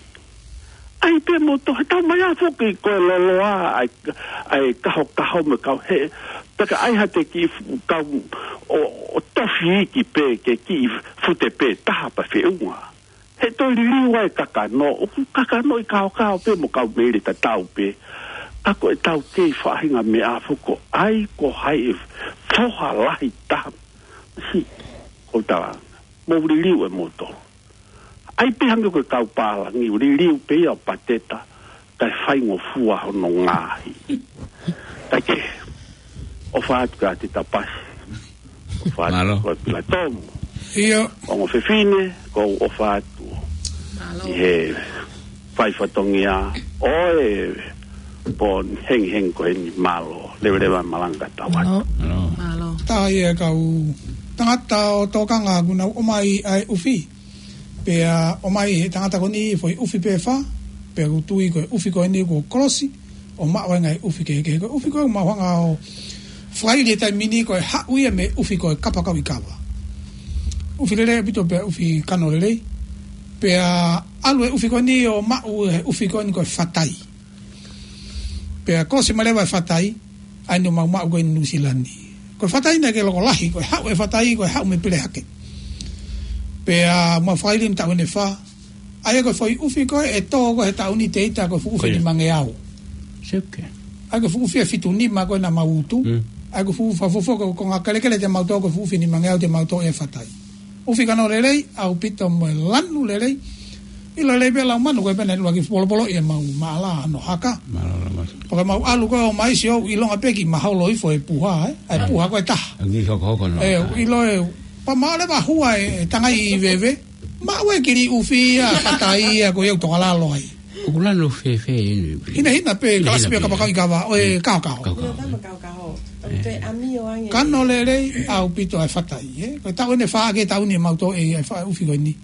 ʻAi pē mo tō, he tau mai a foki ko e loloa, ʻa e, ʻa e kahokaho mo e kau he, pea ka ʻai ha te kiʻi fu-, kau ʻo, ʻo tofi iiki pē ke kiʻi fute pē taha pea feʻunga. He toe liliu ai e kakano, ʻoku kakano ʻi kaokao pē mo kaumeile tatau pē. Ka ko e tau kei faʻahinga meʻa foki ko e ʻai ko hai e foha lahi taha. Si, ko e talaange. Mou liliu e moto. ʻAi pē hangē ko e kau pālangi, liliu pē ia ʻo pateta, kae faingofua hono ngaahi. Kae kehe, ʻofa atu kia Tita Pasi. ʻOfa atu Mālō. Ko Pila Tomu. ʻIo. Ongo fefine, ʻoku ou ʻofa atu. Mālō. ʻI he fai fatongia, ʻo e pō hengihengi ko eni mālō. Leveleva malanga tau atu. Mālō. Mālō. Mālō. Tā ia kau tangata ʻo tokanga ʻoku nau ʻomai ʻa e ʻufi. Pea ʻomai he tangata ko eni foʻi ʻufi pē fā, pea ʻoku tui ko e ʻufi ko eni ko e kolosi, ʻo maʻu ai e ngaahi ʻufi kehekehe. Ko e ʻufi ko ē ʻoku mau hanga ʻo fakaili he taimi ni ko e haʻu ia mei he ʻufi ko e kapakau ʻi kava. ʻUfi lelei ʻaupito pea ʻufi kano lelei. Pea ʻalu e ʻufi ko eni ʻo maʻu he ʻufi ko eni ko e fatai. Pea kolosi mai leva e fatai, ʻa eni ʻoku mau maʻu ko ē ʻi Nuʻusila ni. Ko e fatai naʻe ʻikai ke loko lahi, ko e haʻu e fatai, ko e haʻu mei Pelehake. Pea mau fakaili mei he taʻu ʻe fā. ʻA ia ko e foʻi ʻufi ko ē ʻe tō ko ē he taʻu ni te ita ko e fuʻu ʻufi Ko ia. nimangeau. Seke. ʻA ia ko e fuʻu ʻufi ʻe fitu nima ko ē naʻa mau utu. Mm. ʻA ia ko e fuʻu fakafuofua ko e konga kelekele te mau tō ko e fuʻu ʻufi nimangeau te mau tō e fatai. ʻUfi kano lelei, ʻaupito mo e lanu lelei. ʻIlo lelei pē lau manu, ko e pehē naʻe ʻuluaki polopolo ʻi he mau maʻala ʻa hono haka. Mālō, mālō. Pea ko e mau ʻalu ko ē ʻo mai sio, ʻilonga pē kiʻi maholo hifo e puha, ē? ʻA e puha ko e taha. ʻA e kiʻi hokohoko no. Ē, ʻilo ē, pea maʻu leva hua e, e tangai ʻi veve. Maʻu e kili ʻufi ia, fatai ia, ko ia ʻoku toka lalo ai. ʻOku lanu fēfē eni? Hinahina pē, Hinahina kalasi pē pē. kapakau ʻi kava, ʻo e Mm. kahokaho. Kahokaho. Io, tama kahokaho. Toe ʻamio ange. Kano lelei, ʻaupito e fatai, ē? Ko e taʻu ʻe fā ke taʻu ni mau tō e, e fa-, ʻufi ko eni.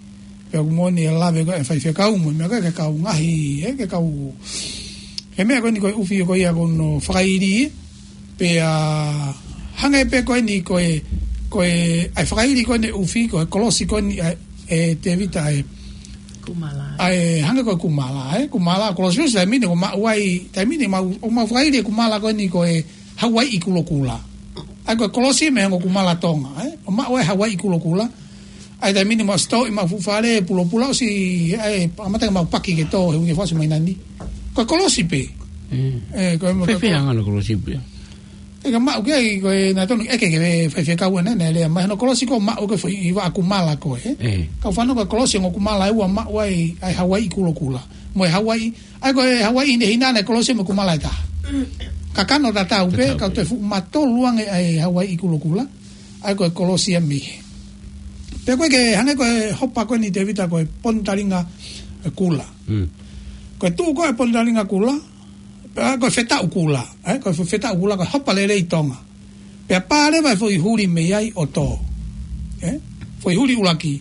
Pea ʻoku moʻoni e lave ko ē faifekau mo e meʻa ko ē ke kau ngaahi, ē, ke kau. He meʻa ko eni ko e ʻufi ko ia ko hono fakaili, ē? Pea hangē pē ko eni ko e, ko e, ʻa e fakaili ko eni ʻufi, ko e kolosi ko eni, ʻa e, ʻe Tevita ʻa e. Kumala. ʻA e, hangē ko e kumala, ē? Kumala, kolosi ʻosi taimi ni, ʻoku maʻu ai, taimi ni mau, ʻoku mau fakaili e kumala ko eni ko e Hawaiʻi kulokula. ʻA ia ko e kolosi mei he ongo kumala Tonga, ē? ʻO maʻu e Hawaiʻi kulokula. ʻA ia taimi ni mau sitoʻi, mau fuʻu fale, pulopula ʻosi, ʻa ia, ʻamata ke mau paki ke tō he uike fakaʻosi mai nani. Ko e kolosi pē. Mm. Ē, ko e, Fēfē ko e anga hono kolosi pē? ʻE ka maʻu ke ai, ko e naʻe tonu ʻeke ke faifekau ʻanenai, lea mai hono kolosi ko e maʻu ko e foʻi vaʻa kumala ko ē. Ē. Kau fanongo ko e kolosi ongo kumala ʻe ua maʻu ai, ʻa e Hawaiʻi kulokula. Mo e Hawaiʻi, ʻa ia ko e Hawaiʻi hinehina ʻa e kolosi mo e kumala ʻe taha. Kakano tatau pē, Tatau kau pē. Toe fuʻu matolu ange ʻa e Hawaiʻi kulokula. ʻA ia ko e kolosi ia mei hē. Pea ko e ke hangē ko e hopa ko eni Tēvita ko e Ponitalinga Kula. Mm. Ko e tuʻu ko e Ponitalinga Kula, pea ko e Fetaʻu Kula, ē, ko e Fetaʻu Kula, ko e hopa lelei Tonga. Pea pā leva e foʻi huli mei ai ʻo tō. Ē? Foʻi huli ʻuluaki.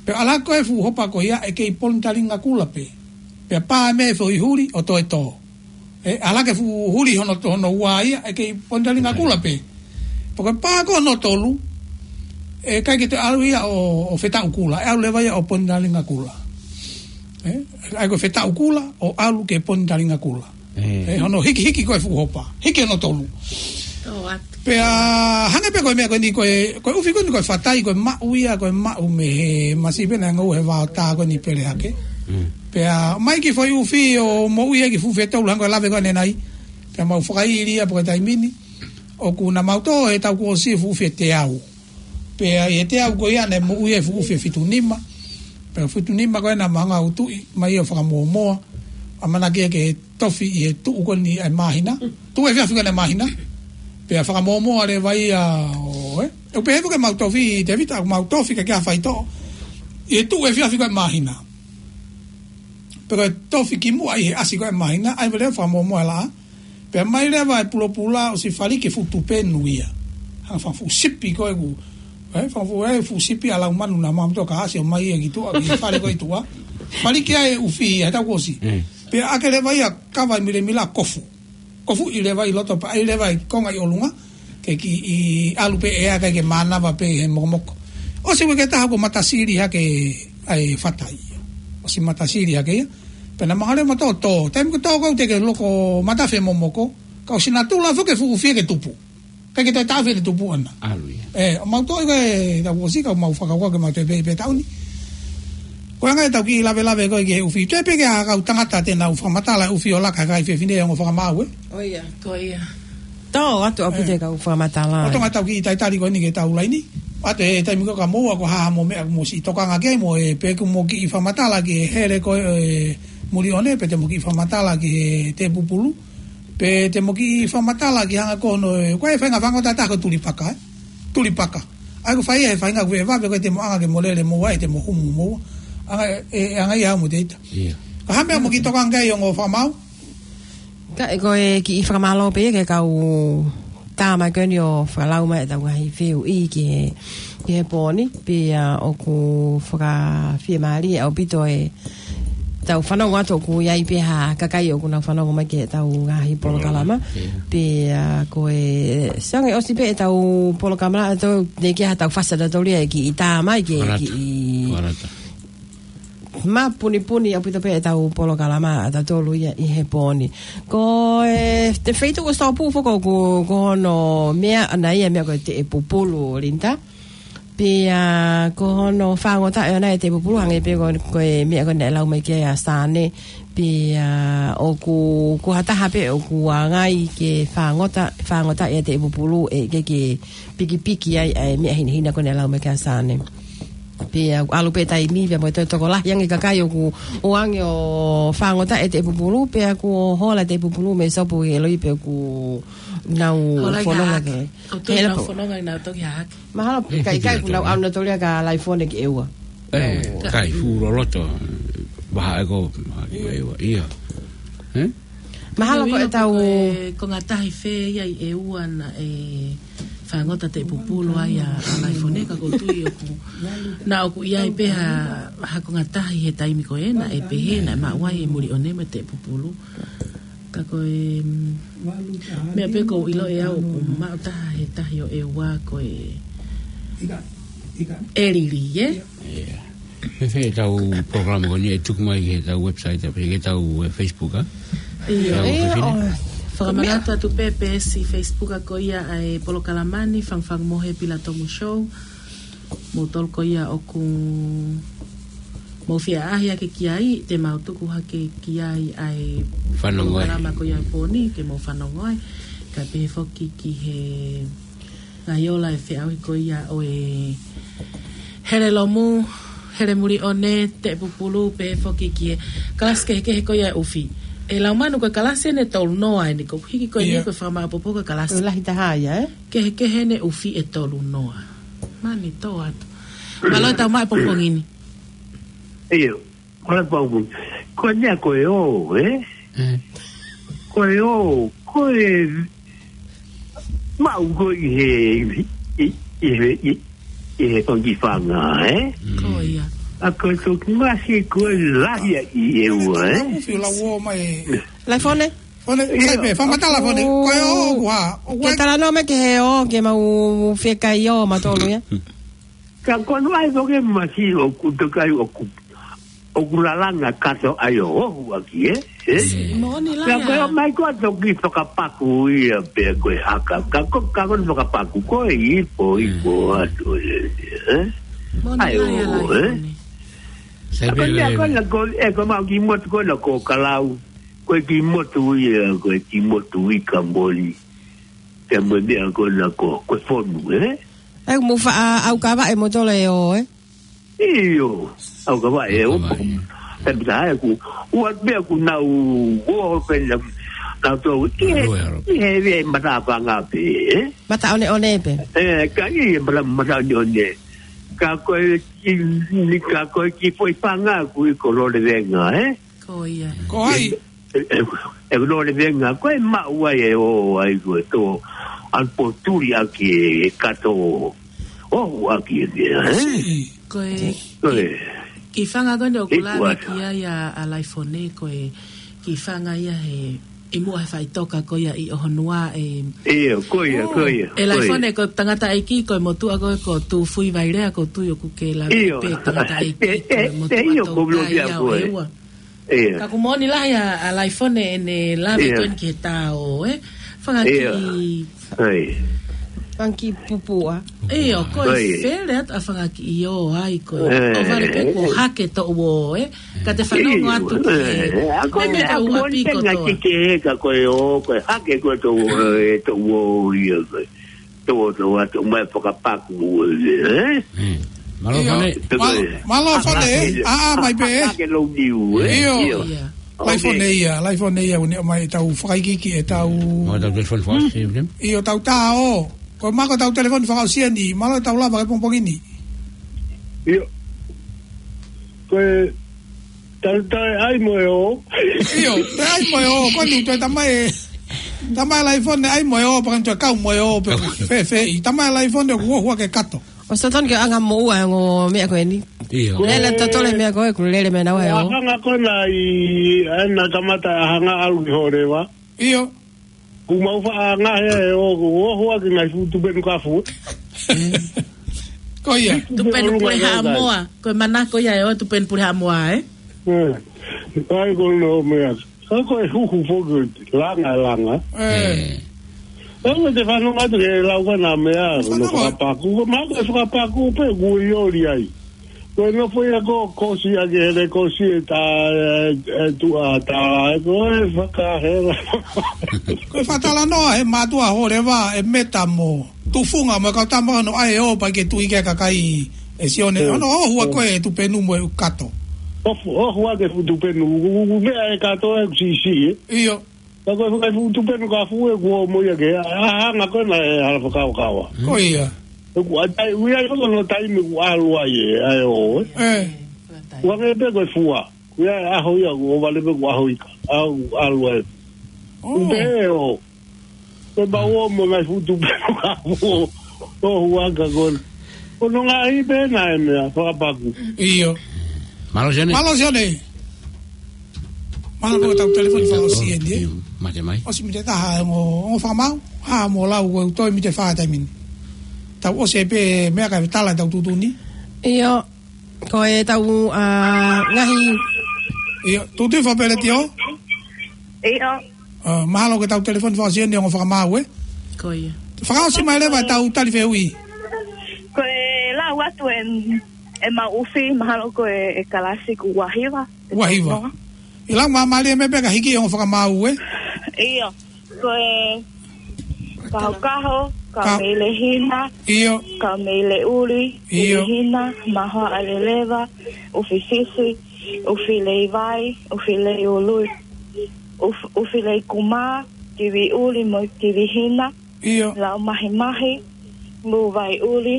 Pea ʻalu hake ko e fuʻu hopa ko ia ʻe kei Ponitalinga Kula pē. Pea pā mei ai e foʻi huli ʻo toe tō. Ē, ʻalu hake e fuʻu huli hono, hono ua ia ʻe kei Ponitalinga Kula pē. Pea ko e pā ko hono tolu, ʻe ʻikai ke toe ʻalu ia ʻo, ʻo Fetaʻu Kula, ʻe ʻalu leva ia ʻo Ponitalinga Kula. Ē? ʻA ia ko e Fetaʻu Kula ʻo ʻalu ki Ponitalinga Kula. Ē. Ē, hono hikihiki ko e fuʻu hopa. Hiki hono tolu. Tō atu. Pea hangē pē ko e meʻa ko eni ko e, ko e ʻufi ko eni ko e fatai, ko e maʻu ia, ko e maʻu mei he masiva naʻe ngāue he vao tā ko eni pele hake. Mm. Pea mai ki he foʻi ʻufi ʻo moʻui ai ki he fuʻu fetolu hangē ko e lave ko ē ʻanenai. Pea mau fakaʻili ia pea ko e taimi ni. ʻOku na mau tō he taʻu kuo ʻosi e fuʻu ʻufi ʻe teau. Pea ʻi he teau ko ia naʻe moʻui ai e fuʻu ʻufi ʻe fitu nima. Pea fitu nima ko ē naʻa mau hanga ʻo tuʻi mai ʻo fakamōmoa. ʻAmanaki ia ke tofi ʻi he tuʻu ko eni ʻa e māhina. Tuʻu efiafi ko eni ʻa e māhina. Pea fakamōmoa leva ia ʻo, ē. ʻOku pehē foki ʻemau tofi, Tēvita, ʻoku mau tofi kae ʻikai ha faitoʻo. ʻI he tuʻu efiafi ko ē ʻa e māhina. Pea ko e tofi kimuʻa ʻi he ʻasi ko ē ʻa e māhina, ʻai leva fakamōmoa e laʻā. Pea mai leva e pulopula ʻosi fali ki he fuʻu tupe nui ia. Hangē ha fuʻu sipi ko ē ʻoku, ē, ha fuʻu, ē, fuʻu sipi ʻa e lau manu naʻa mau toka ʻasi ʻo mai ia ki tuʻa, ki he fale ko ē ʻi tuʻa. Fali ki ai e ʻufi ia, he taʻu kuo ʻosi. Mm. Pea ʻeke leva ia kava e milemila kofu. Kofuʻi leva ʻi loto pea ʻai leva e konga ʻi ʻolunga. Ke kiʻi ʻalu pē ʻe ʻikai ke mānava pē he mokomoko. ʻOsi uike ʻe taha kuo matasili hake ʻa e fatai ia. ʻOsi matasili hake ia. Pea naʻa mau hanga leva ʻo tō, tō. Taimi ko ē tō ko ē teʻeki ke loko matafi e momoko. Ka ʻosi natula foki e fuʻu ʻufi ia ke tupu. ʻIkai ke toe taʻofi ʻene tupu ʻana. ʻAlu ia. Ē, ʻo mau tō ʻi he taʻu kuo ʻosi ka mau fakakaukau ke mau toe pē, pē taʻu ni. Ko e anga ʻetau kiʻi lavelave ko ē ki he ʻufi. Toe pē ki ha kau tangata te nau fakamatala e ʻufi ʻo laka he kakai fefine ʻi he ongo fakamaau, ē? ʻIo, ko ia. Tō atu ʻaupito e kau fakamatala. ʻO Tonga tau kiʻi talitali ko eni ki heʻetau laini. ʻAtu e taimi ko ē ka mou ako ha mo e meʻa mo siʻi tokanga ki ai mo e pe ʻoku mo kiʻi fakamatala ki he hele ko ē Muliʻone, pe te mo kiʻi fakamatala ki he Tēpupulu. Pe te mo kiʻi fakamatala ki he anga ko hono, ko e faʻahinga fangota taha ko e tulipaka, ē? Tulipaka. ʻA ia ko e fai ia he faʻahinga ko e vave ko ē te mo anga ke mo lele mo ʻai te mo humu mo. Anga, ē, anga ia mo te ita. ʻIo. Ka ha meʻa mo kiʻi tokanga ki ai ongo fakamaau? Ka ʻe ko e kiʻi fakamālō pē ia ki he kau tama ko eni ʻo fakalau mai ʻetau ngaahi fehuʻi ki he, ki he pō ni, pea ʻoku fakafiemālie ʻaupito ʻetau fanongo atu ʻoku ʻi ai pē ha kakai ʻoku nau fanongo mai ki heʻetau ngaahi polokalama. Polokalama, ʻio. Pea ko e, ʻe, ʻosi ange ʻosi pē ʻetau polokalama, ʻe toe, ne ke ha tau fasa tatoli e kiʻi tā mai ke, Fakalata. Kiʻi Fakalata. Mapunipuni ʻaupito pē ʻetau polokalama ʻatautolu ia ʻi he pō ni. Ko e, te feituʻu ʻoku tōpū foki ko, ko hono meʻa ʻana ia meʻa ko e Teʻepupulu, Linda. Pea ko hono fāngotaʻi ʻona e Teʻepupulu hangē pē ko, ko e meʻa ko ē naʻe lau mai ki ai ʻa Sane. Pea ʻoku, ko ha taha pē ʻoku ʻangai ke fāngota, fāngotaʻi e Teʻepupulu ʻe ʻikai ke pikipiki ai ʻa e meʻa hinehina ko ē naʻe lau mai ki ai ʻa Sane. Pea ʻoku ʻalu pē taimi, pea mo e toe tokolahi ange kakai ʻoku ʻoange ʻo fāngotaʻi e Teʻepupulu, pea kuo hola e Teʻepupulu mei Sopu ʻi he loi pea ʻoku nau Hola i fononga hahake. Ke. ʻOku toe Hele nau po. Fononga ʻi nau toki hahake. Mahalo ʻikai, ʻikai ʻoku nau ʻalu nautolu ia kia Laifone ki ʻEua. Ē, ʻIo. Kai fuʻu loloto, vaha ʻe ko, ʻEua, ʻio. Ē? Mahalo ko ʻIo, ʻetau ko e konga tahi fē ia ʻi ʻEua naʻe fāngota Teʻepupulu ai ʻa, ʻa Laifone ka ʻoku ou tui ʻoku, naʻa ʻoku ʻi ai pē ha, ha konga tahi he taimi ko ē naʻe pehē naʻe maʻu ai e Muliʻone mo e Teʻepupulu. Ka ko e, mm, meʻa pē ʻoku ou ʻilo ʻe au ʻoku maʻu taha he tahi ʻo ʻEua ko e ʻElili, ē? ʻIo. Fēfē ʻetau polokalama ko eni ʻe tuku mai ki heʻetau website, pe ki heʻetau, ē, Facebook, ē? ʻIo. ʻIo, ʻio, Facebook, ē? ʻO, Fakamanatu atu pē peesi Facebook ko ia ʻa e polokalama ni, Fangufangu Mohe Pilatomu Show. Mou tolu ko ia ʻoku mou fie ʻaʻahi ake ki ai, te mau tuku hake ki ai ʻa e polokalama ko ia ʻo e pō ni, ke mou fanongo ai. Kae pehē foki ki he ngaahi ola ʻe feʻauhi ko ia ʻo e hele lomu, hele muli ʻone, teʻe pupulu, pehē foki ki he kalasi kehekehe ko ia ʻo e ʻufi. ʻE Laumanu, ko e kalasi ʻeni ʻe tolu noa ʻeni, ko e hiki ko eni ko e fakamāʻopoʻopo ko e kalasi. Ko e lahi taha ia, ē? Kehekehe ʻeni ʻufi ʻe tolu noa. Mani tō atu. Mālō e tau mai pongipongi ni. ʻIo. Ko e pau, ko e meʻa ko e ō, ē? Ko e ō, ko e maʻu ko ē ʻi he, ʻi, ʻi he, ʻi, ʻi he fanga fanga, ē? Ko ia. ʻA ko e toki masi ko e lahi ʻi he ua, ē? Laifone? Fone, sai pē, fakamatala Fone. Ko e ō, ua. Ke talanoa mai ki he ō, ke mau fie kai ō, matolu ia. Ka ko e ʻai ko e masi ʻoku tokai ʻoku ʻoku lalanga kato ai ʻo ohu ʻaki, ē? Ē? Moʻoni lā. Ka ko e ō mai ko e toki fakapaku ia pea ko e haka. Ka ko, ka ko e fakapaku ko e ipo, ipo atu, ē? Moʻoni lā ia ō, ē? Ka ko e meʻa ko ena ko, ē, ko mau ki motu ko ena ko Kalau. Ko e ki motu ia, ko e ki motu ika moli. Te mo meʻa ko ena ko, ko e fonu, ē? ʻE mo faʻa ʻaukavaʻe mo tole ō, ē? ʻIo, ʻaukavaʻe ō. Pea pita hai ku, ua pea ku nau, ua pea nau, nau tō, ʻi he, ʻi he vea mata fanga pē, ē? Mata ʻoneʻone pē. Ē, ka ʻi he mata, mata ʻoneʻone. Ka ko e ki, ni ka ko e ki foʻi fanga ku ʻi ko Lole Venga, ē? Ko ia. Ko ai? E, e, e Lole Venga, ko e maʻu ai e ō ai ko e tō, ʻalu ʻo tuli ʻaki e kato, ō ʻaki e meʻa, ē? Ko e, ko e ki, ki fanga ko eni ʻoku lave ki ai ʻa, ʻa Laifone, ko e ki fanga ia he, ʻi muʻa he faʻitoka ko ia ʻi ʻOhonua, ē. ʻIo, ko ia, ko ia, ʻe Laifone, ko e tangataʻeiki, ko e motuʻa ko ē ko Tūfuivailea, ko e tui ʻoku ke lave pē tangataʻeiki, ko e motuʻa taukaeʻia ʻo e ua. Ka ʻoku moʻoni lahi ʻa, ʻa Laifone ʻene lave ko eni ki he tā ō, ē? Fanga kiʻi, fanga kiʻi pupua. ʻIo, ko e fele atu ʻa fanga kiʻi ō ai ko ē. ʻO vale pē kuo hake toʻu ō, ē? Ka te fanongo atu ki he, ʻa ko e meʻa ka ʻoku moʻoni pē ngaahi kiki ē ka ko e ō, ko e hake ko e toʻu ō, ē, toʻu ō ia ko ē. Tō, tō atu mai fakapaku, ē? Mālō Fone. Mālō Fone, ē? ʻA, ʻa, mai pē, ē? Ke lou niu, ē? ʻIo. Laifone ia, Laifone ia, ʻoku ne ʻomai ʻetau fakaikiiki ʻetau. Mālō ʻetau telefoni fakaʻosi, ē? ʻIo, tau tā ō. Ko e mako ʻetau telefoni fakaʻosi eni, mālō ʻetau lava ke pongipongi ni. ʻIo. Ko e Tau, tau ʻai mo e ō. ʻIo, tau ʻai mo e ō, ko eni toe tamai, tamai Laifone ʻai mo e ō, pea ka toe kau mo e ō, pea fēfē, tamai Laifone ʻoku ʻohu ake kato. ʻOsi totonu ke ʻanga moʻua e ongo meʻa ko eni. ʻIo. Lele totole meʻa ko ē, ʻoku lele meʻa naua e ō. ʻAhanga ko ena ʻi, ena kamata ʻahanga ʻalu ki Hōleva. ʻIo. Kuo mau faʻa ngahe ʻo, ʻo, ʻo, ʻohu ake ngaahi fuʻu tupenu kafu. Ko ia. Tupenu pule Haʻamoa. Ko e manako ia ʻo e tupenu pule Haʻamoa, ē? ʻAi ko no meʻa. Ka ko e huhu foki langa, langa. ʻE. ʻE, te fanongo atu ke lau ka na meʻa, no fakapaku. Ko mau ke fakapaku pē kuo ʻioli ai. Ko e nofo ia ko, kosi ake hele kosi e tā, e, e tuʻa tā, e ko e fakahela. Ko e fakatalanoa he mātuʻa Hōleva, e Meta mo Tufunga mo e kau tama no ʻai ō pea ke tui ke kakai e Sione. ʻE. Ono ʻohu ʻa ko e tupenu mo e kato. ʻOhu, ʻohu ake fuʻu tupenu, u, u, u, meʻa e kato e sisi, ē? ʻIo. Ka ko e fakafuʻu tupenu kafu ʻoku ʻomai ʻaki, ʻahanga ko ena e hala fakakaukau. Ko ia. ʻOku ʻatai, ui ai ko no taimi ʻoku ʻalu ai e, ʻa e ō, ē. ʻE. ʻOku ʻange pē ko e fua. ʻOku ʻi ai e ʻaho ia, ʻoku ʻo vale pē ko e ʻaho ika. ʻAlu ai. ʻO. ʻOku pehē ʻo. Ko e mau ō mo e ngaahi fuʻu tupenu kafu ʻo, ʻohu aka ko ena. Ko no ngaahi pē na e meʻa, fakapaku. ʻIo. Mālō Sione. Mālō Sione. Mālō ko ʻetau telefoni fakaʻosi eni, ē? ʻIo, mate mai. ʻOsi miniti ʻe taha, ongo, ongo fakamau. Ha, mo lau, ko e toe miniti ʻe fā taimi ni. Tau ʻosi pē meʻa ka tala ʻetau tuʻutuʻuni. ʻIo, ko ʻetau, ʻa, ngaahi. ʻIo, tuʻutuʻuni fakapeleti ʻo? ʻIo. ʻA, mahalo ko ʻetau telefoni fakaʻosi eni ʻo fakamaau, ē? Ko ia. Fakaʻosi mai leva ʻetau tali fehuʻi. Ko e lau atu e, ʻemau ʻufi, mahalo ko e, e kalasi ko e uahiva. Uahiva. Lau māmālie mai pē ka hiki ʻo fakamaau, ē? ʻIo. Ko e kahokaho, ka- kaumeʻileʻuli, ʻio. Kaumeʻileʻuli, ʻio. Kivihina, mahoaʻa leleva, ʻufi fifi, ʻufi leivai, ʻufi leiului, ʻuf-, ʻufi leikumā, kiviʻuli mo e kivihina, ʻio. Laumahimahi, mūvaiʻuli,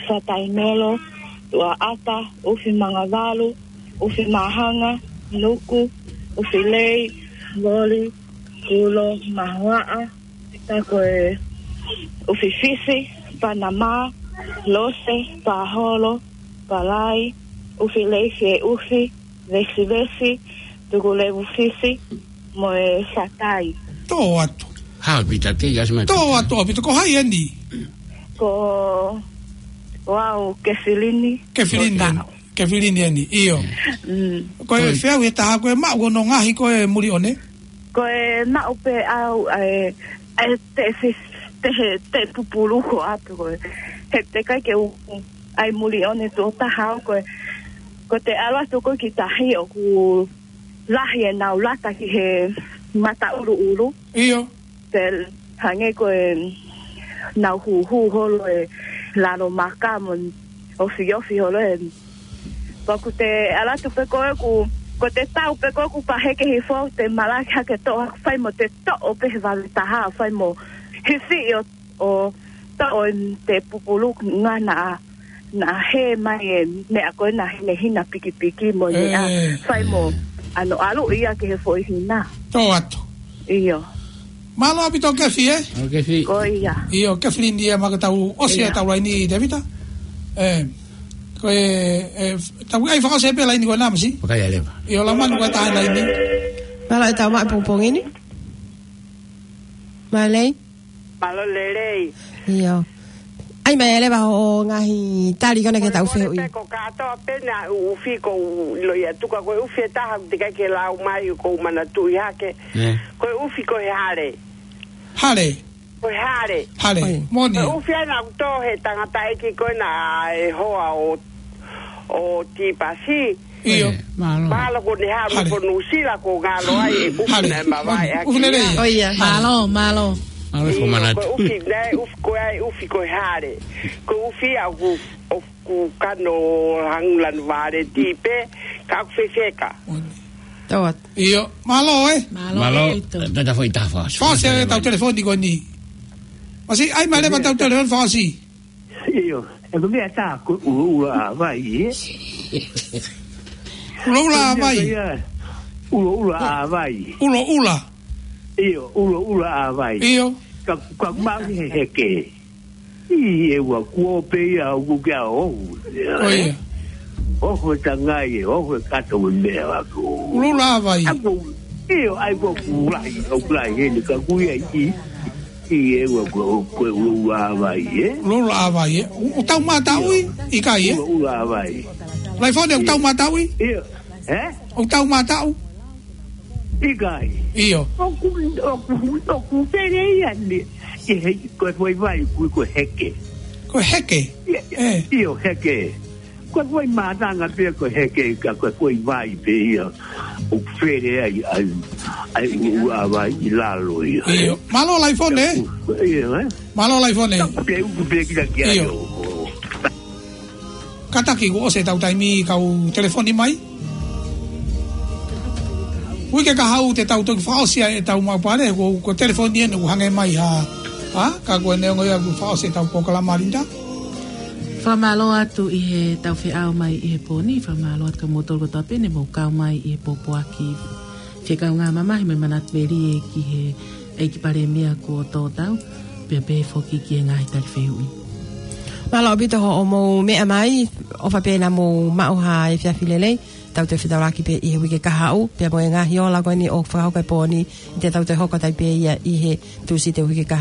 fataimelo, tuʻaʻata, ʻufi mangavalu, ʻufi māhanga, nuku, ʻufi lei, voli, kulo, mahoaʻa, ka ko e ʻufi fifi, panamā, lose, pāholo, palai, ʻufi lei fie ʻufi, vesivesi, tukulevu fifi, mo e fatai. Tō atu. Hā, Pita, te ia sima Tō atu, ʻaupito, ko hai eni? Ko, ko au, Kefilini. Kefilini eni. Kefilini eni, ʻio. Mm. Ko e Oi. feau he taha, ko e maʻu hono ngaohi ko e muli ʻone? Ko e maʻu pē au, e, e te fi-, te he, te pupulu ko atu ko e. He teʻeki ke u, ʻai muli ʻone tuʻo taha au ko e. Ko te ala tu ko ki tahi ʻoku lahi ʻenau lata ki he mataʻuruʻuru. ʻIo. Te hangē ko e nau huhu holo e lalo maka mo ofiofi holo e. Pea ko te ala tu pē ko ē ʻoku, ko te tau pē ko ē ʻoku paheke hifo te malaki hake toʻo fai mo te toʻo pē he vave taha fai mo hisi ʻo, ʻo toʻo e te pupulu ngana a. Naʻe hē mai e meʻa ko ē naʻe hinehina pikipiki mo e meʻa ʻE. fai mo ʻano ʻalu ia ki he foʻi hina. Tō atu. ʻIo. Mālō ʻaupito Kefi, ē? ʻO Kefi. Ko ia. ʻIo, Kefilini ia ma ka tau ʻosi ʻIo. ʻetau laini, Tēvita. ʻE, ko e, ʻe, tau ʻai fakaʻosi pē laini ko ena masi. Fakaʻosi leva. ʻIo, lau manu ko e taha laini. Mālō ʻetau maʻu pongipongi ni. Mālō. Mālō lelei. ʻIo. ʻAi mai leva hoʻo ngaahi tali ko ena ki heʻetau fehuʻi. Ko e kātoa pē ʻa e ʻufi ko u ʻilo ia tuka ko e ʻufi ʻe taha teʻeki ke lau mai ko u manatuʻi hake. ʻE. Ko e ʻufi ko e hale. Hale. Ko e hale. Hale. ʻOi. Moʻoni. Ko e ʻufi ʻa ena ʻoku tō he tangataʻeiki ko ena ʻa e hoa ʻo, ʻo Tipasi. ʻIo. ʻE, mālō. Mālō ko ʻene haʻu Hale. ko Nuʻusila ko ngalo ai e ʻufi Hale. naʻe mavae ʻOni, ʻaki ʻufi lelei. ia. ʻO ia, Hale. mālō, mālō. Mālō ko ʻIo, Manatu. ko e ʻufi, naʻe ʻufi, ko e ʻai ʻufi ko e hale. Ko e ʻufi ʻa ʻoku, ʻoku kano hangula no vale tipe, ka ʻoku fefeka. ʻOni. Tō atu. ʻIo, mālō, ē? Mālō, Mālō, ʻaupito. Tata foʻi taha fakaʻosi. Fakaʻosi ʻetau telefoni ko eni. Masi, ʻai mai leva ʻetau telefoni fakaʻosi. ʻIo, ʻe ko e meʻa tā ko e ʻuloʻula ʻa vai, ē? ʻUloʻula ʻa vai. ʻUloʻula ʻa vai. ʻUloʻula. ʻIo, ʻuloʻula ʻa vai. ʻIo. Ka, ka mau he heke. ʻI he ua kuo pē ia ʻoku ke a ohu. ʻO ia. Ohu e tangai, ohu e kato mo e meʻa ʻaku. ʻUloʻula ʻa vai. ʻAku, ʻio, ʻai ko e kulahi, ʻo kulahi heni ka kui ai ʻi. ʻI he ua ko, ko e ʻuloʻula ʻa vai, ē? ʻUloʻula ʻa vai, ē? ʻO, ʻoku tau mātau ʻi, ʻikai, ē? ʻUloʻula ʻa vai. Laifone, ʻoku tau mātau ʻi? ʻIo. Ē? ʻOku tau mātau? ʻIkai. ʻIo. ʻOku, ʻoku, ʻoku pele ia ni. ʻI he, ko e foʻi vai, kui ko e heke. Ko e heke? ʻIo, ʻE. ʻio, heke. Ko e foʻi mātanga pē ko e heke ka ko e foʻi vai pē ia ʻoku fele ai, ai, ai ʻuloʻula ʻa vai ʻi lalo ia. ʻIo. Mālō Laifone. ʻIo, ē? Mālō Laifone. Ke uku pē kita ki ai ʻIo. ʻo, ʻo. Kātaki kuo ʻosi ʻetau taimi kau telefoni mai. Uike kahaʻu te tau toki fakaʻosi ai ʻetau maʻu pale, ko, ko e telefoni eni ʻoku hangē mai ha. Ha? Ka ko e neongo ia kuo fakaʻosi ʻetau polokalama, Linda. Fakamālō atu ʻi heʻetau feʻao mai ʻi he pō ni, fakamālō atu kia moutolu kotoa pē ne mou kau mai ʻi he pōpoaki fekaungāmamahi mo e manatu melie ki he ʻEiki Palēmia kuo tō tau, pea pehē foki ki he ngaahi tali fehuʻi. Mālō ʻaupito hoʻomou meʻa mai, ʻofa pē naʻa mou maʻu ha efiafi lelei, tau toe fetaulaki pē ʻi he uike kahaʻu, pea mo e ngaahi ola ko eni ʻoku fakahoko he pō ni, ʻe tau toe hoko atu ai pē ia ʻi he Tūsite uike kahaʻu.